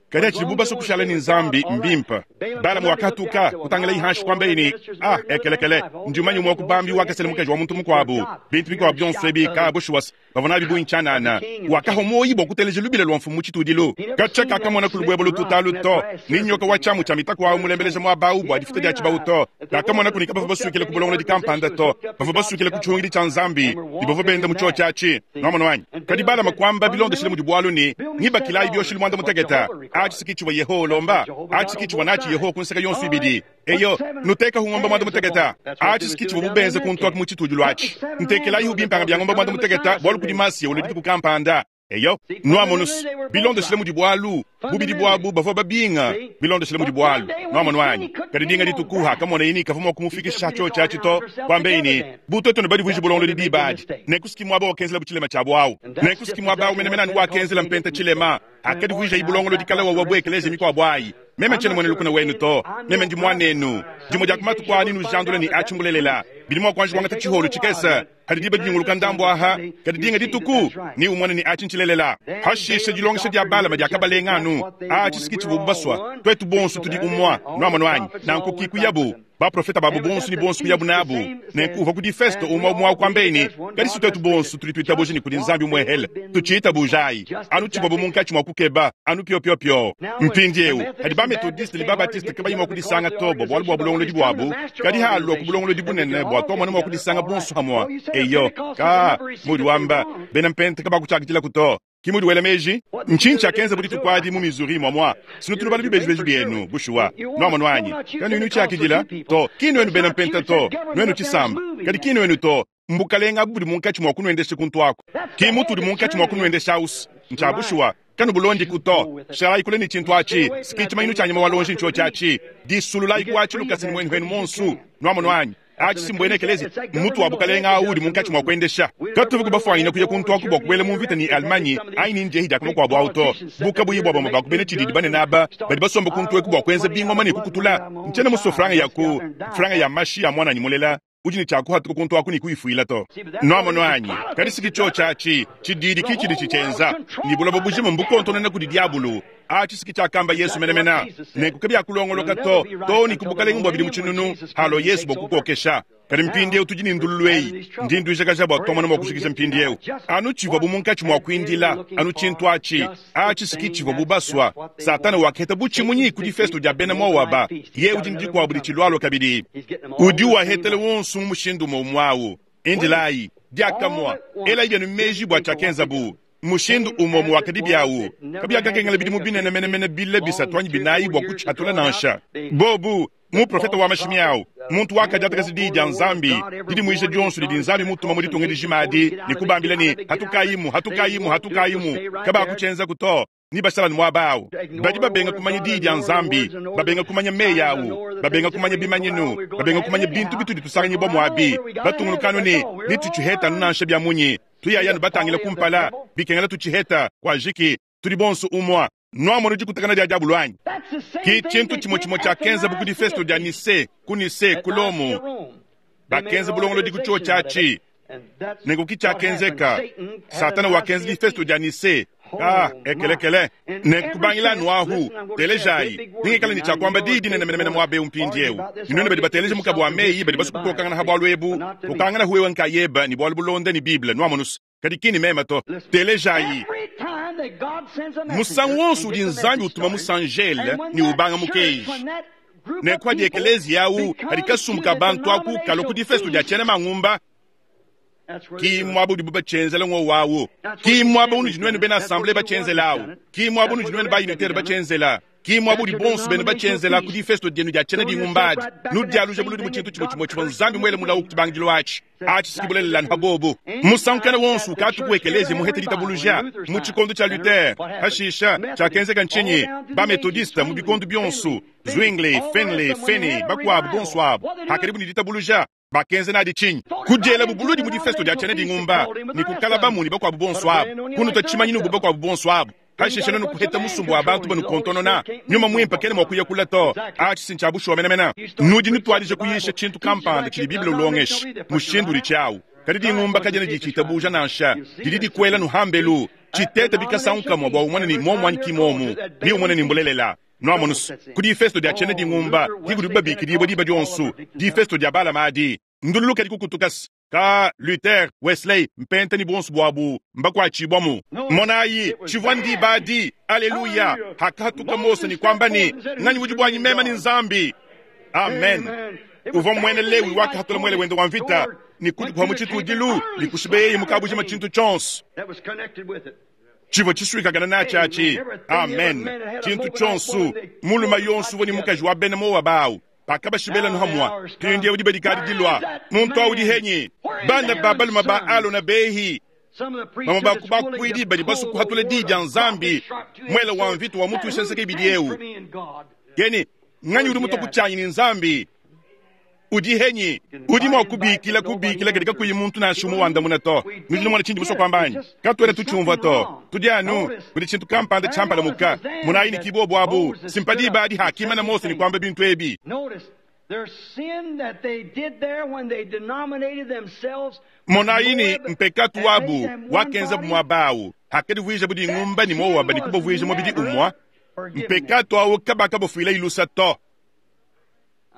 Kadi hatshidibu basue kushala ne Nzambi, mbimpe. Balama wakatuka, kutangilaye hanshi, kuambaye ne, Ah, ekelekele, ndi mumanye umue wa ku bambi wakasela mukaji wa muntu mukuabu. Bintu bikuabu bionso ebi, ka bushuwa bavua nabi bungi tshianana. Wakahua muoyo bua kuteleja lubila lua mfumu mu tshitudilu. Katshia kakamona ku lubuebue lututa alu to, ne nyoka wa tshiamu tshia mitaku au mulembeleja muaba au bua difuta dia tshibawu to. Kakamonaku ne kabavua basuikile ku bulongolodi kampanda to, bavua basuikile ku tshihungidi tshia Nzambi, ne bavua benda mu tshiotshi atshi. Nuamonu anyi? Kadi Balama kuamba bilondeshile mudi bualu ne, Ngibakilayi bioshelu muanda mutekete. Atshi si ki tshivua Yehowa ulomba. Atshi si ki tshivua natshi Yehowa ku nseke yonso ibidi. Eyo, nutekahu ngombe muanda mutekete. Atshi si ki tshivuabu benze kuntu aku mu tshitudilu atshi. Ntekelayihu bimpanga bia ngombe muanda mutekete, bualu kudi Masiya ulua dituku kampanda. Eyo, nuamonus, bilondeshile mudi bualu, bubidi buabu bavua babinga, bilondeshile mudi bualu. Nuamonu anyi? Kadi dinga dituku hakamoneye ne kavua mua kumufikisha tshiotshi atshi to, kuambeye ne, Bu tuetu ne badivuije bulongolodi diba adi, nenku si ki muaba wakenzelabu tshilema tshiabu au. Nenku si ki muaba au menemene anu wakenzela Mpenta tshilema, hakadivuijayi bulongolodi kale wawa bu ekeleziya mikuabu ayi. Meme tshiena muena lukuna wenu to, meme ndi muanenu. Dimue dia ku matuku aa nenujandule ne atshi mbulelela. Bidi mua kuanji kuangata tshiholu tshikese, hadi diba dinyunguluka ndambu aha, kadi dinga dituku neumone ne atshi ntshilelela. Hashishe dilongesha dia Balama diakabalenga anu atshi si ki tshivuabu basua. Tuetu bonso tudi umua, nuamonu anyi? Nanku ki kuyabu. Baprofeta babu bonso ne bonso kuyabu nabu. Nenku uvua ku difesto umue umue kuambaye ne, Kadi si tuetu bonso tudi tuitabuja ne kudi Nzambi umuehele, tutshiitabujayi anu tshivuabu munkatshi mua kukeba anu piopiopio. Mpindieu padi ba-Metodiste ne ba-Batiste kabayi mua kudisanga to bua bualu bua bulongolodi buabu, kadi halua ku bulongolodi bunene bua tuamona mua kudisanga bonso hamua. Eyo, ka, muudi wamba, bena Mpenta kabakutshiakidilaku to. Ki mudi wela meji? Ntshinyi tshiakenzabu dituku adi mu Missouri muamua? Sinutu nubala bibejibeji bienu, bushuwa. Nuamonu anyi? Kanuyi nutshiakidila to. Ki nuenu bena Mpenta to, nuenu tshisamba. Kadi ki nuenu to. Mbukalenge abu budi munkatshi mua kunuendesha kuntu aku. Ki mutudi munkatshi mua kunuendesha au's. Ntshia bushuwa. Kanubulondiku to. Shalayi kule ne tshintu atshi. S'ki tshimanyinu tshia nyama wa lonji ntshiotshi atshi. Disululayi ku atshi lukasa ne muenu enu muonsu. Nuamonu anyi? Atshi si mbuena ekeleziya, mmutu wa bukalenge au udi munkatshi mua kuendesha. Katuvua bafuanyine kuya kuntu aku bua kubuela mu mvita ne Allemagne anyi ne njehi dia ku makuabu au to. Bu kabuyi bua bamue ba ku bena tshididi banene aba badi basomba kuntu eku bua kuenza bingoma ne kukutula, ntshiena musue franga ya ku franga ya mashi a muananyi mulela. udi ne tshia kuhatuka kuntu aku ne kuyifuila to. Nwamonu anyi? Kadi si ki cyoci aci, cidiidi ki cidi cicyenza, ne buloba bujima mbukontonona kudi dyabulu. Aci si ki cyakamba Yesu menemene. Nenku kabyakulongoloka to, too ne ku Bukalenge bwa bidimu cinunu, halwa Yesu bwa kukookesha. Kadi mpindyewu tudi ne ndululu eyi. Ndi ndwijakaja bwa twamona mwa kujikija mpindyewu. Anu civwabu munkaci mwa kwindila, anu cintu aci. Aci si ki civwabu baswa. Satana wakaheta bucimunyi ku difesto dya bena Moaba. Yeye udi ne dikwabu dicilwalwa kabidi. Udi uahetela wonso mu mushindu umue umue awu. Indilayi, diakamue, elayi bienu meji bua tshiakenzabu. Mushindu umue umue wakadibi awu. Kabiakakengela bidimu binene menemene bile bisatu anyi binayi bua kutshihatula nansha. Bobu, muprofete wa mashimi awu, muntu wakadiatakaja Diyi dia Nzambi, didimuija dionso didi Nzambi mutuma mu ditunga dijima adi, ne kubambila ne, Hatukayimu, hatukayimu, hatukayimu. Kabakutshienzaku to. Ne bashala anu muaba awu. Badi babenga kumanya Diyi dia Nzambi, babenga kumanya meyi awu, babenga kumanya bimanyinu, babenga kumanya bintu bitudi tusanganyibua muabi, batungunuka anu ne, Netutshihete anu nansha bia munyi. Tuyaya anu batangila kumpala, bikengela tutshiheta. Kuajiki, tudi bonso umua. Nuamonu dikutakana dia diabulu anyi? Ki tshintu tshimue tshimue tshiakenzabu ku difesto dia Nicee, ku Nicee, ku Lomo. Bakenza bulongolodi ku tshiotshi atshi. Nenku ki tshiakenzeka. Satana wakenza difesto dia Nicee. Ah, ekelekele. Nenku kubangila anu ahu, telejayi, nengikale ne tshia kuamba diyi dinene menemene muaba eu mpindieu. Ne nuenu badi bateleja mukabu wa meyi badi basue kukokangana ha bualu ebu, kokangana hu wewe nkayebe ne bualu bulonda ne Bible, nuamonu's. Kadi ki ne meme to. Telejayi. Musangu wonso udi Nzambi utuma musanjele ne ubanga mukenji, nenku padi ekeleziya awu, padi kasumbu ka bantu aku kalua ku difesto dia tshiena mangumba, ki muaba udibu batshienzela ngowu awu, ki muaba unudi nuenu bena assemblee batshienzela awu, ki muaba unudi nuenu ba unitaire batshienzela, ki muaba udi bonso benu batshienzela ku difesto dienu dia tshiena dingumba adi. Nudialuja buludi mu tshintu tshimue tshimue tshivua Nzambi muele mulawu ku tshibangidilu atshi. Atshi si bulelela anu pa bobu. Musangu kena wonso ukatu ku ekeleziya muhete ditabuluja mu tshikondo tshia Luther. Pashisha, tshiakenzeka ntshinyi? Ba-Methodiste mu bikondo bionso, Zwingli, Finley, Finney, bakuabu bonso abu, hakadibu ne ditabuluja, bakenza nadi tshinyi? Kudielabu buludi mu difesto dia tshiena dingumba ne kukalabamu ne bakuabu bonso abu, kunuta tshimanyinu bu bakuabu bonso abu. Pashishe nuenu kuheta musumba wa bantu banukontonona. Nyuma Muimpe kena mua kuya kule to. Atshi si ntshia bushuwa menemene. Nudi nutuadija kuyisha tshintu kampanda tshidi Bible ulongesha, mushindu udi tshiawu. Kadi dingumba kadiena ditshitabuja nansha. Didi dikuela nuhambelu. Tshitete bikasangu kamue bua umone ni muomu anyi ki muomu, ne umone ni mbulelela. Nuamonu's, ku difesto dia tshiena dingumba ki kudibu babikidibua diba dionso, difesto dia Balama adi. Ndululu kadi kukutuka-s. Ka Luther, Wesley, Mpenta ne buonso buabu mbakuatshibuamu. Monayi, tshivua ndiba adi, aleluya, hakahatuka Mose ne kuamba ne, Nganyi udi buanyi meme ne Nzambi? Amen. Uvua muena Lewi wakahatula muele wende wa mvita ne kudikuha mu tshitudilu ne kushibeyeye mu kabujima tshintu tshionso tshivua tshisuikakana natshi atshi. Amen. Tshintu tshionso, mulume yonso uvua ne mukaji wa bena Moaba au. Pakabashibela hamua, mpindieu diba dikadi dilua. Muntu au udi henyi? Bana ba balume ba Alona behi, bamue ba ku bakuidi badi basue kuhatula di dia Nzambi, muele wa mvita wa mutuisha nseke ibidi eu. Keni, nganyi udi mutua ku tshianyi ne Nzambi? Udi henyi? Udi mua kubikila kubikila kadi kakuyi muntu nansha umue wandamuna to. Nudi numona tshindi musue kuamba anyi? Katuena tutshiumvua to. Tudi anu kudi tshintu kampanda tshiampalamuka. Monayi ne ki bobu abu. Si mpa diba adi hakimana Mose ne kuamba bintu ebi. Monayi ne mpekatu wabu wakenzabu muaba awu hakadivuijabu dingumba ne Moaba ne kubavuija mubidi umue. Mpekatu awu kabakabafuila ilusa to.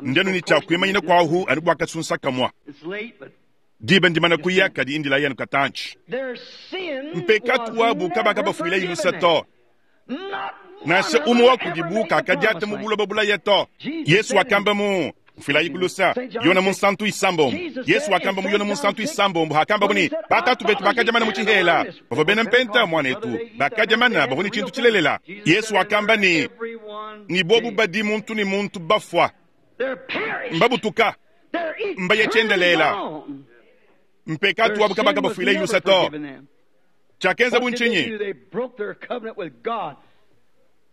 Ndi anu ne tshia kuimanyina kuahu anu bua kasunsa kamua. Diba ndimana kuya, kadi indilayi anu katantshi. Mpekatu wabu kabakabafuila ilusa to. Nansha umue wa kudibu kakadiata mu buloba bulaya to. Yesu wakamba mu mfuilayi kulusa Yona munsantu isambombo. Yesu wakamba mu Yona munsantu isambombo hakambabu ne batatu betu bakadia mana mu tshihela, bavua bena mpenta muanetu, bakadia mana bavua ne tshintu tshilelela. Yesu wakamba ne ne bobu badi muntu ne muntu bafua, mbabutuka, mbaye tshiendelela. Mpekatu wabu kabakabafuila ilusa to. Tshiakenzabu ntshinyi?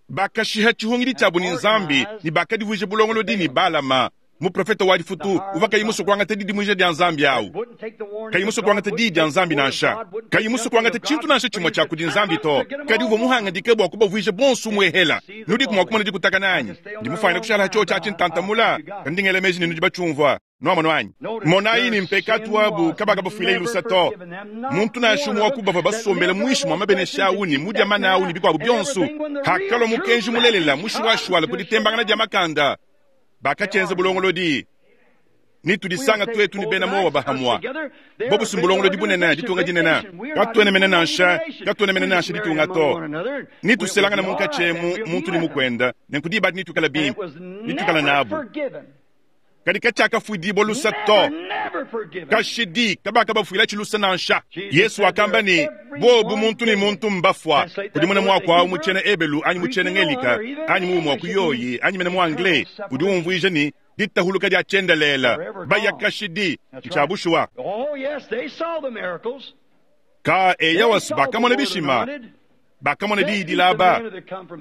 Bakashiha tshihungidi tshiabu ne Nzambi ne bakadivuija bulongolodi ne Balama, muprofete wa difutu uvua kayi musue kuangata didimuija dia Nzambi au, kayi musue kuangata diyi dia Nzambi nansha, kayi musue kuangata tshintu nansha tshimue tshia kudi Nzambi to, kadi uvua muhangadike bua kubavuija bonso umuehela. Nudiku mua kumona dikutakana anyi? Ndi mufuanyine kushala ha tshiotshi atshi ntantamula, kadi ndi ngela meji ne nudi batshiumvua. Nwamonu anyi? Monayi ne mpekaatu wabu kabakabafuilayi lusa to. Muntu nansha umue wa ku bavua basombele muinshi mua mabenesha awu ne mudia mana awu ne bikuabu bionso, hakalua mukenji mulelela mushuwashuwala ku ditembangana dia makanda, bakatshienza bulongolodi. Ne tudisanga tuetu ne bena Moaba hamua. Bobu si mbulongolodi bunene, ditunga dinene. Katuena mene nansha, katuena mene nansha ditunga to. Ne tuselangana munkatshi emu, muntu ne mukuenda, nenku diba adi netuikale bimpe, netuikale nabu. Kadi katshiakafuidibua lusa to. Kashidi kabakabafuilatshi lusa nansha. Yesu wakamba ne, Bobu muntu ne muntu mbafua. Kudimuna muaku au mu tshiena Ebelu anyi mu tshiena Ngelika anyi mu muaku yoyi anyi mene mu Anglais udi umvuija ne, ditahuluka dia tshiendelele, baya kashidi. Ntshia bushuwa. Ka eyawas bakamona bishima, bakamona diyi dilaba,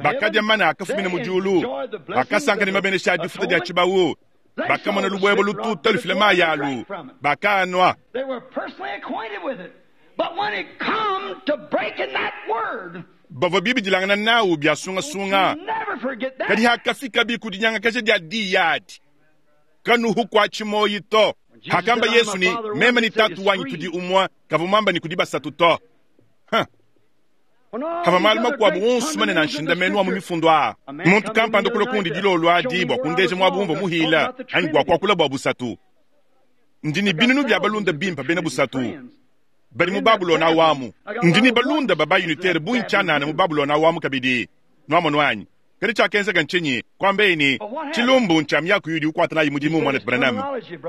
bakadia mana akafumina mu diulu, bakasanka ne mabenesha a difuta dia tshibawu, bakamona lubuebue lututa lufila mayi alu, bakaanua. Bavua bibidilangana nawu bia sungasunga, kadi hakafikabi ku dinyangakaja dia diyi adi, kanuhu kuatshi muoyi to. Hakamba Yesu ne, Meme ne Tatu wanyi tudi umue, kavua muamba ne kudi basatu to. Huh. Pavua malu makuabu onso manene a nshindamenu a mu mifundu aa, muntu kampanda kulua kundi dilolo adi bua kundeja muaba umvua muhila anyi bua kuakula bua busatu. Ndi ne binunu bia balunda bimpe bena busatu badi mu Babulona awu amu. Ndi ne balunda ba ba-unitere bungi tshianana mu Babulona awu amu kabidi. Nuamonu anyi? Kadi tshiakenzeka ntshinyi? Kuambaye ne, Tshilumbu ntshia miaku yudi ukuata nayi mudimu, Muanetu Branham.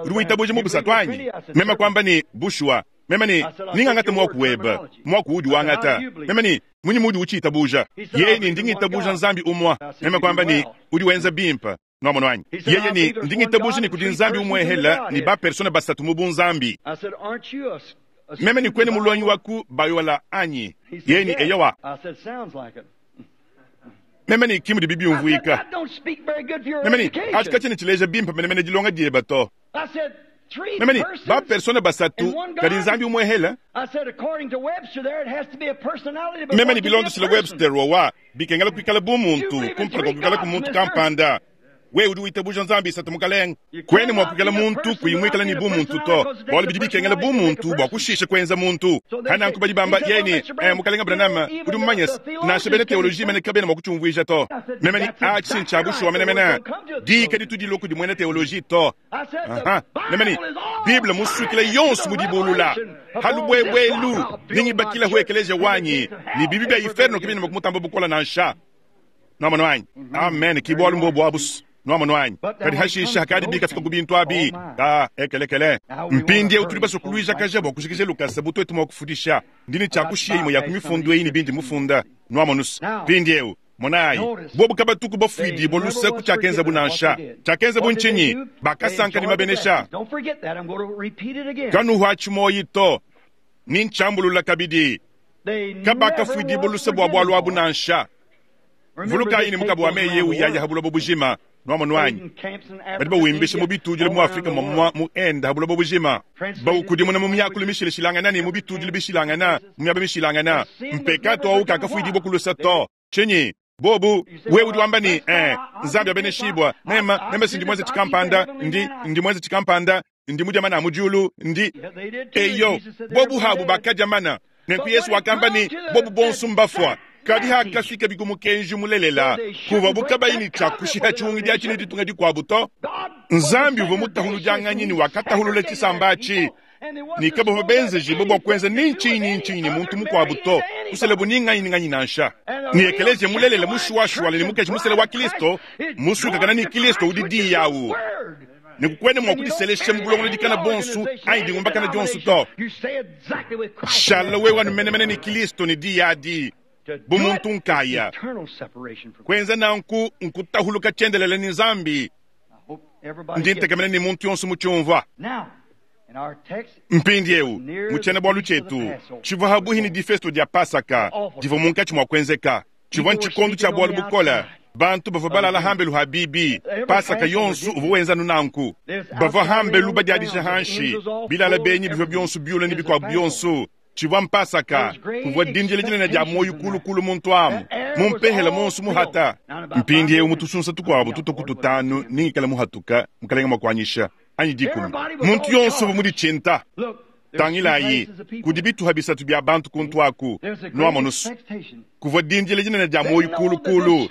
Udi witabuja mu busatu anyi? Meme kuamba ne, Bushuwa. Meme ne, Ningangate muaku webe, muaku uudi wangata. Meme ne, Munyi muudi utshiitabuja? Yeye ne, Ndi ngitabuja Nzambi umue. Meme kuamba ne, Udi wenza bimpe. Nwamonu anyi? Yeye ne, Ndi ngitabuja ne kudi Nzambi umuehela ne ba-persona basatu mu bunzambi. Meme ne, Kuena mulongi wa ku Biola anyi? Yeye ne, Eyowa. Meme ne, Ki mudibi biumvuika. Meme ne, Atshi katshiena tshileja bimpe menemene dilonga diebe to. Meme ne, Ba-persona basatu, kadi Nzambi umuehela? Meme ne, Bilondeshile Webster wawa, bikengela kuikala bu muntu kumpala kua kuikalaku muntu kampanda. Wewe udi witabuja Nzambi isatu, Mukalenge. Kuena mua kuikala muntu kuyi muikale ne bumuntu to, bualu bidi bikengela bumuntu bua kushisha kuenza muntu. Pa nanku badi bamba, yeye ne, Eh, Mukalenge Branham, udi mumanye's, nansha bena teoloji mene kabena mua kutshiumvuija to. Meme ne, Atshi ntshia bushuwa menemene. Diyi kaditu dilua kudi muena teoloji to. Aha. Meme ne, Bible musuikila yonso mu dibulula. Ha lubuebue elu, nengibakilahu ekeleziya wanyi, ne bibi bia iferno kabiena mua kumutamba bukole nansha. Nwamonu anyi? Amen. Ki bualu mbobu abu's. Nwamonu anyi? Kadi hashishe hakadi bikafika ku bintu abi, ka ekelekele. Mpindieu tudi basue kuluijakaja bua kujikija lukasa bu tuetu mua kufudisha. Ndi ne tshia kushiya imue ya ku mifundu eyi ne bindi mufunda. Nwamonu's? Mpindieu, monayi, bobu kabatuku bafuidibua luse ku tshiakenzabu nansha. Tshiakenzabu ntshinyi? Bakasanka ne mabenesha. Kanuhuatshi muoyi to. Ni ntshiambulula kabidi. Kabakafuidibua luse bua bualu abu nansha. Vulukayi ne mukaba wa meyi eu yaya ha buloba bujima, nuamonu anyi? Badi bawimbisha mu bitudilu mu Afrika muamua, mu Inde, ha buloba bujima, bawukudimuna mu miakulu mishilashilangana ne mu bitudilu bishilangana mu miaba mishilangana. Mpekatu au kakafuidibua ku lusa to. Tshinyi? Bobu, wewe udi wamba ne, Eh, Nzambi abeneshibua, mema, mema si ndi muenze tshikampanda, ndi, ndi muenze tshikampanda, ndi mudia mana a mu diulu, ndi. Eyo, bobu habu bakadia mana. Nenku Yesu wakamba ne, bobu bonso mbafua. Kadi hakafika ku mukenji mulelela, kuvuabu kabayi ne tshia kushiha tshiungidi atshi ne ditunga dikuabu to. Nzambi uvua mutahuludianganyi ne wakatahulula tshisamba atshi, ne kabavua benzejibue bua kuenza ni ntshinyi ni ntshinyi ne muntu mukuabu to, kuselabu ni nganyi ni nganyi nansha. Ne ekeleziya mulelela mushuwashuwala ne mukaji musela wa Kilisto, musuikakana ne Kilisto udi Diyi awu. Nenku kuena mua kudiselesha mu bulongolodi kana buonso anyi dingumbakana dionso to. Shala wewe anu menemene ne Kilisto ne Diyi adi, bu muntu nkaya. Kuenza nanku nkutahuluka tshiendelele ne Nzambi. Ndi ntekemena ne muntu yonso mutshiumvua. Mpindieu, mu tshiena-bualu tshietu, tshivua habuhi ne difesto dia Pasaka divua munkatshi mua kuenzeka. Tshivua ntshikondo tshia bualu bukole. Bantu bavua balala hambelu ha bibi. Pasaka yonso uvua wenza anu nanku. Bavua hambelu badiadija hanshi, bilala benyi bivua bionso biula ne bikuabu bionso. Tshivua mpasaka. Kuvua dindila dinene dia muoyo kulu kulu muntu amu, mu mpehela monso muhata. Mpindieu mu tusunsa tukuabu tutua ku tutanu ningikala muhatuka, Mukelenge mua kuanyisha. anyi dikumi. Muntu yonso uvua muditshinta. Tangilayi, kudi bituha bisatu bia bantu kuntu aku. Nuamonu's, kuvua dindila dinene dia muoyo kuulu-kuulu.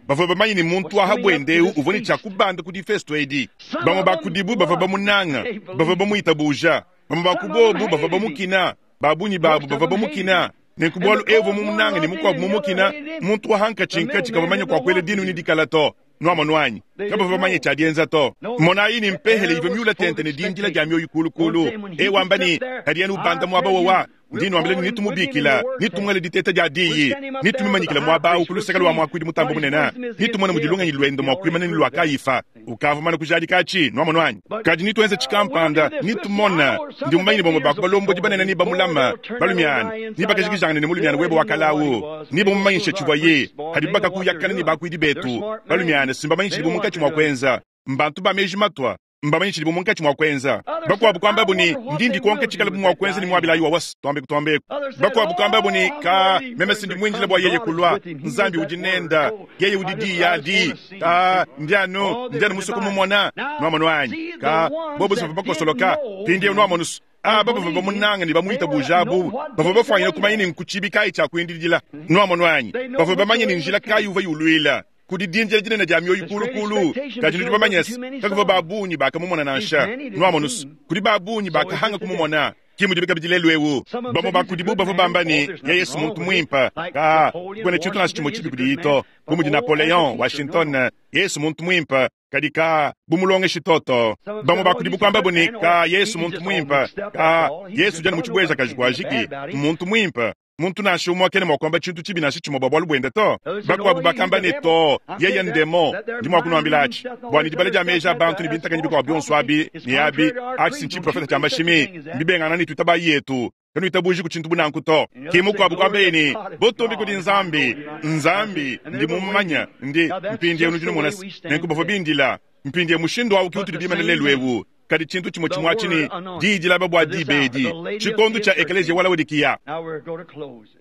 Bavua bamanye ne muntu wa ha buende eu uvua ne tshia kubanda ku difesto edi. Bamue ba kudibu bavua bamunanga, bavua bamuitabuja. Bamue ba ku bobu bavua bamukina, ba bungi babu bavua bamukina. Nenku bualu eu uvua mumunanga ne mukuabu mumukina, muntu wa hankatshinkatshi kavua manya kua kuela dinu ne dikala to. Nuamonu anyi? Kabavua bamanye tshia dienza to. Monayi ne mpehele ivua miula tente ne dindila dia mioyo kuulu-kuulu. E wamba ne, Kadi anu ubanda muaba wawa, ndi nuambila ne netumubikila, netumuele diteta dia diyi, netumumanyikile muaba au ku luseke lua muakuidi mutambe bunene, netumone mudi lungenyi luende mua kuimana ne lua Kayifa. Ukavua mumane kujadika atshi, nuamonu anyi? Kadi netuenze tshikampanda, netumone. Ndi mumanye ne bamue ba ku balombodi banene nebamulame, balumiana, nebakajikijangane ne mulumiana webe wa kale au, nebamumanyishe tshivuaye. Kadi bakakuyakana ne bakuidi betu, balumiana, si mbamanye tshidibu munkatshi mua kuenza. Mbantu ba meji matua, mbamanye tshidibu munkatshi mua kuenza. Bakuabu kuambabu ne, Ndi ndikonka tshikalabu mua kuenza ne muabilayi wa wasi. Tuambeku tuambeku. Bakuabu kuambabu ne, Ka, meme si ndi muindile bua yeye kulua. Nzambi udi nenda. Yeye udi diyi adi. Ka, ndi anu, ndi anu musue kumumona. Nuamonu anyi? Ka, bobu bavua bakosoloka. Mpindieu nuamonu's, aba bavua bamunanga ne bamuitabuja abu bavua bafuanyine kumanya ne nku tshibi kayi tshia kuindidila. Nuamonu anyi? Bavua bamanye ne njila kayi uvua yuluila. Kudi dindila dinene dia mioyo kuulu-kuulu, kadi nudi bamanye se, kakuvua ba bungi bakamumona nansha. Nuamonu's, kudi ba bungi bakahanga kumumona. Ke mudibi kabidi lelu'eu. Bamue ba kudibu bavua bamba ne, Yeye si muntu muimpe. Kaa, kakuena tshintu nansha tshimue tshibi kudiye to. Bu mudi Napoleon, Washington, yeye si muntu muimpe. Kadi kaa, bu mulongeshi to to. Bamue ba kudibu kuambabu ne, Kaa, Yesu muntu muimpe. Kaa, Yesu udi anu mu tshibuejakaji kuajiki. Mmuntu muimpe. Muntu nansha umue kena mua kuamba tshintu tshibi nansha tshimue bua bualu buende to. Bakuabu bakamba ne, Too, yeye ndemon. Ndi mua kunuambila atshi bua ne dibala dia meji a bantu ne bintakanyi bikuabu bionso abi ne abi, atshi si ntshiprofete tshia mashimi, mbibengangana ne tuitabayi yetu. Kanuitabujiku tshintu bu nanku to. Ke mukuabu kuambaye ne, Butumbi kudi Nzambi! Nzambi, ndi mumumanye. Ndi, mpindieu nudi numona se, nenku bavua bindila. Mpindieu mushindu au ke utudi bimane lelu eu. Kadi tshintu tshimue tshimue atshi ne diyi dilaba bua diba edi, tshikondo tshia ekeleziya wa Laodikiya.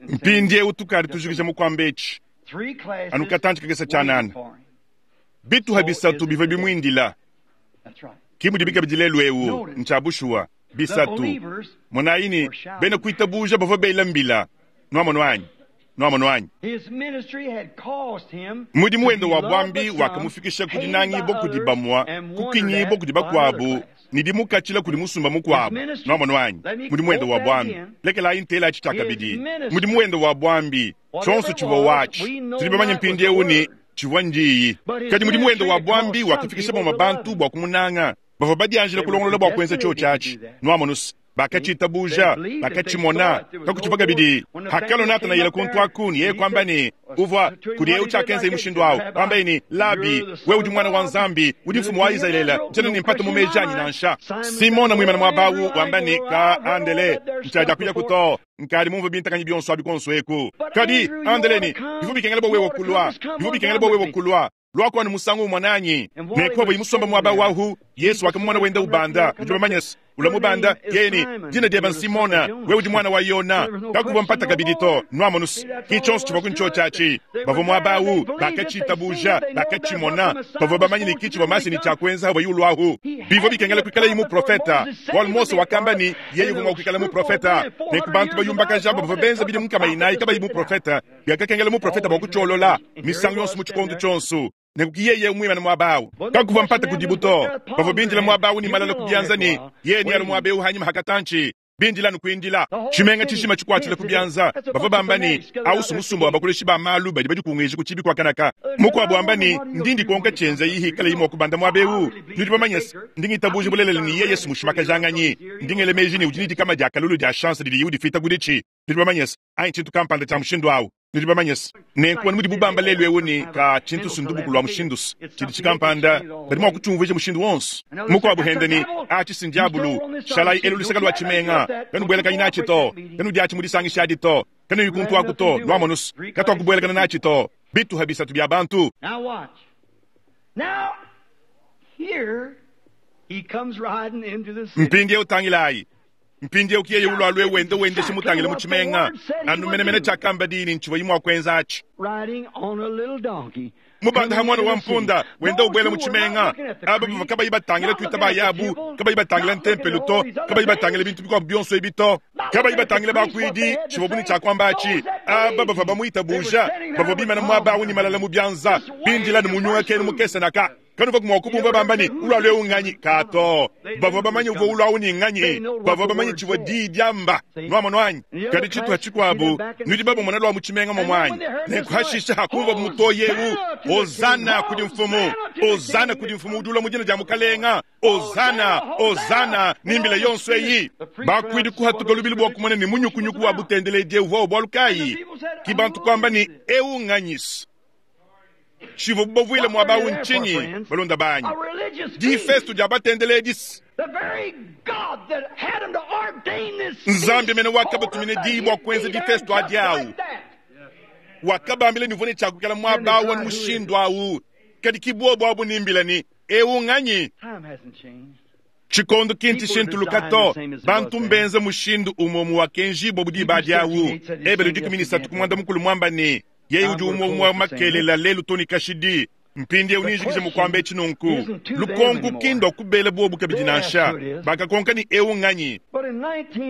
Mpindieu tukadi tujikija mu kuamba etshi anu katantshi kakese tshianana. Bituha bisatu bivua bimuindila. Ke mudibi kabidi lelu eu. Ntshia bushuwa. Bisatu. Monayi ne, bena kuitabuja bavua bela mbila. Nuamonu anyi? Nuamonu anyi? Mudimu wende wa buambi wakamufikisha ku dinangibua kudi bamue, kukinyibua kudi bakuabu, ne dimukatshila kudi musumba mukuabu. Nuamonu anyi? Mudimu wende wa buambi. Lekelayi ntela atshi tshiakabidi. Mudimu wende wa buambi, tshionso tshivua watshi. Tudi bamanye mpindieu ne, tshivua ndiyi. Kadi mudimu wende wa buambi wakafikisha bamue bantu bua kumunanga. Bavua badianjila kulongolola bua kuenza tshiotshi atshi. Nuamonu's, bakatshitabuja, bakatshimona, kakutshivua kabidi. Hakalua Natanayele kuntu aku, ne yeye kuamba ne, Uvua kudi eu tshiakenzaye mushindu au, kuambaye ne, Labi, wewe udi Muana wa Nzambi, udi Mfumu wa Izalele. Ntshiena ne mpata mu meji anyi nansha. Simona muimane muaba au, wamba ne, Ka, Andele, ntshiadiakuyaku to. Nkadi mumvue bintakanyi bionso abi kuonso eku. Kadi, Andele ne, bivua bikengela bua wewe kulua, bivua bikengela bua wewe kulua. Luaku anu musangu umue nanyi. Ne kuavuaye musomba muaba wahu, Yesu wakamumona wenda ubanda. Nudi bamanye se, ulua mubanda, yeye ne, Dina diebe n'Simona, wewe udi muana wa Yona. Kakuvua mpata kabidi to. Nuamonu se, ki tshionso tshivua ku ntshiotshi atshi. Bavua muaba au, bakatshitabuja, bakatshimona. Bavua bamanye ne ki tshivua Masiya ne tshia kuenza havuaye uluahu. Bivua bikengela kuikalaye muprofeta, bualu Mose wakamba ne, yeye uvua mua kuikala muprofeta. Nenku bantu bayumbakaja aba bavua benza bidimu nkama inayi kabayi muprofeta, biakakengela muprofeta bua kutshiolola misangu yonso mu tshikondo tshionso. Nenku ki yeye muimane muaba au, kakuvua mpata kudibu to. Bavua bindila muaba au ne malala ku bianza ne yeye nealue muaba eu hanyima ha katantshi. Bindila anu kuindila, tshimenga tshijima tshikuatshila ku bianza. Bavua bamba ne, Au si musumba wa bakoleshi ba malu badi badikunguija ku tshibi kua kanaka. Mukuabu wamba ne, Ndi ndikonka tshienzayi hikalayi mua kubanda muaba eu. Nudi bamanye se, ndi ngitabuja bulelela ne yeye si mushimakajanganyi. Ndi ngela meji ne udi ne dikama dia kalolo dia chance didiye udifita kuditshi. Nudi bamanye se, anyi tshintu kampanda tshia mushindu au. Nudi bamanye se, nenku anu mudibu bamba lelu eu ne, ka tshintu si ndubuku lua mushindu se, tshidi tshikampanda, badi mua kutshiumvuija mushindu wonso. Mukuabu hende ne, atshi si ndiabulu, shalayi elu luseke lua tshimenga, kanubuelakanyi natshi to, kanudiatshi mu disangisha adi to, kanuyi kuntu aku to, nuamonu se, katuakubuelakana natshi to. Bituha bisatu bia bantu. Now watch. Now, here he comes riding into the city. Mpindieu tangilayi. Mpindieu ki yeye ulua alue wenda wendesha mutangile mu tshimenga, anu menemene tshiakamba diyi ne ntshivuaye mua kuenza atshi. Mubanda ha muana wa mpunda wenda ubuela mu tshimenga, aba bavua kabayi batangila tuitaba yabu, kabayi batangila ntempelo to, kabayi batangila bintu bikuabu bionso ebi to, kabayi batangila bakuidi, tshivuabu ne tshia kuamba atshi. Aba bavua bamuitabuja bavua bimana muaba au ne malala mu bianza, bindila ne munyungakenu mukese naka. Kanuvua mua kubumvua bamba ne, Ulua eu nnganyi? Ka to. Bavua bamanye uvua ulua au ni nnganyi. Bavua bamanye tshivua diyi diamba. Nuamonu anyi? Kadi tshituha tshikuabu, nudi babumona lua mu tshimenga muomu anyi? Nenku hashishe hakumvua mutoyi eu, Hozana kudi Mfumu! Hozana kudi Mfumu udi ulua mu dina dia Mukalenga! Hozana! Hozana! Ni mbila yonso eyi. Bakuidi kuhatuka lubilu bua kumona ne munyukunyuku wa butendeledi eu uvua wa bualu kayi. Ki bantu kuamba ne, Eu nnganyi-se? Tshivuabu bavuile muaba au ntshinyi, balunda banyi? Difesto dia batendeledi. Nzambi mene wakabatumina diyi bua kuenza difesto adi au. Wakabambila ne uvua ne tshia kuikala muaba au anu mushindu au. Kadi ki buobu abu ne mbila ne, Eu nganyi? Tshikondo ki ntshishintuluka to. Bantu mbenze mushindu umue umue wakenjibua bu diba adi au. Ebelu 13 ku muanda mukulu muamba ne, Yeye udi umue umue makelela lelu to ne kashidi. Mpindieu nenjikije mu kuamba etshi nunku, lukonko ki ndua kubela buobu kabidi nansha. Bakakonka ne, Eu nnganyi?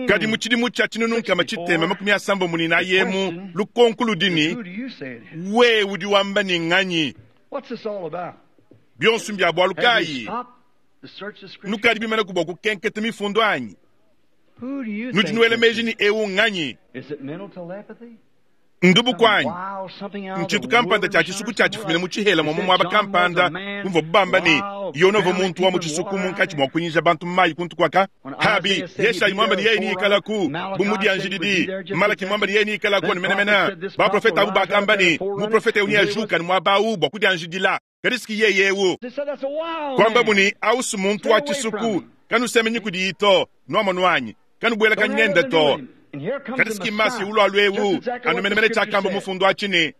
Kadi mu tshidimu tshia 1664 emu, lukonko ludi ne, Wewe udi wamba ne, nnganyi? Bionso mbia bualu kayi? Nukadi bimanaku bua kukenketa mifundu anyi? Nudi nuela meji ne, Eu nnganyi? Ndubu kuanyi? Ntshintu kampanda tshia tshisuku tshia tshifumina mu tshihela mua mu muaba kampanda umvuabu bamba ne, Yona uvua muntu wa mu tshisuku munkatshi mua kunyija bantu mu mayi kuntu kuaka. Habi, Yeshayi muamba ne yeye neikalaku bu mudianjididi, Malaki muamba ne yeye neikalaku anu menemene. Baprofete abu bakamba ne, muprofete eu neajuke anu muaba au bua kudianjidila. Kadi si yeye eu. Kuambabu ne, Au si muntu wa tshisuku, kanusemenyi kudiyi to, nuamonu anyi? Kanubuelakanyi nende to. Kadi si Masiya ulualu eu, anu menemene tshiakamba mufundu atshi ne,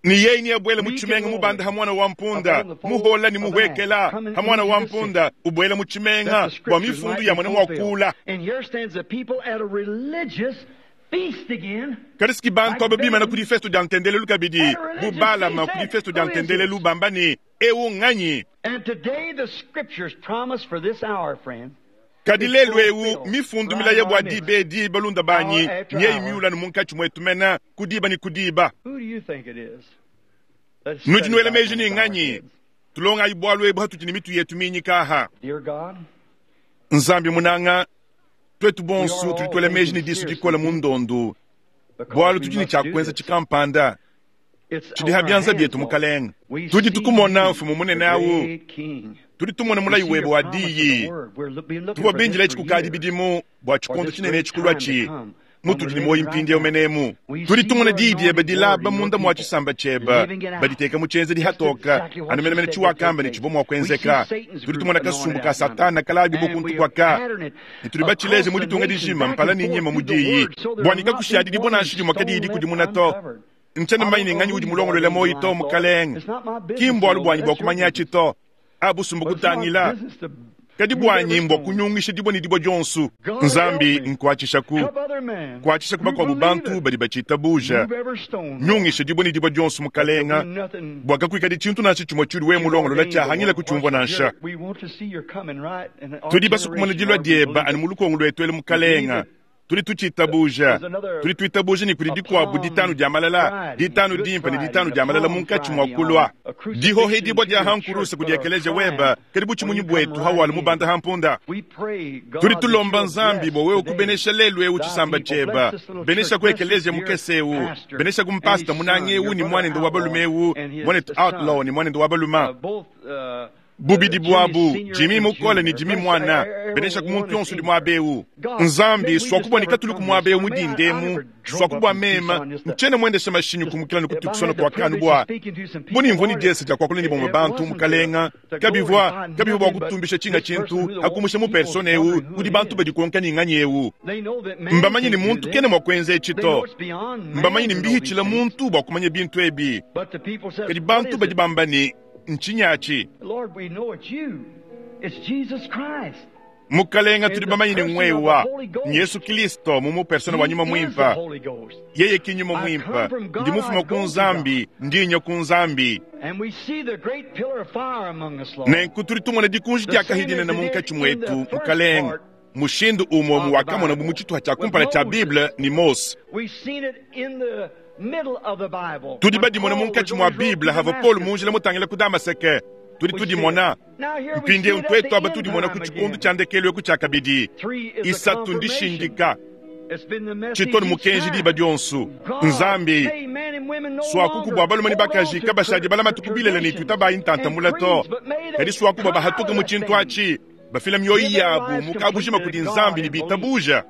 ne yeye neabuele mu tshimenga mubanda ha muana wa mpunda, muhola ne muhuekela ha muana wa mpunda, ubuela mu tshimenga, bua mifundu yamone mua kuula. Kadi si bantu aba bimana ku difesto dia ntendelelu kabidi, bu Balama ku difesto dia ntendelelu, bamba ne, Eu nnganyi? Kadi lelu eu, mifundu milaya bua diba edi, balunda banyi, nyeyi miula anu munkatshi muetu mene, ku diba ne ku diba. Nudi nuela meji ne nnganyi? Tulongayi bualu ebu hatudi ne mitu yetu minyika aha. Nzambi munanga, tuetu bonso tudi tuela meji ne disu dikole mu ndondu, bualu tudi ne tshia kuenza tshikampanda tshidi ha bianza bietu, Mukalenge. Tudi tukumona, Mfumu munene au, tudi tumona mulayi webe wa diyi. Tuvua bindile etshi kukadi bidimu bua tshikondo tshinene etshi kuluatshi, mutudi ne muoyo mpindieu menemu. Tudi tumona diyi diebe dilaba munda mua tshisamba tshiebe, baditeka mu tshienzedi hatoka, anu menemene tshiwakamba ne tshivua mua kuenzeka. Tudi tumona kasumbu ka Satana kalabibua kuntu kuaka, ne tudi batshileje mu ditunga dijima mpala ne nyima mu diyi, bua ne kakushadidibua nansha dimue kadiyi dikudimuna to. Ntshiena mumanye ne nganyi udi mulongoluela muoyo to, Mukalenge. Ki mbualu buanyi bua kumanyatshi to. Abusumbu kutangila, kadi buanyi mbua kunyungisha dibue ne dibue dionso. Nzambi, nkuatshishaku, kuatshishaku bakuabu bantu badi batshitabuja. Nyungisha dibue ne dibue dionso, Mukalenga, bua kakuikadi tshintu nansha tshimue tshiudi wewe mulongolola tshiahangila kutshiumvua nansha. Tudi basue kumona dilua dieba anu mu lukongo luetu elu, Mukalenga. Tudi tutshitabuja. Tudi tuitabuja ne kudi dikuabu ditanu dia malala, ditanu dimpe ne ditanu dia malala munkatshi mua kulua. Dihohedibua dia ha nkuruse kudi ekeleziya weba kadi butshimunyi buetu hawala mubanda ha mpunda. Tudi tulomba Nzambi bua wewe kubenesha lelu eu tshisamba tshieba. Beneshaku ekeleziya mukese eu. Beneshaku mpasta munanga eu ne muanende wa balume eu, muanetu Outlaw ne muanende wa balume. Bubidi buabu, Jimmy mukole ne Jimmy muana, beneshaku muntu yonso udi muaba eu. Nzambi, suaku bua ne katulu ku muaba eu mu dinda emu, suaku bua mema, ntshiena muendesha mashinyi kumukila ne ku Tucson kuakanu bua bu ne mvua ne diesa dia kuakula ne bamue bantu, Mukalenga, kabivua, kabivua bua kutumbisha tshinga tshintu, akumusha mu persona eu udi bantu badikonka ne nganyi eu. Mbamanye ne muntu kena mua kuenza etshi to. Mbamanye ne mbihitshila muntu bua kumanya bintu ebi. Kadi bantu badi bamba ne, Ntshinyi atshi? Mukalenga, tudi bamanye ne ngwewa Yesu Kristo mu persona wa nyuma mwimpa. Yeye ki nyuma mwimpa, ndi mufuma ku Nzambi, ndi nya ku Nzambi. Nenku tudi tumona dikunji dia kahidinene munkatshi mwetu, Mukalenga, mushindu umwe muwakamona bu mu tshituha tshia kumpala tshia Bible ni Mose. Tudi badimona munkatshi mua Bible hava Paul munjila mutangila ku Damaseke. Tudi tudimona mpindieu twetu aba tudimona ku tshikundu tshia ndekelu eku tshia kabidi. Isatu ndishindika tshitoni mukenji diba dionso. Nzambi swakuku bua balume ne bakaji kabashadi balamatu kubilela ne tutabayi ntantamula to, kadi swaku bua bahatuka mu tshintu atshi bafila mioyo yabu mukabujima kudi Nzambi ne bitabuja.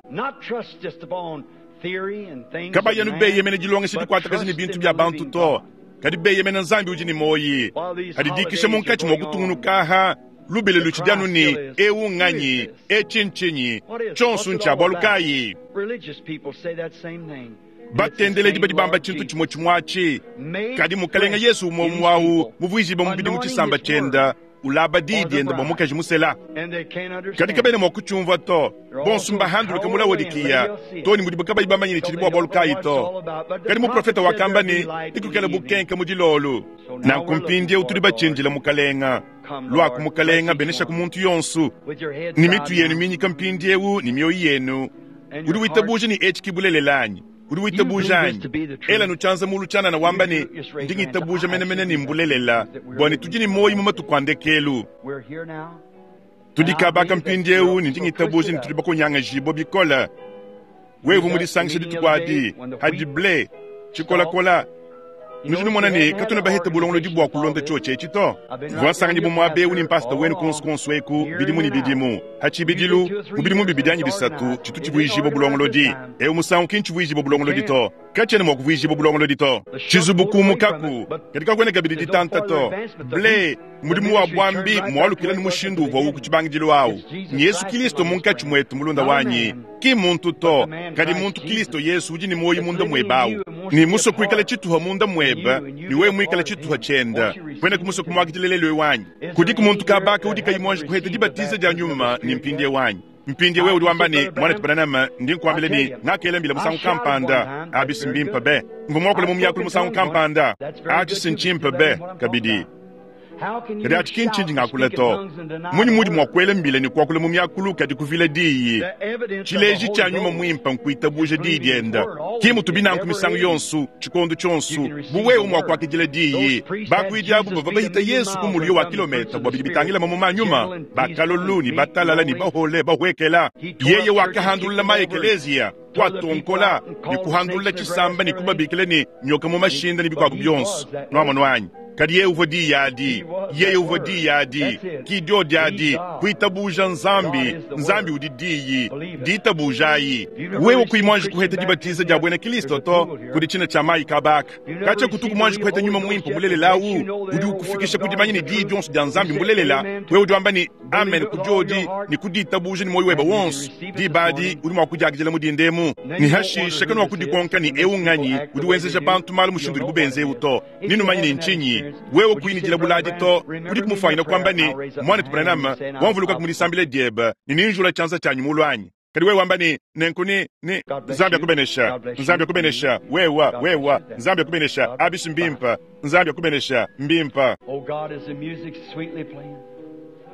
Kabayanu beyemene dilongesha dikuatakaja ne bintu bia bantu to, kadi beyemene Nzambi udi ne moyi. Adidikisha munkatshi mua kutungunukaha lubile lutshidianu ne ewu nganyi, etshi ntshinyi, tshionso ntshia bualu kayi. Batendeledi badi bamba tshintu tshimue tshimue atshi, kadi Mukalenga Yesu umue umue awu muvuijibe mubidi mu tshisamba tshienda ulaba diyi dienda bua mukaji musela. Kadi kabena mua kutshiumvua to, bonso mbahanduluke mu Laodikiya to ne mudibu kabayi bamanye ne tshidi bua bualu kayi to. Kadi muprofeta wakamba ne ikukela bukenke mu dilolu. Nanku mpindieu tudi batshindila Mukalenga. Luaku Mukalenga, benesha ku muntu yonso ne mitu yenu minyika mpindieu ne mioyo yenu. Udi witabuja ne etshi kibulelela anyi? Udi witabuja anyi? Ela nutshianza mulu tshianana wamba ne ndi ngitabuja menemene ne mbulelela bua ne tudi ne moyo mu matuku a ndekelu. Tudi kabaka mpindieu ne ndi ngitabuja ne tudi bakonyangajibua bikole. Wewe mudisangisha dituku adi hadi ble tshikolakola. Nudi numona ne katuna bahete bulongolodi bua kulonda tshiotshi etshi to. Mvua nsanganyi bu muaba eu ne mpasta wenu kuonso kuonso eku bidimu ne bidimu. Ha tshibidilu mu bidimu bibidi anyi bisatu tshitu tshivuijibua bulongolodi. Eu musangu ki ntshivuijibua bulongolodi to. Katshiena mua kuvuijibua bulongolodi to. Tshizubu kumukaku, kadi kakuena kabidi ditanta to. Ble mudimu wa buambi mualukila ne mushindu uvua ku tshibangidilu awu. Yesu Kristo munkatshi muetu mulunda wanyi, ki muntu to, kadi muntu Kristo Yesu udi ne muoyo munda muebe awu. Ne musue kuikala tshituha munda muebe, ne wewe muikala tshituha tshienda. Kuena kumusue kumuakidila lelu wanyi. Kudiku muntu kabaka udi kayi muanji kuheta dibatiza dia nyuma ne mpindie wanyi. Mpindie wewe udi wamba ne mwana Branham, ndi nkuambila ne ngakela mbila musangu kampanda, abisi mbimpe be. Mvua muakule mu miakulu musangu kampanda, atshi si ntshimpe be kabidi. Kadi atshi ki ntshindi ngakula to. Munyi mudi mua kuela mbila ne kuakula mu miakulu kadi kuvila diyi? Tshileji tshia nyuma mwimpe nkuitabuja diyi dienda. Ki mutu binanku misangu yonso, tshikondo tshionso, bu wewe mua kuakidila diyi. Bakuidi abu bavua bahita Yesu ku mulio wa kilometa bua bidi bitangila mamuma a nyuma, bakalolu ne batalala ne bahole bahuekela. Yeye wakahandulula ma ekeleziya, kuatonkola ne kuhandulula tshisamba ne kubabikila ne nyoka mu mashinda ne bikuabu bionso. Nuamono anyi? Kadi yeye uvua diyi adi, yeye uvua diyi adi, ki diodi adi, kuitabuja Nzambi, Nzambi udi diyi, ditabujayi. Wewe kuyi muanji kuheta dibatiza dia buena Kristo to, kudi tshina tshia mayi kabaka. Katshia kutuku muanji kuheta nyuma mwimpe mulelela awu, udi ukufikisha ku dimanya ne diyi dionso dia Nzambi mbulelela. Wewe udi wamba ne amen ku diodi ne ku ditabuja ne muoyo webe wonso. Diba adi udi mua kudiakidila mu dindemu. Ne hashisha kanu wakudikonka ne ewu nganyi udi wenzeja bantu malu mushindu udibu benze ewu to. Ninumanye ne ntshinyi wewe kuyinidila buladi to. Udi kumufanyina kuamba ne mwanetu Branham wamvuluka kumudisambila diebe ne ninjula tshianza tshianyi mulu anyi. Kadi wewe wamba ne nenku ne Nzambi akubenesha, Nzambi akubenesha, wewa wewa Nzambi akubenesha, abisi mbimpa, Nzambi akubenesha mbimpa.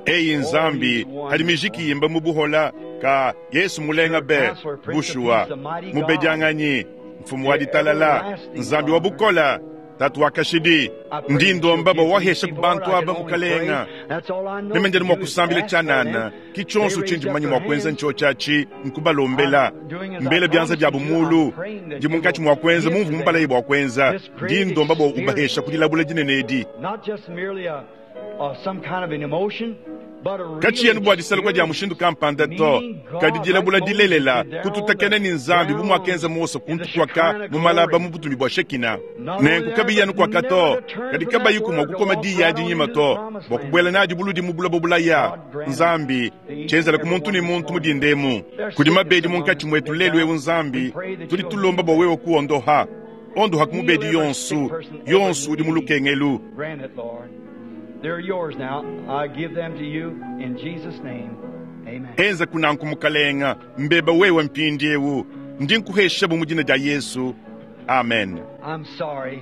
Eyi Nzambi hadi mijiki yimba mu buhola ka Yesu mulenga be bushuwa mubedianganyi mfumu wa ditalala Nzambi wa bukola tatu wa kashidi. Ndi ndomba bua wahesha ku bantu aba mukalenga. Meme ndianu mua kusambila tshianana, ki tshionso tshindi mumanye mua kuenza ntshio tshiatshi nkubalombela. Mbela bianza biabu mulu, ndi munkatshi mua kuenza mumvu mubalaye bua kuenza. Ndi ndomba bua ubahesha ku dilabula dinene edi. Katshiena bua disaluka dia mushindu kampanda to, kadi dilabula dilelela kututakena ne Nzambi bu muakenza Mose kuntu kuaka mu malaba mu butumbi bua Shekina. Nenku kabiyi anu kuaka to, kadi kabayi kumua kukoma diyi adi nyima to, bua kubuela nadi buludi mu buloba bulaya. Nzambi tshienzela ku muntu ne muntu mu dindemu. Kudi mabedi munkatshi muetu lelu eu Nzambi, tudi tulomba bua wewe kuondoha. Ondoha ku mubedi yonso, yonso udi mu lukengelu. They're yours now. I give them to you in Jesus' name. Amen. Enza kunanku mukalenga mbeba wewe mpindiewu ndi nkuhesha mu dina dia Yesu. Amen. I'm sorry.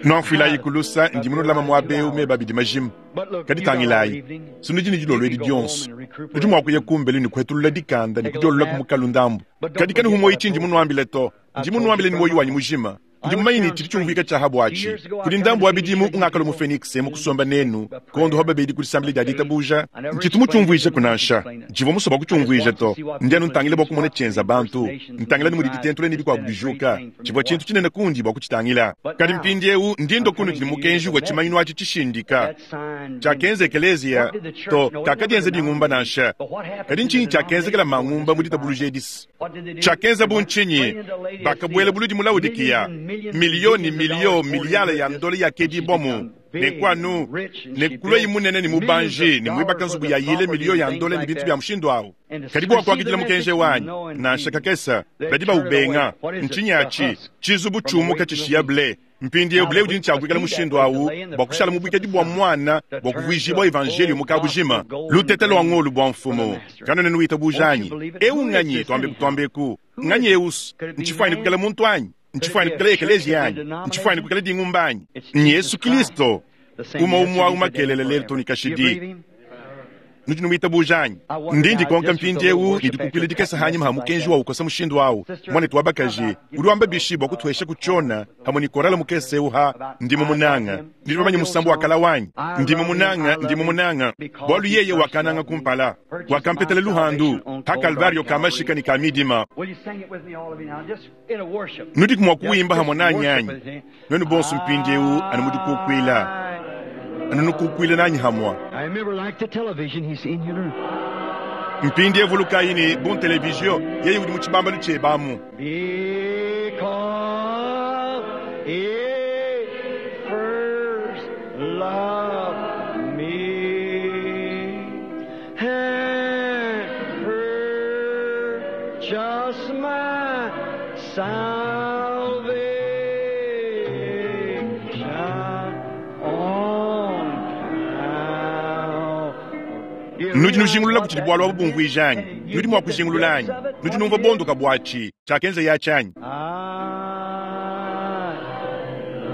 Nwanfuilayi kulusa ndi munulama muabewu meba bidi majimu. But look, Kadi you got all tangilayi evening. sinu dini dilolo You edi can go home dionso and recuperate. nudi mua kuya kumbelu ni kuhetulula dikanda ni kudiolola ku mukalu ndambu. Kadi kani humoyi tshindi munuambile to ndi munuambile ni moyi wanyi mujima ndi mumanyi ni tshidi tshiumvuika tshiaha bwatshi kudi ndambu wa bidimu ungakalo mu Phoenix mukusomba nenu kondo ho babedi kudisambila dia ditabuja ntshitu mutshiumvuija kunansha ntshivua musoba kutshiumvuija to ndi anu ntangila bua kumona tshienza bantu ntangila ni mudi ditentula ni bikuabu bijuka tshivua tshintu tshinene kundi bua kutshitangila kadi mpindiewu ndi ndo kunu tshidi mukenji wa tshimanyinu atshi tshishindika That sign. tshiakenza ekelezia to kakadienza dingumba nansha kadi ntshinyi tshiakenzekela mangumba mu ditabuluja edisi What did they do? tshiakenza bu ntshinyi bakabuela buludi mu Laodikiya miliyoni miliyo miliyala ya ndolo yakedibwamu nenkwanu nekuloyi munene ni mubanji ni mwibaka nzubu ya yile miliyo ya ndolo ni bintu bya mushindu awu kadi bua kuakidila mukenje wanyi nansha kakesa badi baubenga ntshinyi atshi tshizubu tshiumuka tshishiya ble mpindiewu ble udi ntshiakuikala mushindu awu bua kushala mu buikadi bua mwana bua kuvuijibua evanjeliyo mu kabujima lutete lua ngolu bua mfumu kanone nuitabuja anyi ewu nganyi twambe kutwambeku nganyi eusu ntshifuani kukala muntu anyi ntshifuani kukala ekelezia anyi ntshifuani kukala dingumba anyi ni Yesu Kristo uma umwa umakelele lelo toni You believe kashidi him? nudi nuitabuja anyi ndi ndikonka mpindiewu nidikukwila dikesa hanyima ha mukenji wa ukosa mushindu awu mwanetu wa bakaji udi wamba bishi bua kutuhesha kutshiona hamwe ni korala mukese ewu ha ndimo munanga ndi bamanye musambu wa kala wanyi ndimo munanga ndimo munanga bwalu yeye wakananga kumpala wakampetela luhandu ha kalvario kamashika ni kamidima Will you sing it with me, all of you now? Just in a worship. nudi kumwa kuwimba hamwe Just nanyi worship anyi with me. nwenu bonso mpindiewu anu mudikukwila anu nukukwila nanyi hamwa I remember like the television, he's in here. mpindiewu vulukayi ni bon televizio yeye udi mu tshibambalu tshebamu Because he first loved me and purchased my salvation on Calvary. nudi nujingulula kuti bwalu abu bumvuija anyi nudi mua kujingulula anyi nudi numva bondoka bwatshi tshiakenza ya tshianyi I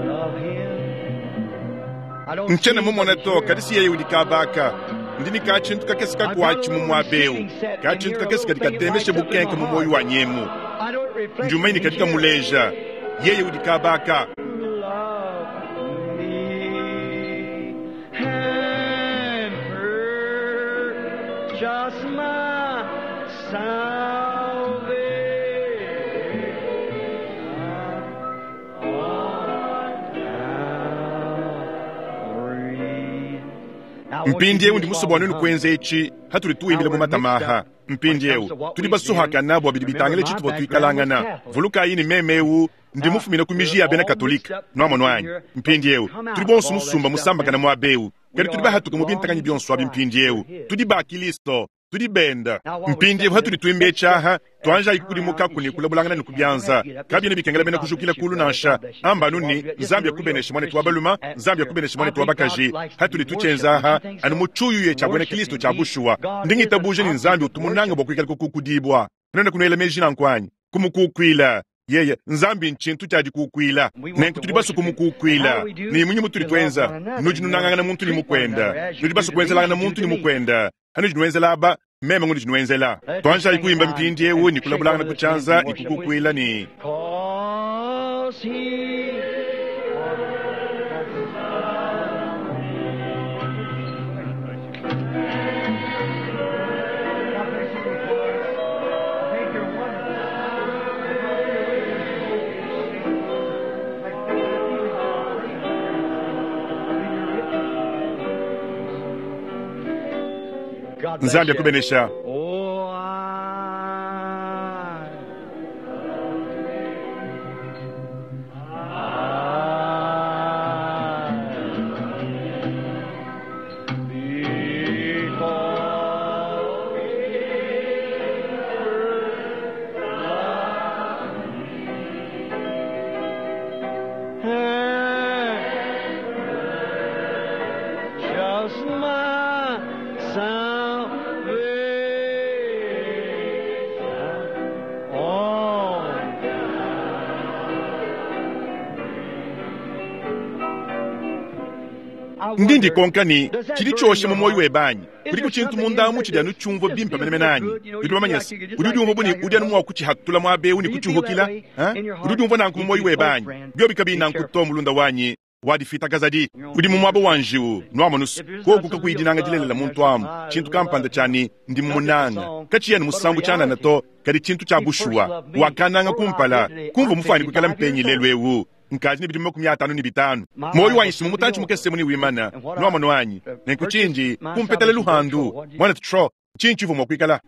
love him. I don't ntshiena see mumona him to here. kadi si yeye udi kabaka ndi ni katshintu kakese kakuatshi mu muaba ewu katshintu kakese kadi katemeshe bukenke mu moyo wa nyemu I don't reflect ndi umanyi kadi kamuleja yeye udi kabaka Love me and purchase my salvation on Calvary. Now, won't you mpindiewu do ndi this musobo while wa we nunu hum? kuenza etshi hatuli tuwimbile mu matamaha mpindiewu tudi basuhakana bua bidi bitangile tshitupa tuikalangana vulukayi ni memewu ndi mufumine ku miji ya bena katolika nuamono anyi mpindiewu tudi bonso musumba musambakana muabewu kadi tudi bahatuka mu bintakanyi bionso abi mpindiewu tudi ba kilisto tudi benda mpindiewu hatuli tuimba etshaha tuanjayi kukudimukaku ni kulabulangana ni kubyanza kabiena bikengela bena kujukila kulu nansha ambanu ni nzambi yakubenesha mwanetu wa baluma nzambi yakubenesha mwanetu wa bakaji hatuli tutshenzaha anu mutshuyu tshia buena kilisto tshia bushuwa ndingitabuja ni nzambi utumunanga bua kuikala kukukudibwa nena kunuela meji nanku kumukukwila yeye nzambi ntshintu tshiadikukwila nenku tudi basu kumukukwila ni munyi mutuli twenza nudi nunangangana muntu ni mukwenda nudi basu kuenzelangana muntu ni mukwenda hanudi nuenzela aba meme ngudi nuenzela twanjayi kuimba mpindi ewu ni kulabulangana kutshanza ni kukukwila ni Cause he God bless nzambi you. akubenesha Oh, I, because he first loved me, Ndi ndikonka ne, Tshidi tshiosha mu muoyo webe anyi? Kudiku tshintu munda amu tshidi anu tshiumvua bimpe menemene anyi? Udi mumanye se, udi udiumvua bu ne, udi anu mua kutshihatula muaba eu ne kutshiuhukila? Udi udiumvua nanku mu muoyo webe anyi? Biobi kabiyi nanku to, mulunda wanyi, wa difitakazadi, udi mu muaba wa njiwu. Nuamonus, koku kakuyi dinanga dilelela muntu amu, tshintu kampanda tshia ne, Ndi mumunanga, katshiyi anu musambu tshianana to, kadi tshintu tshia bushuwa. Wakannanga kumpala, kumvua mufuane kuikala mpenyi lelu eu. Nkadi ne bidimu 55. Muoyo wanyi si mu mutantshi mukese muni wimana. Nuamonu anyi? Nenku tshindi kumpetela luhandu, Muanetu Troy, ntshinyi tshivua mua kuikala?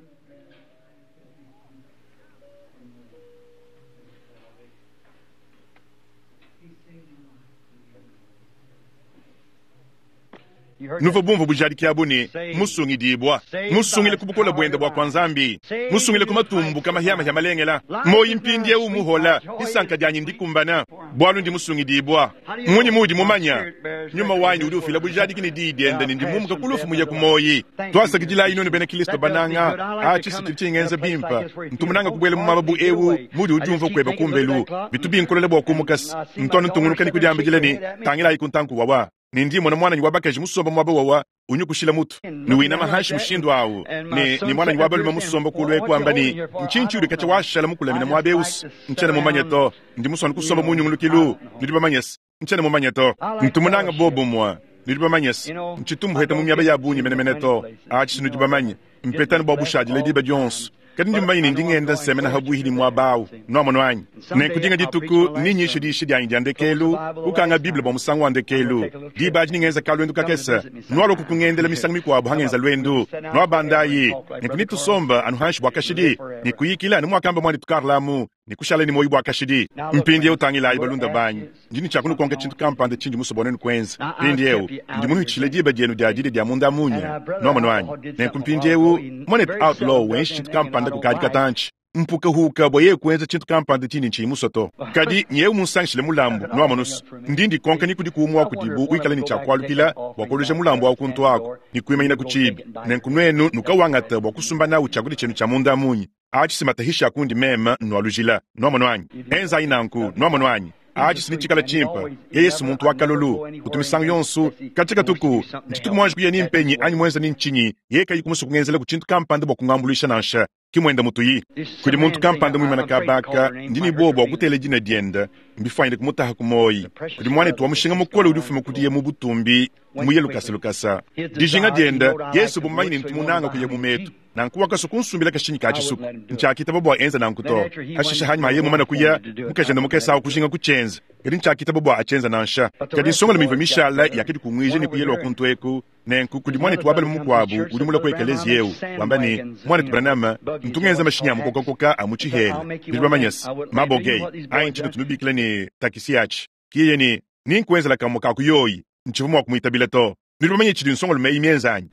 Nuvua bumvue bujadiki abu ne, Musungidibua, musungile ku bukole buende bua kua Nzambi, musungile ku matumbuka mahiamahia malengela. Muoyi mpindieu muhola, disanka dianyi ndikumbana, bualu ndi musungidibua. Mmunyi muudi mumanya? Nyuma wanyi udi ufila bujadiki ne diyi diende ne ndi mumuka ku lufu muye ku muoyi. Tuasakidilayi nuenu bena Kristo bananga. Atshi si tshidi tshingenza bimpe. Ntu munanga kubuela mu muaba bu eu muudi udiumvua kueba kumbelu. Bitu binkolele bua kumuka se ntu anu ntungunuka ne kudiambidila ne, Tangilayi ku ntanku wawa. Ne ndi mmona muananyi wa bakaji musomba muaba wawa unyukushila mutu ne winama hanshi mushindu awu, ne, ne muananyi wa balume musomba kulu eku wamba ne, Ntshinyi tshiudi katshia washala mukulamina muaba eu? Ntshiena mumanye to. Ndi musue anu kusomba mu nyungulukilu. Nudi bamanye se, ntshiena mumanye to. Ntu munange bobumue. Nudi bamanye se, ntshitu mbuheta mu miaba ya bungi menemene to. Atshi si nudi bamanye. Mpeta anu bua bushadile diba dionso. Kadi ndi mumanye ne ndi ngenda nsemena habuihi ne muaba au. Nuamonu anyi? Nenku dinga dituku nenyishe diyisha dianyi dia ndekelu, kukanga Bible bua musangu wa ndekelu. Diba adi nengenza kaluendu kakese. Nualua kukungendela misangu mikuabu hangenza luendu. Nuabandayi, nenku netusombe anu hanshi bua kashidi, ne kuyikila anu muakamba muanetu Carl amu, ne kushala ne muoyo bua kashidi. Mpindieu tangilayi, balunda banyi, ndi ne tshia kunukonka tshintu kampanda tshindi musue bua nuenu kuenza. Mpindieu ndi munuhitshile diba dienu dia didia dia munda munya. Nuamonu anyi? Nenku mpindieu, muanetu Outlaw wenshi tshintu kampanda kukadi katantshi. Mpukahuka bua yeye kuenza tshintu kampanda tshindi ntshiyi musue to. Kadi nyeu munsangishile mulambu. Nuamonu's, ndi ndikonka ni kudiku umue wa kudibu wikala ne tshia kualukila bua kuoluja mulambu au kuntu aku ne kuimanyina ku tshiibi. Nenku nuenu nukawangata bua kusumba nawu tshiakudia tshienu tshia munda munyi. Atshi si matahishi a kundi meme nnualujila. Nuamonu anyi? Enzayi nanku. Nuamonu anyi? Atshi si netshikala tshimpe. Yeye si muntu wa kalolu. Utu misangu yonso, katshia katuku, ntshituku muanji kuya ni mpenyi anyi muenza ni ntshinyi, yeye kayi kumusua kungenzelaku tshintu kampanda bua kungambuluisha nansha. Ki muenda mutuyi. Kudi muntu kampanda muimana kaba aka, ndi ne buowa bua kutela dina diende, mbifuanyine kumutaha ku muoyi. Kudi muanetu wa mushinga mukole udi ufuma kudiye mu butumbi, muye lukasa lukasa. Dijinga diende, Yesu bu mumanye ne ntu munanga kuya mu metu. Nanku wakasua kunsumbila kashinyi ka tshisuku. Ntshiakitaba bua enza nanku to. Hashishe hanyima ha yeye mumane kuya, mukajende mukese au kujinga kutshienza, kadi ntshiakitaba bua atshienza nansha. Kadi nsongalume ivua mishala yakadikunguija ne kuya lua kuntu eku. Nenku kudi muanetu wa balume mukuabu udi mulue ku ekeleziya eu, wamba ne, Muanetu Branham, ntu ngenza mashinyi a mukokakoka a mu tshihela. Nudi bamanye se, mabogey, anyi tshinutu nubikila ne, takisi atshi. Ke yeye ne, Nenkuenzela kamue ka ku yoyi. Ntshivua mua kumuitabila to. Nudi bamanye tshidi nsongalume eyi mienze anyi?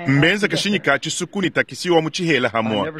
Mbenze kashinyi ka tshisuku ne takisi wa mu tshihela hamue.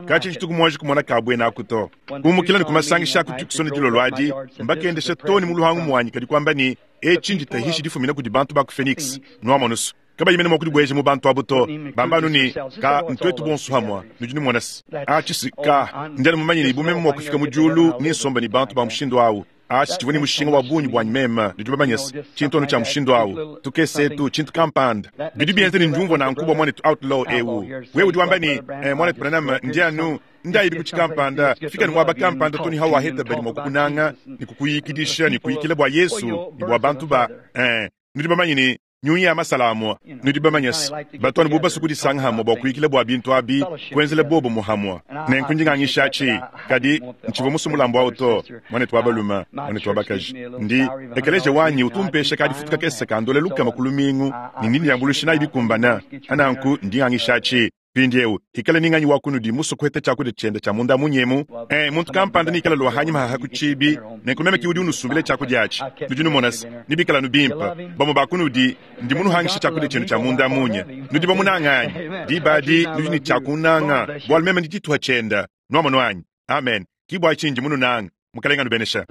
Katshia tshituku muanji kumona ka buena aku to. Kumukila ne ku masangisha a ku Tucson dilolo adi, mbakendesha too ne mu luhangu muanyi kadi kuamba ne, Etshi nditahishi difumina kudi bantu ba ku Phoenix. Nuamonu's, kabayi mene mua kudibueja mu bantu abu to, bamba anu ne, Ka, ntuetu bonso hamue. Nudi numona se, atshi si, ka, ndi anu mumanye ne bu meme mua kufika mu diulu, nensombe ne bantu ba mushindu au. Atshi tshivua ne mushinga wa bungi buanyi meme, nudi bamanye se, tshintu anu tshia mushindu au, tukese etu, tshintu kampanda. Bidi bienza ne ndiumvua nanku bua muanetu Outlaw eu. Wewe udi wamba ne, Eh, muanetu Branham, ndi anu, ndayibi ku tshikampanda, fika ne muaba kampanda to ne hawaheta badi mua kukunanga ne kukuyikidisha ne kuyikila bua Yesu ne bua bantu ba, eh, nudi bamanye ne, nyunyi ya masala amua. Nudi bamanye se, batu anu bu basue kudisanga hamue bua kuyikila bua bintu abi, kuenzela bobo hamue. Nenku ndi ngangisha atshi, kadi ntshivua musue mulambu au to, muanetu wa balume, muanetu wa bakaji. Ndi, ekeleziya wanyi utu umpesha ka-difutu kakese ka ndola 100 ku lumingu, ne ndi ndiambuluisha nayi bikumbane. Nanku ndi ngangisha atshi. Mpindieu, hikala ni nganyi wa kunudi musue kuheta tshiakudia tshiende tshia munda munyi emu? E, muntu kampanda nikala lua hanyima haha ku tshibi, nenku meme ki udi unusumbila tshiakudia atshi. Nudi numona se, nebikale anu bimpe. Bamue ba kunudi, ndi munuhangishe tshiakudia tshienu tshia munda munya. Nudi bamunange anyi? Diba adi nudi ne tshia kunnanga, bualu meme ndi tshituha tshiende. Nuamonu anyi? Amen. Ki bua tshinyi ndi mununange. Mukalenge anubenesha.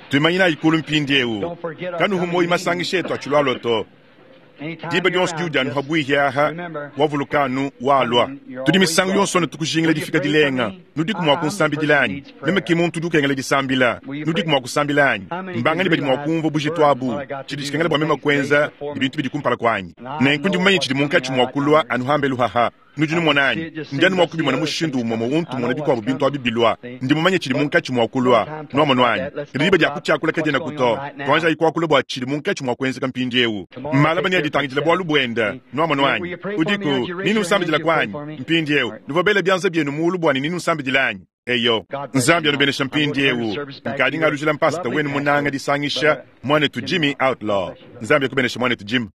Tuimanyinayi kulu mpindieu. Kanuhu muoyo masangisha etu atshilualua to. Diba dionso diudi anu pabuihi aha, wavuluka anu walua. Tudi misangu yonso anu tukujingila difika dilenga. Nudiku mua kunsambidila anyi? Meme ki muntu udi ukengela disambila. Nudiku mua kusambila anyi? Mbanganyi badi mua kumvua bujitu abu, tshidi tshikengela bua meme kuenza, ne bintu bidi kumpala kuanyi? Nenku ndi mumanye tshidi munkatshi mua kulua anu hambelu haha. Nudi numona anyi? Ndi anu mua kubimona mushindu umue umue untu mmona bikuabu bintu abi bilua. Ndi mumanye tshidi munkatshi mua kulua. Nuamonu anyi? Kadi diba dia kutshiakula kadienaku to. Tuanjayi kuakula bua tshidi munkatshi mua kuenzeka mpindieu. Malaba neaditangidile bualu buende. Nuamonu anyi? Udiku ni nunsambidilaku anyi? Mpindieu, nuvua bele bianza bienu muulu bua ne ni nunsambidila anyi? Eyo. Nzambi anubenesha mpindieu. Nkadi ngalujila mpasata wenu munanga disangisha, muanetu Jimmy Outlaw. Nzambi akubenesha muanetu Jim.